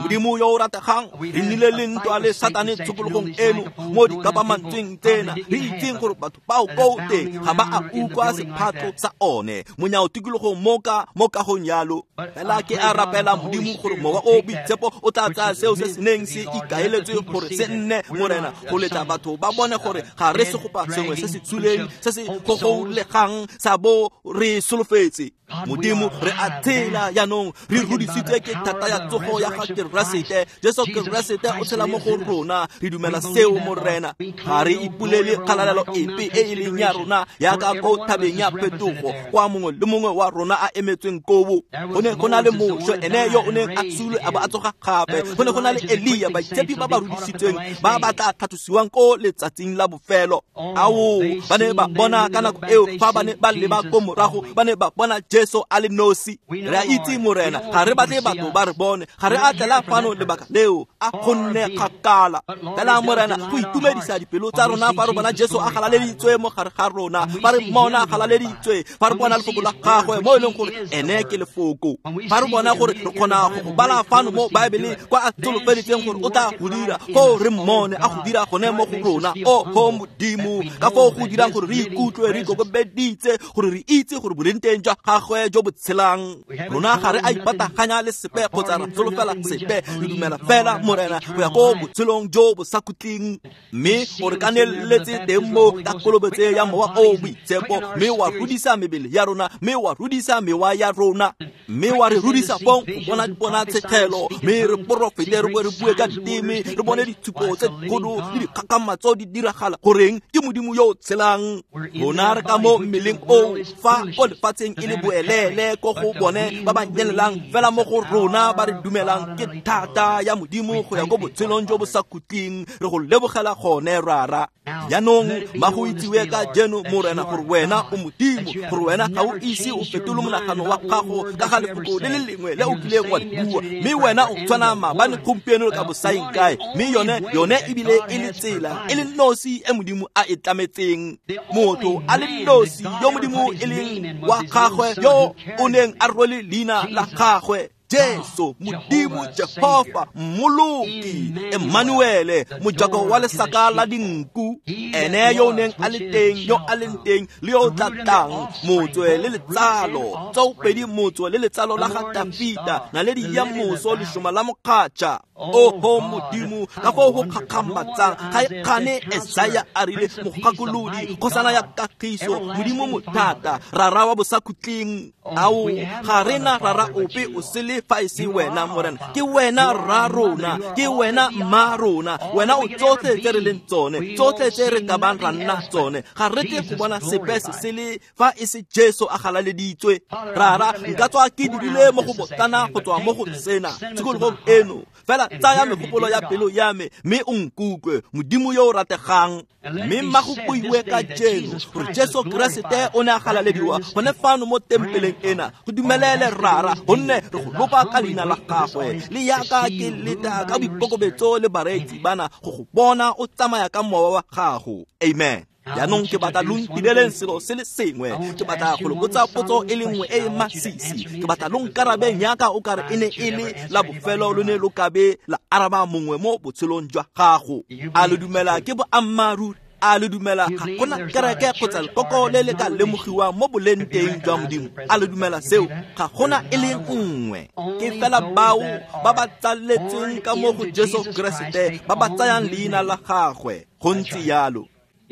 Modimo yo o rategang, re nnile le ntwa le Satane tshokologong eno mo dikapamantsweng tsena, re itseng gore batho bao ko teng ga ba a utlwa sephatlo sa one monyao tikologong mo ka mo kagong yalo. Fela ke a rapela Modimo gore Mowa o Boitshepo o tla tsaya seo se se neng se ikaeletswe gore se nne, Morena, go letla batho ba bone gore ga re segopa sengwe se se tswileng se se gogolegang sa bo re solofetse. Modimo, re a tshela jaanong, re rudisitswe ke thata ya tsogo ya ga Keresete. Jesu Keresete o tshela mo go rona, re dumela seo, Morena. Ga re ipolele kgalalelo epe e e leng ya rona yaka ko thabeng ya phetogo, kwa mongwe le mongwe wa rona a emetsweng kobo. Go ne go na le Moshe, ene yo o neng a sulwe a ba a tsoga gape. Go ne go na le Elia, baitshepi ba ba rudisitsweng ba ba tla tlhatlosiwang ko letsatsing la bofelo. Ao, ba ne ba bona ka nako eo fa ba ne ba leba ko morago, ba ne ba bona Jesu a le nosi. Re a itse, Morena, ga re batle batho ba re bone, ga re a tlela fano lebaka leo, a gonne kgakala. Fela, Morena, go itumedisa dipelo tsa rona fa re bona Jesu a galaleditswe mo gare ga rona, fa re mmona a galaleditswe, fa re bona lefoko la gagwe mo e leng gore ene ke lefoko, fa re bona gore re kgona go go bala fano mo Baebeleng kwa a solofeditseng gore o tla go dira, foo re mmone a go dira gone mo go rona. Oho Modimo, ka foo go dirang gore re ikutlwe re ikokobeditse, gore re itse gore boleng teng jwa gagwe jo bo tshelang. Rona ga re a ipataganya le sepe kgotsa ra solofela sepe, re dumela fela, Morena, go ya ko botshelong jo bo sa khutleng. Mme o re kaneletse teng mo ka kolobetso ya Mowa o Boitshepo, mme wa rudisa mebele ya rona, mme wa rudisa mewa ya rona, mme wa re rudisa fong go bona diponatshegelo, mme re porofete, re boe re bue ka diteme, re bone ditshupo tse dikgolo le dikgakgamatso di diragala. Goreng? Ke Modimo yo o tshelang. Rona re ka mo mmeleng oo fa ko lefatsheng e le boelele ko go bone ba ba nyelelang, fela mo go rona ba re dumelang ke thata ya Modimo go ya ko botshelong jo bo sa khutleng. Re go lebogela gone, Rara. Jaanong ba go itsiwe ka jeno, Morena, gore wena o Modimo, gore wena ga o ise o fetole monagano wa gago ka ga lefoko le le lengwe le o kileng wa le bua, mme wena o tshwana maabane, gompieno le ka bosaeng kae. Mme yone yone ebile e le tsela e le nosi e Modimo a e tlametseng. Motho a le nosi yo Modimo e leng wa gagwe, yo o neng a rwele leina la gagwe, Jesu, Modimo Jehova, Mmoloki, Emmanuele, mojako wa lesaka la dinku, ene yo o neng a le teng, yo a leng teng le yo o tla tlang, motswe le letsalo tsoopedi, motswe le letsalo la ga Dafita, naledi ya moso, lešoma la mokgatšha. Oho Modimo, ka foo go kgakgamatsang ga e kgane Esaya a rile, mogakolodi, kgosana ya kagiso, Modimo mothata, Rara wa bosakhutleng. Ao, ga re na rara ope o sele fa e se wena, Morena. Ke wena rra rona, ke wena mma rona, wena o tsotlhe tse re leng tsone, tsotlhe tse re ka bang ra nna tsone. Ga re tle go bona sepe se sele fa e se Jesu a galaleditswe. Rara, nka tswa ke dirile mo go botlana go tswa mo go sena tshikologong eno, fela tsaya megopolo ya pelo ya me mme o nkutlwe, Modimo yo o rategang. Mme mma go buiwe ka jeno gore Jesu Keresete o ne a galalediwa gone fano mo tempeleng ena. Go dumelele, Rara, gonne re go lopa ka leina la gagwe. Le yaka ke leta ka boikokobetso le bareetsi bana go go bona o tsamaya ka mowa wa gago. Amen. Jaanong ke batla lo ntireleng selo se le sengwe. Ke batla go le botsa potso e le nngwe e e masisi. Ke batla lo nkarabeng yaka o kare e ne e le la bofelo lo ne lo kabe la araba mongwe mo botshelong jwa gago. A lo dumela ke boammaaruri? A le dumela ga gona kereke kgotsa lekoko le le ka lemogiwang mo boleng teng jwa Modimo? A le dumela seo? Ga gona e le nngwe. Ke fela bao ba ba tsaletsweng ka mo go Jesu Keresete ba ba tsayang leina la gagwe. Go ntse yalo.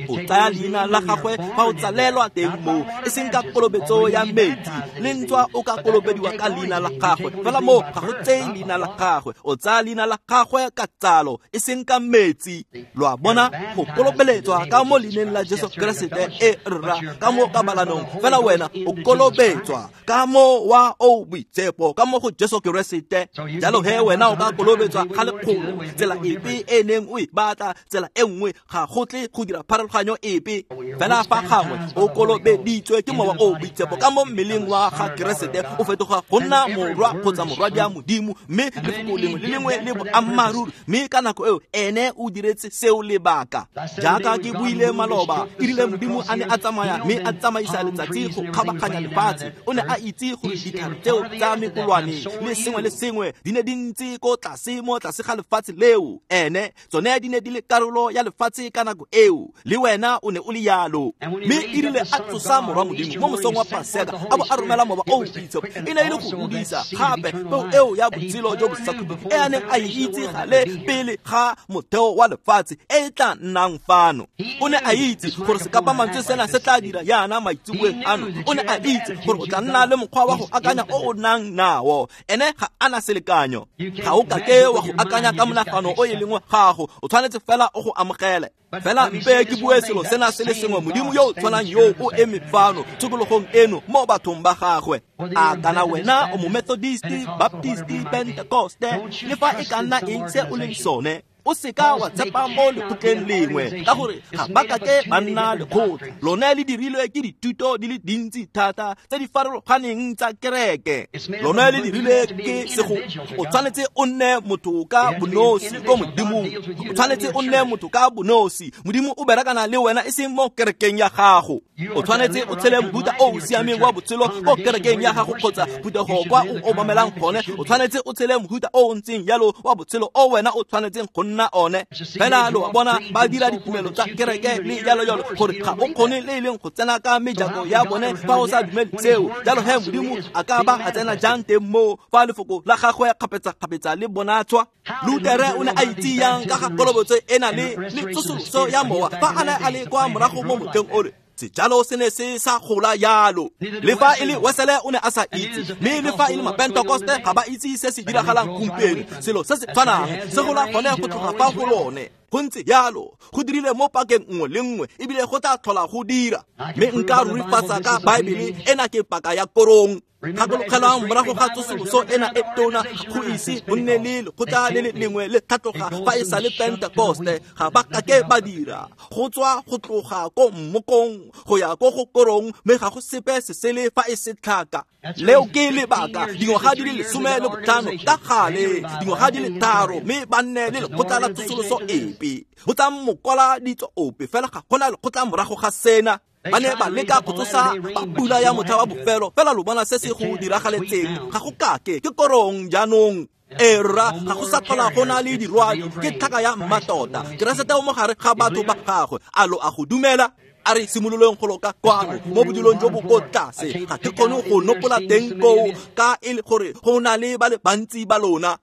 O tsaya leina la gagwe fa o tsalelwa teng moo, e seng ka kolobetso ya metsi. Le ntswa o ka kolobediwa ka leina la gagwe, fela moo ga go tseye leina la gagwe. O tsaya leina la gagwe ka tsalo, e seng ka metsi. Lo a bona, go kolobeletswa ka mo leineng la Jesu Keresete e rra ka mo kabalanong, fela wena o kolobetswa ka mo wa o Boitshepo ka mo go Jesu Keresete. Jalo he wena o ka kolobetswa ga lekgolo, tsela epe e neng o e batla, tsela e nngwe ga go tle go dira pharologanyo epe. Fela fa gangwe o kolobeditswe ke Mowa o o Boitshepo ka mo mmeleng wa ga Keresete, o fetoga go nna morwa kgotsa morwadia Modimo, mme lefoko lengwe le lengwe le boammaaruri. Mme ka nako eo ene o diretse seo lebaka. Jaaka ke buile maloba, e rile Modimo a ne a tsamaya mme a tsamaisa letsatsi go kgabaganya lefatshe, o ne a itse gore ditlhare tseo tsa mekolwane le sengwe le sengwe di ne di ntse ko tlase mo tlase ga lefatshe leo. Ene tsone di ne di le karolo ya lefatshe ka nako eo, le wena o ne o le yalo. Mme e rile a tsosa Morwa Modimo mo mosong wa Paseka, a bo a romela Mowa o o Boitshepo, e ne e le go godisa gape peo eo ya botshelo jo bo sa khutleng e a neng a e itse gale pele ga motheo wa lefatshe e e tla nnang fano. O ne a itse gore sekapamantswe sena se tla dira yana maitseboeng ano. O ne a itse gore o tla nna le mokgwa wa go akanya o o nang nao. Ene ga a na selekanyo. Ga o kake wa go akanya ka monagano o e leng wa gago, o tshwanetse fela o go amogele. Fela mpe ke bue selo sena se le sengwe, Modimo yo o tshwanang yo o eme fano tshokologong eno mo bathong ba gagwe. A kana wena o mo Methodist, Baptist, Pentecoste, le fa e ka nna eng se o leng sone, o seka wa tshepa mo lekgotleng lengwe, ka gore ga ba kake ba nna lekgotla. Lone le dirilwe ke dithuto di le dintsi thata tse di farologaneng tsa kereke. Lone le dirilwe ke sego. O tshwanetse o nne motho ka bonosi ko Modimong. O tshwanetse o nne motho ka bonosi. Modimo o berekana le wena e seng mo kerekeng ya gago. O tshwanetse o tshele mohuta o o siameng wa botshelo ko kerekeng ya gago kgotsa phuthego kwa o obamelang gone. O tshwanetse o tshele mohuta o o ntseng jalo wa botshelo o wena o tshwanetseng go nna one. Fela lo bona ba dira ditumelo tsa kereke le jalo jalo, gore ga o kgone le e leng go tsena ka mejako ya bone fa o sa dumele seo. Jalo he Modimo a ka ba a tsena jang teng moo fa lefoko la gagwe kgapetsa-kgapetsa le bonatswa? Lutere o ne a itse yang ka ga kolobetso ena le le tsosoloso ya mowa fa a ne a le kwa morago mo motlheng ole? Sejalo se ne se sa gola yalo. Le fa e le Wesele o ne a sa itse, mme le fa e le Mapentekoste ga ba itse se se diragalang gompieno. Selo se se tshwanang se gola gone go tloga fa go lone. Go ntse yalo, go dirile mo pakeng nngwe le nngwe, ebile go tla tlhola go dira. Mme nka rurifatsa ka Baebele, ena ke paka ya korong. Gakologelang morago ga tsosoloso ena e tona, go ise go nne le lekgotla le le lengwe le tlhatloga fa e sa le Pentekoste. Ga ba kake ba dira go tswa go tloga ko mmokong go ya ko go korong, mme ga go sepe se sele fa e se tlhaka. Leo ke lebaka dingwaga di le lesome le botlhano ka gale, dingwaga di le tharo, mme ba nne le lekgotla la tsosoloso epe. Go tsa mokwala ditso ope fela ga gona lekgotla morago ga sena. Ba ne ba leka go tsosa ba pula ya motlha wa bofelo, fela lo bona se se go diragaletseng. Ga go kake, ke korong jaanong. E rra, ga go sa tlhola go na le dirwadi, ke tlhaka ya mmatota. Keresete o mo gare ga batho ba gagwe. A lo a go dumela? A re simololeng go loka kwano mo bodilong jo bo ko tlase. Ga ke kgone go nopola teng koo ka e le gore go na le ba le bantsi ba lona.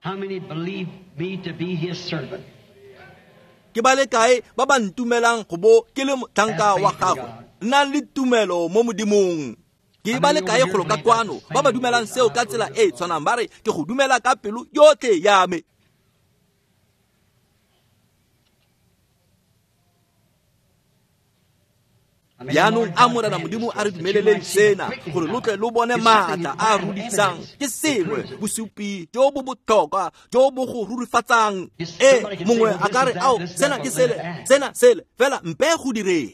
Ke ba le kae ba ba ntumelang go bo ke le motlhanka wa gagwe? Nnang le tumelo mo Modimong. Ke ba le kae go loka kwano ba ba dumelang seo ka tsela e e tshwanang, ba re ke go dumela ka pelo yotlhe ya me. Jaanong a Morena Modimo a re dumeleleng sena gore lo tle lo bone maatla a a rudisang. Ke sengwe bosupi jo bo botlhokwa jo bo go rurifatsang. E mongwe a ka re, ao, sena ke sele, sena sele, fela mpe go direng.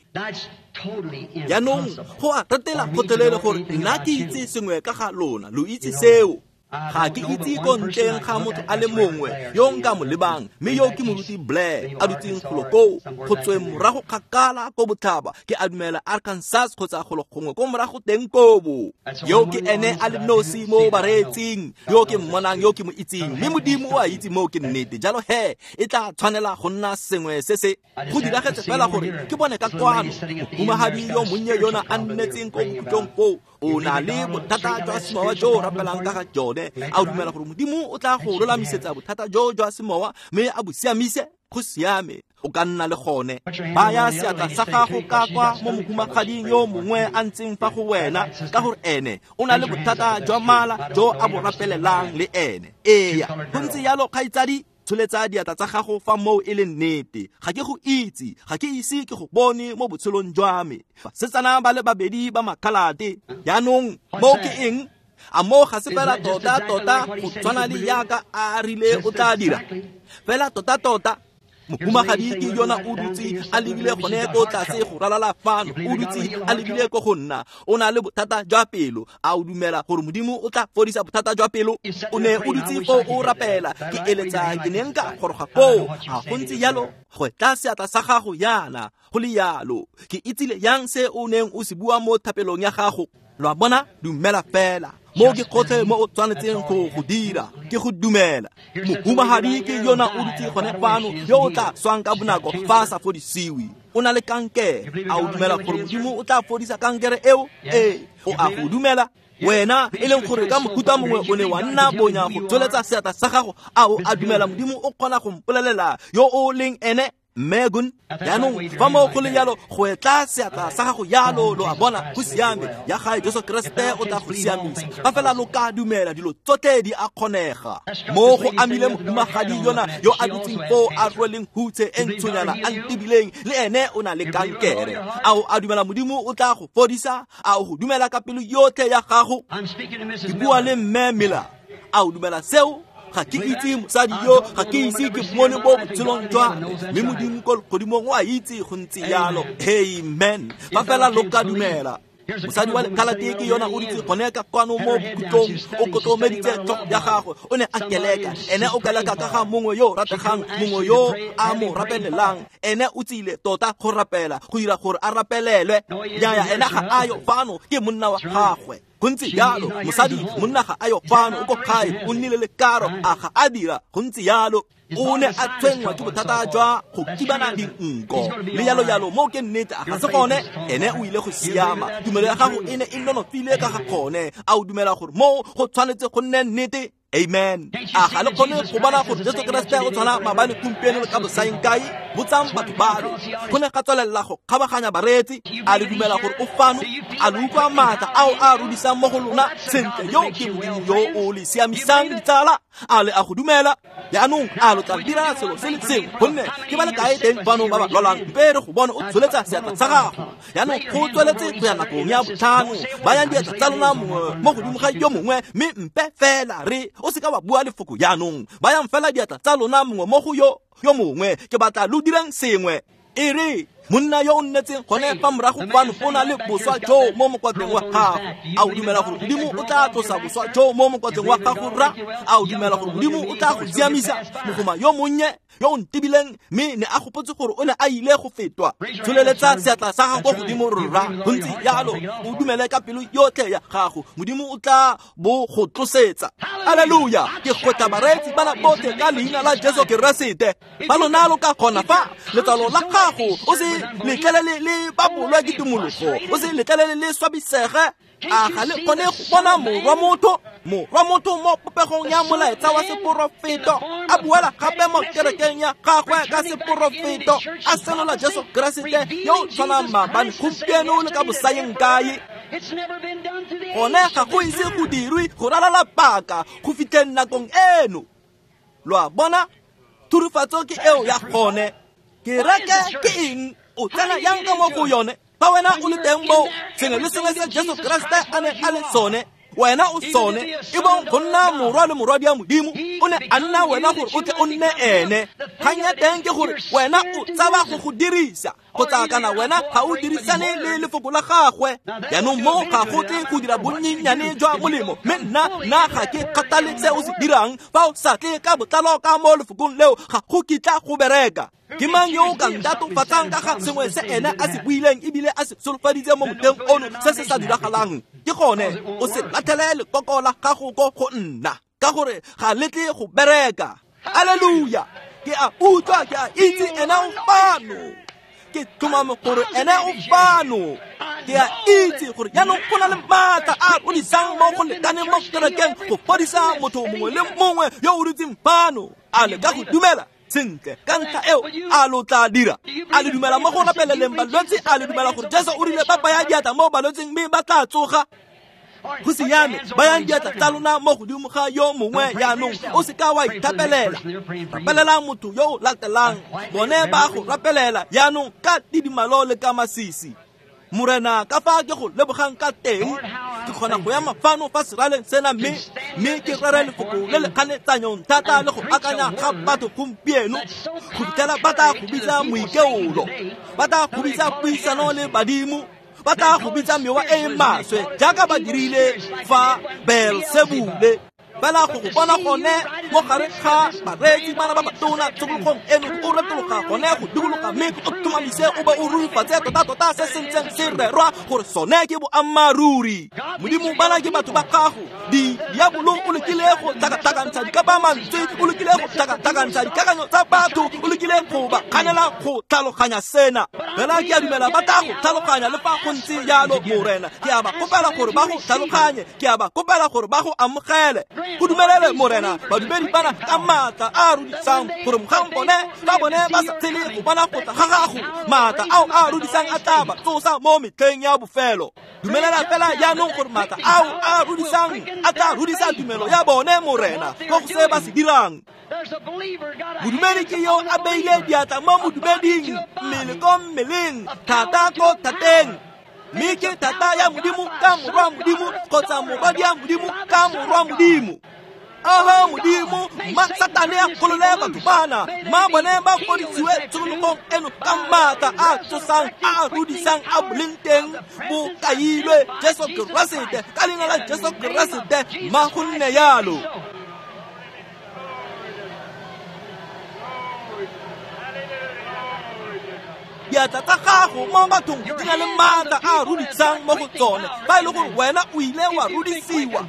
Jaanong go a ratela gotlhelele gore nna ke itse sengwe ka ga lona, lo itse seo. Ga ke itse ko ntleng ga motho a le mongwe yo nka mo lebang, mme yo ke moruti Blair a dutseng golo koo go tsweng morago kgakala ko botlhaba, ke a dumela Arkansas kgotsa golo gongwe ko morago teng kobo. Yo ke ene a le nosi mo bareetsing, yo ke mmonang, yo ke mo itseng, mme Modimo o a itse moo ke nnete. Jalo he e tla tshwanela go nna sengwe se se go diragetse fela gore ke bone ka kwano mohumagadi yo monnye yona a nnetseng ko bokhutlong koo o na le bothata jwa semowa jo o rapelang ka ga jone. A o dumela gore Modimo o tla go lolamisetsa bothata jo jwa semowa mme a bo siamise? Go siame, o ka nna le gone. Baya seatla sa gago ka kwa mo mohumagading yo mongwe a ntseng fa go wena, ka gore ene o na le bothata jwa mala jo a bo rapelelang le ene. Eya, go ntse yalo kgaitsadi. Tsholetsa diatla tsa gago fa moo e le nnete. Ga ke go itse, ga ke ise ke go bone mo botshelong jwa me. Basetsana ba le babedi ba makhalate. Jaanong moo ke eng? A moo ga se fela tota tota go tshwana le yaka a rile o tla dira? Fela tota tota. Mohumagadi ke yona o dutse a lebile gone ko tlase go ralala fano, o dutse a lebile ko go nna. O na le bothata jwa pelo. A o dumela gore Modimo o tla fodisa bothata jwa pelo? O ne o dutse foo o rapela. Ke eletsa ke ne nka goroga koo. A go ntse jalo? Go tla seatla sa gago yana go le yalo. Ke itsile yang se o neng o se bua mo thapelong ya gago. Lo a bona? Dumela fela. Mo ke gotlhe mo o tshwanetseng go go dira ke go dumela. Mohumagadi ke yona o dutse gone fano yo o tla swang ka bonako fa a sa fodisiwe. O na le kankere. A o dumela gore Modimo o tla fodisa kankere eo? Ee, o a go dumela. Wena e leng gore ka mohuta mongwe o ne wa nna bonya go tsweletsa seatla sa gago, a o a dumela Modimo o kgona go mpolelela yo o leng ene? Megun, jaanong fa mo go le jalo go etla seatla sa gago jalo, lo a bona, go siame. Ya gae Jesu Keresete o tla go siamisa. Fa fela lo ka dumela, dilo tsotlhe di a kgonega. Mo go amile mohumagadi yona yo a dutseng foo a rweleng hutshe e ntshonyana a ntebileng, le ene o na le kankere. A o a dumela Modimo o tla go fodisa? A o go dumela ka pelo yotlhe ya gago? Ke bua le mme Miller. A o dumela seo? Ga ke itse mosadi yo, ga ke ise ke mmone mo botshelong jwa me, mme Modimo ko legodimong o a itse go ntse jalo. Amen. Fa fela lo ka dumela. Mosadi wa lekhalate ke yona o dutse gone ka kwano mo bokhutlong, o kotlomeditse tlhogo ya gagwe, o ne a keleka. Ene o keleka ka ga mongwe yo rategang, mongwe yo a mo rapelelang. Ene o tsile tota go rapela, go dira gore a rapelelwe. Nnyaya, ene ga a yo fano, ke monna wa gagwe. Go ntse jalo, mosadi monna ga a yo fano, o ko gae, o nnile le karo, a ga a dira. Go ntse jalo. O ne a tshwenngwa ke bothata jwa go kibana dinko le jalo jalo. Mo ke nnete, a ga se gone? Ene o ile go siama. Tumelo ya gago e ne e nonofile ka ga gone. A o dumela gore mo go tshwanetse go nne nnete? Amen. A ga le kgone go bona gore Jesu Keresete o tshwana maabane, gompieno le ka bosaeng kae? Botsang batho balo. Go ne ga tswelela go kgabaganya bareetsi. A le dumela gore o fano? A le utlwa maatla ao a rudisang mo go lona? Sentle, yo ke Modimo yo o le siamisang, ditsala. A le a go dumela? Jaanong a lo tla dira selo se le sengwe, gonne ke ba le kae teng fano ba ba lwalang? Mpe re go bone o tsholetsa seatla sa gago. Jaanong go tsweletse go ya nakong ya botlhano. Bayang diatla tsa lona mongwe mo godimo ga yo mongwe, mme mpe fela re o seka wa bua lefoko jaanong. Bayang fela diatla tsa lona mongwe mo go yo yo mongwe. Ke batla lo dirang sengwe. E re monna yo o nnetseng gone fa morago fano o na le boswa jo mo mokwatleng wa gago. A o dumela gore Modimo o tla tlosa boswa jo mo mokwatleng wa gago, rra? A o dumela gore Modimo o tla go siamisa? Mogoma yo monnye yo o ntebileng, mme ne a gopotse gore o ne a ile go fetwa. Tsholeletsa seatla sa gago godimo, rra. Go ntse jalo, o dumele ka pelo yotlhe ya gago, Modimo o tla bo go tlosetsa. Alleluia. Ke gotla bareetsi bana botlhe ka leina la Jesu Keresete. Ba lona lo ka kgona fa letsalo la gago o se letlelele le babolwa ke tumologo, o se letlelele le swabisege. A ga le kgone go bona morwa motho, morwa motho mo popegong ya molaetsa wa seporofeto, a buela gape mo kerekeng ya gagwe ka seporofeto, a senola Jesu Keresete yo o tshwanang maabane, gompieno le ka bosaeng kae. Gone ga go ise go dirwe go ralala paka go fitlheng nakong eno. Lo a bona? Thurifatso ke eo ya gone. Kereke ke eng? O tsena yang ka mo go yone? Fa wena o le teng mo sengwe le sengwe se Jesu Keresete a ne a le sone, wena o sone. E bong go nna morwa le morwadi ya Modimo, o ne a nna wena gore o tle o nne ene. Kgang ya teng ke gore wena o tshaba go go dirisa, kgotsa kana wena ga o dirisane le lefoko la gagwe. Jaanong mo ga go tle go dira bonnyenyane jwa molemo, mme nna nna ga ke kgathale se o se dirang. Fa o sa tle ka botlalo ka mo lefokong leo, ga go kitla go bereka. Ke mang yo o ka ntatofatsang ka ga sengwe se ene a se buileng ebile a se solofaditse mo motlheng ono se se sa diragalang? Ke gone o se latlhele lekoko la gago ko go nna, ka gore ga le tle go bereka. Alleluia. Ke a utlwa, ke a itse ene o fano. Ke tlhomame gore ene o fano. Ke a itse gore jaanong go na le maatla a rodisang mo go lekaneng mo kerekeng go fodisa motho mongwe le mongwe yo o dutseng fano. A le ka go dumela? Sentle, ka ntlha eo a lo tla dira. A le dumela mo go rapeleleng balwetse? A le dumela gore Jesu o rile ba baya diatla mo balwetseng mme ba tla tsoga? Go siame, bayang diatla tsa lona mo godimo ga yo mongwe jaanong. O seka wa ithapelela. Rapelela motho yo o latelang. Bone ba go rapelela jaanong ka tidimalo le ka masisi. Morena, ka fa ke go lebogang ka teng, Ke kgona go ema fano fa seraleng sena mme mme ke rere lefoko le le kganetsanyong thata le go akanya ga batho gompieno go fitlhela ba tla go bitsa moikeolo, ba tla go bitsa puisano le badimo, ba tla go bitsa mewa e e maswe jaaka ba dirile fa Beelsebule. Fela go go bona gone mo gare ga bareetsi bana ba batona tshokologong eno o retologa gone go dikologa mme o tlhomamise o be o rurifatse tota-tota se se ntseng se rerwa gore sone ke boammaaruri. Modimo bana ke batho ba gago. Diabolo o lekile go tlhakatlhakantsha dikapamantswe, o lekile go tlhakatlhakantsha dikakanyo tsa batho, o lekile go ba kganela go tlhaloganya sena. Fela ke a dumela ba tla go tlhaloganya le fa go ntse jalo, Morena. Ke a ba kopela gore ba go tlhaloganye, ke a ba kopela gore ba go amogele. Go dumelele Morena badumedi bana ka maatla a a rudisang gore mogang bone ba bone ba sa tshele go bona go tla ga gago, maatla ao a rudisang a tla ba tsosa mo metlheng ya bofelo. Dumelela fela jaanong gore maatla ao a rudisang a tla rudisa tumelo ya bone, Morena, ko go se ba se dirang. Modumedi ke yo a beile diatla mo modumeding, mmele ko mmeleng, thata ko thateng. Mme ke thata ya Modimo ka morwa Modimo kgotsa morwadia Modimo ka morwa Modimo. Oho Modimo, ma Satane a golole batho bana, ma bone ba fodisiwe tshokologong eno ka maatla a tsosang a rudisang a boleng teng bo kailwe Jesu Keresete, ka leina la Jesu Keresete, ma go nne jalo. Diatla tsa gago mo bathong di na le maatla a rudisang mo go tsone. Fa e le gore wena o ile wa rudisiwa,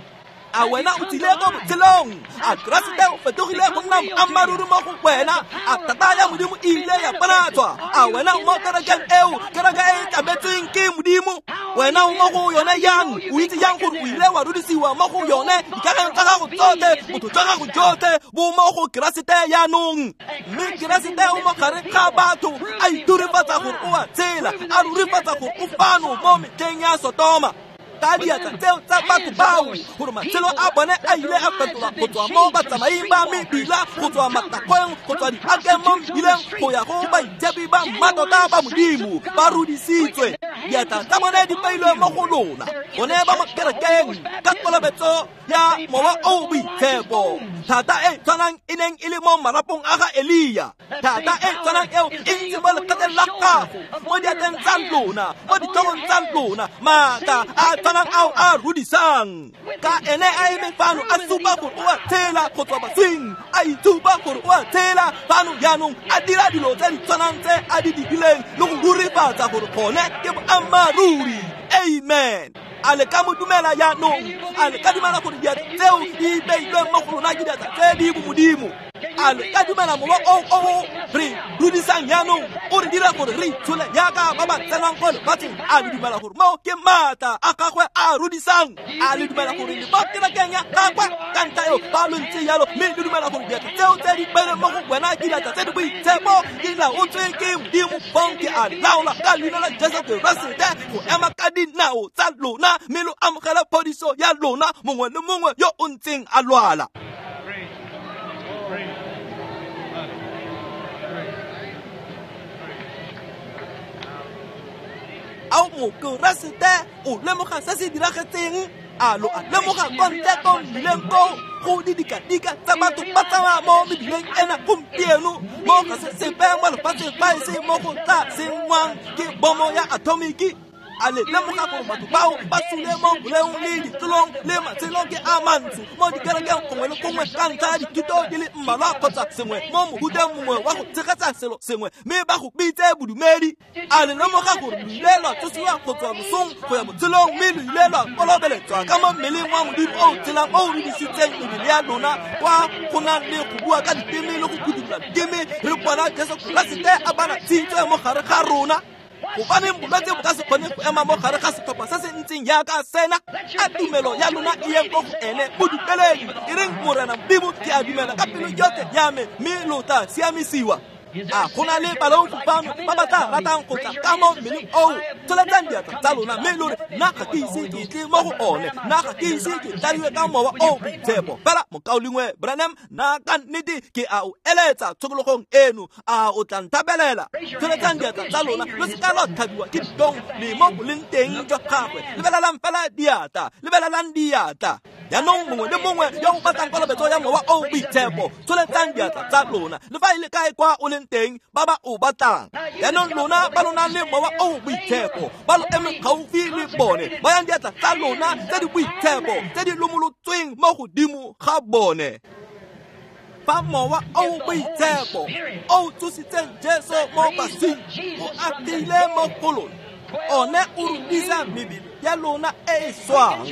a wena o tsile ko botshelong, a Keresete o fetogile go nna moammaaruri mo go wena, a thata ya Modimo e ile ya bonatswa, a wena o mo kerekeng eo, kereke e e tlametsweng ke Modimo, wena o mo go yone yang, o itse yang gore o ile wa rudisiwa mo go yone, dikakanyo tsa gago tsotlhe, botho jwa gago jotlhe bo mo go Keresete jaanong. Mme Keresete o mo gare ga batho a ithurifatsa gore o a tshela, a rurifatsa gore o fano mo metlheng ya Sotoma. Ka diatla tseo tsa batho bao gore matshelo a bone a ile a fetolwa go tswa mo batsamaing ba mebila, go tswa matakgweng, go tswa diakeng mo mebileng, go ya go baitshepi ba mmatota ba Modimo, ba rudisitswe. Diatla tsa bone di beilwe mo go lona, bone ba mo kerekeng ka kolobetso ya Mowa o o Boitshepo. Thata e tshwanang e neng e le mo marapong a ga Elia, thata e tshwanang eo e ntse mo lekgatleng la gago, mo diatleng tsa lona, mo ditlhogong tsa lona, maatla a tshwanang ao a rudisang. Ka ene a eme fano a supa gore o a tshela go tswa baswing, a itshupa gore o a tshela fano jaanong, a dira dilo tse di tshwanang tse a di dirileng le go rurifatsa gore gone ke boammaaruri. Amen. A le ka mo dumela jaanong? A le ka dumela gore diatla tseo di beilweng mo go lona ke diatla tse di bomodimo? A le ka dumela mowa o o re rudisang jaanong o re dira gore re itshole jaaka ba ba tsenang ko lefatsheng? A le dumela gore moo ke maatla a gagwe a rudisang? A le dumela gore le mo kerekeng ya gagwe ka ntlha eo ba lo ntse jalo, mme le dumela gore diatla tseo tse di beilweng mo go wena ke diatla tse di boitshepo, di laotswe ke Modimo? Fong ke a laola ka leina la Jesu Keresete go ema ka dinao tsa lona, mme lo amogela phodiso ya lona, mongwe le mongwe yo o ntseng a lwala. Ao Mokeresete o lemoga se se diragetseng? A lo a lemoga ko ntle ko mmileng ko go didikadika tsa batho ba tsamaya mo mebileng ena gompieno, mo ga se sepe mo lefatsheng fa e se mo go tla senngwang ke bomo ya atomiki? A le lemoga gore batho bao ba sule mo boleong le ditlolong le matshelo ke a mantsho mo dikerekeng gongwe le gongwe ka ntlha ya dithuto di le mmalwa kgotsa sengwe mo mohuteng mongwe wa go tshegetsa selo sengwe, mme ba go bitse bodumedi? A le lemoga gore lo ile lwa tsosiwa go tswa losong go ya botshelong, mme lo ile lwa kolobeletswa ka mo mmeleng wa Modimo o o tshelang o o rudisitseng mebele ya lona kwa go nang le go bua ka diteme le go phuthulola diteme, re bona Jesu Keresete a bana tshitswe mo gare ga rona? Gobaneng bolwetse bo ka se kgone go ema mo gare ga setlhopha se se ntseng jaaka sena? A tumelo ya lona e yeng ko go ene, mo dumeleng. E reng, Morena Modimo, ke a dumela ka pelo yotlhe ya me, mme lo tla siamisiwa. A go na le baleofi fano ba ba tla ratang go tla ka mo mmeleng oo? Tsholetsang diatla tsa lona mme lo re, nna ga ke ise ke tle mo go one, nna ga ke ise ke tladiwe ka Mowa o o Boitshepo. Fela mokaulengwe Branham, nna ka nnete ke a o eletsa tshokologong eno, a o tla nthapelela? Tsholetsang diatla tsa lona, lo seka lwa tlhabiwa ke ditlhong le mo boleng teng jwa gagwe. Lebelelang fela diatla, lebelelang diatla. Jaanong mongwe le mongwe yo o batlang kolobetso ya Mowa o o Boitshepo, tsholetsang diatla tsa lona, le fa e le kae kwa o leng teng, ba ba o batlang. Jaanong lona ba lo nang le Mowa o o Boitshepo, ba lo emeng gaufi le bone, bayang diatla tsa lona tse di boitshepo, tse di lomolotsweng mo godimo ga bone. Fa Mowa o o Boitshepo o tsositseng Jesu mo baswing o agile mo go lona, one o rudisa mebele ya lona e e swang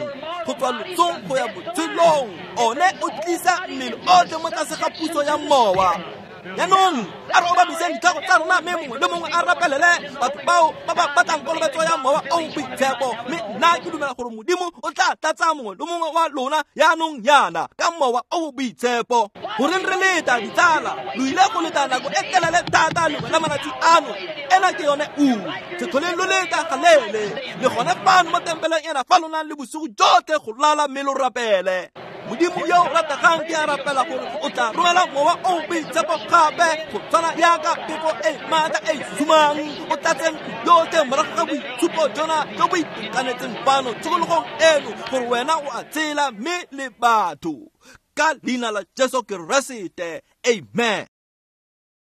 go tswa lotsong go ya botshelong. One o tlisa mmele otlhe mo tlase ga puso ya Mowa. Jaanong a re obamiseng ditlhogo tsa rona, mme mongwe le mongwe a rapelele batho bao ba ba batlang kolobetso ya Mowa o o Boitshepo. Mme nna ke dumela gore Modimo o tla tlatsa mongwe le mongwe wa lona jaanong jaana ka Mowa o o Boitshepo. Goreng re leta, ditsala? Lo ile go leta nako e telele thata lengwe la malatsi ano. Ena ke yone ura. Se tlholeng lo leta galeele. Le gone fano mo tempeleng ena fa lo nang le bosigo jotlhe go lala mme lo rapele. Modimo yo o rategang, ke a rapela gore o tla romela Mowa o o Boitshepo gape go tshwana jaaka phefo e maatla e sumang, o tlatse ntlo yotlhe morago ga boitshupo jona jo bo itekanetseng fano tshokologong eno, gore wena o a tshela mme le batho. Ka leina la Jesu Keresete, amen.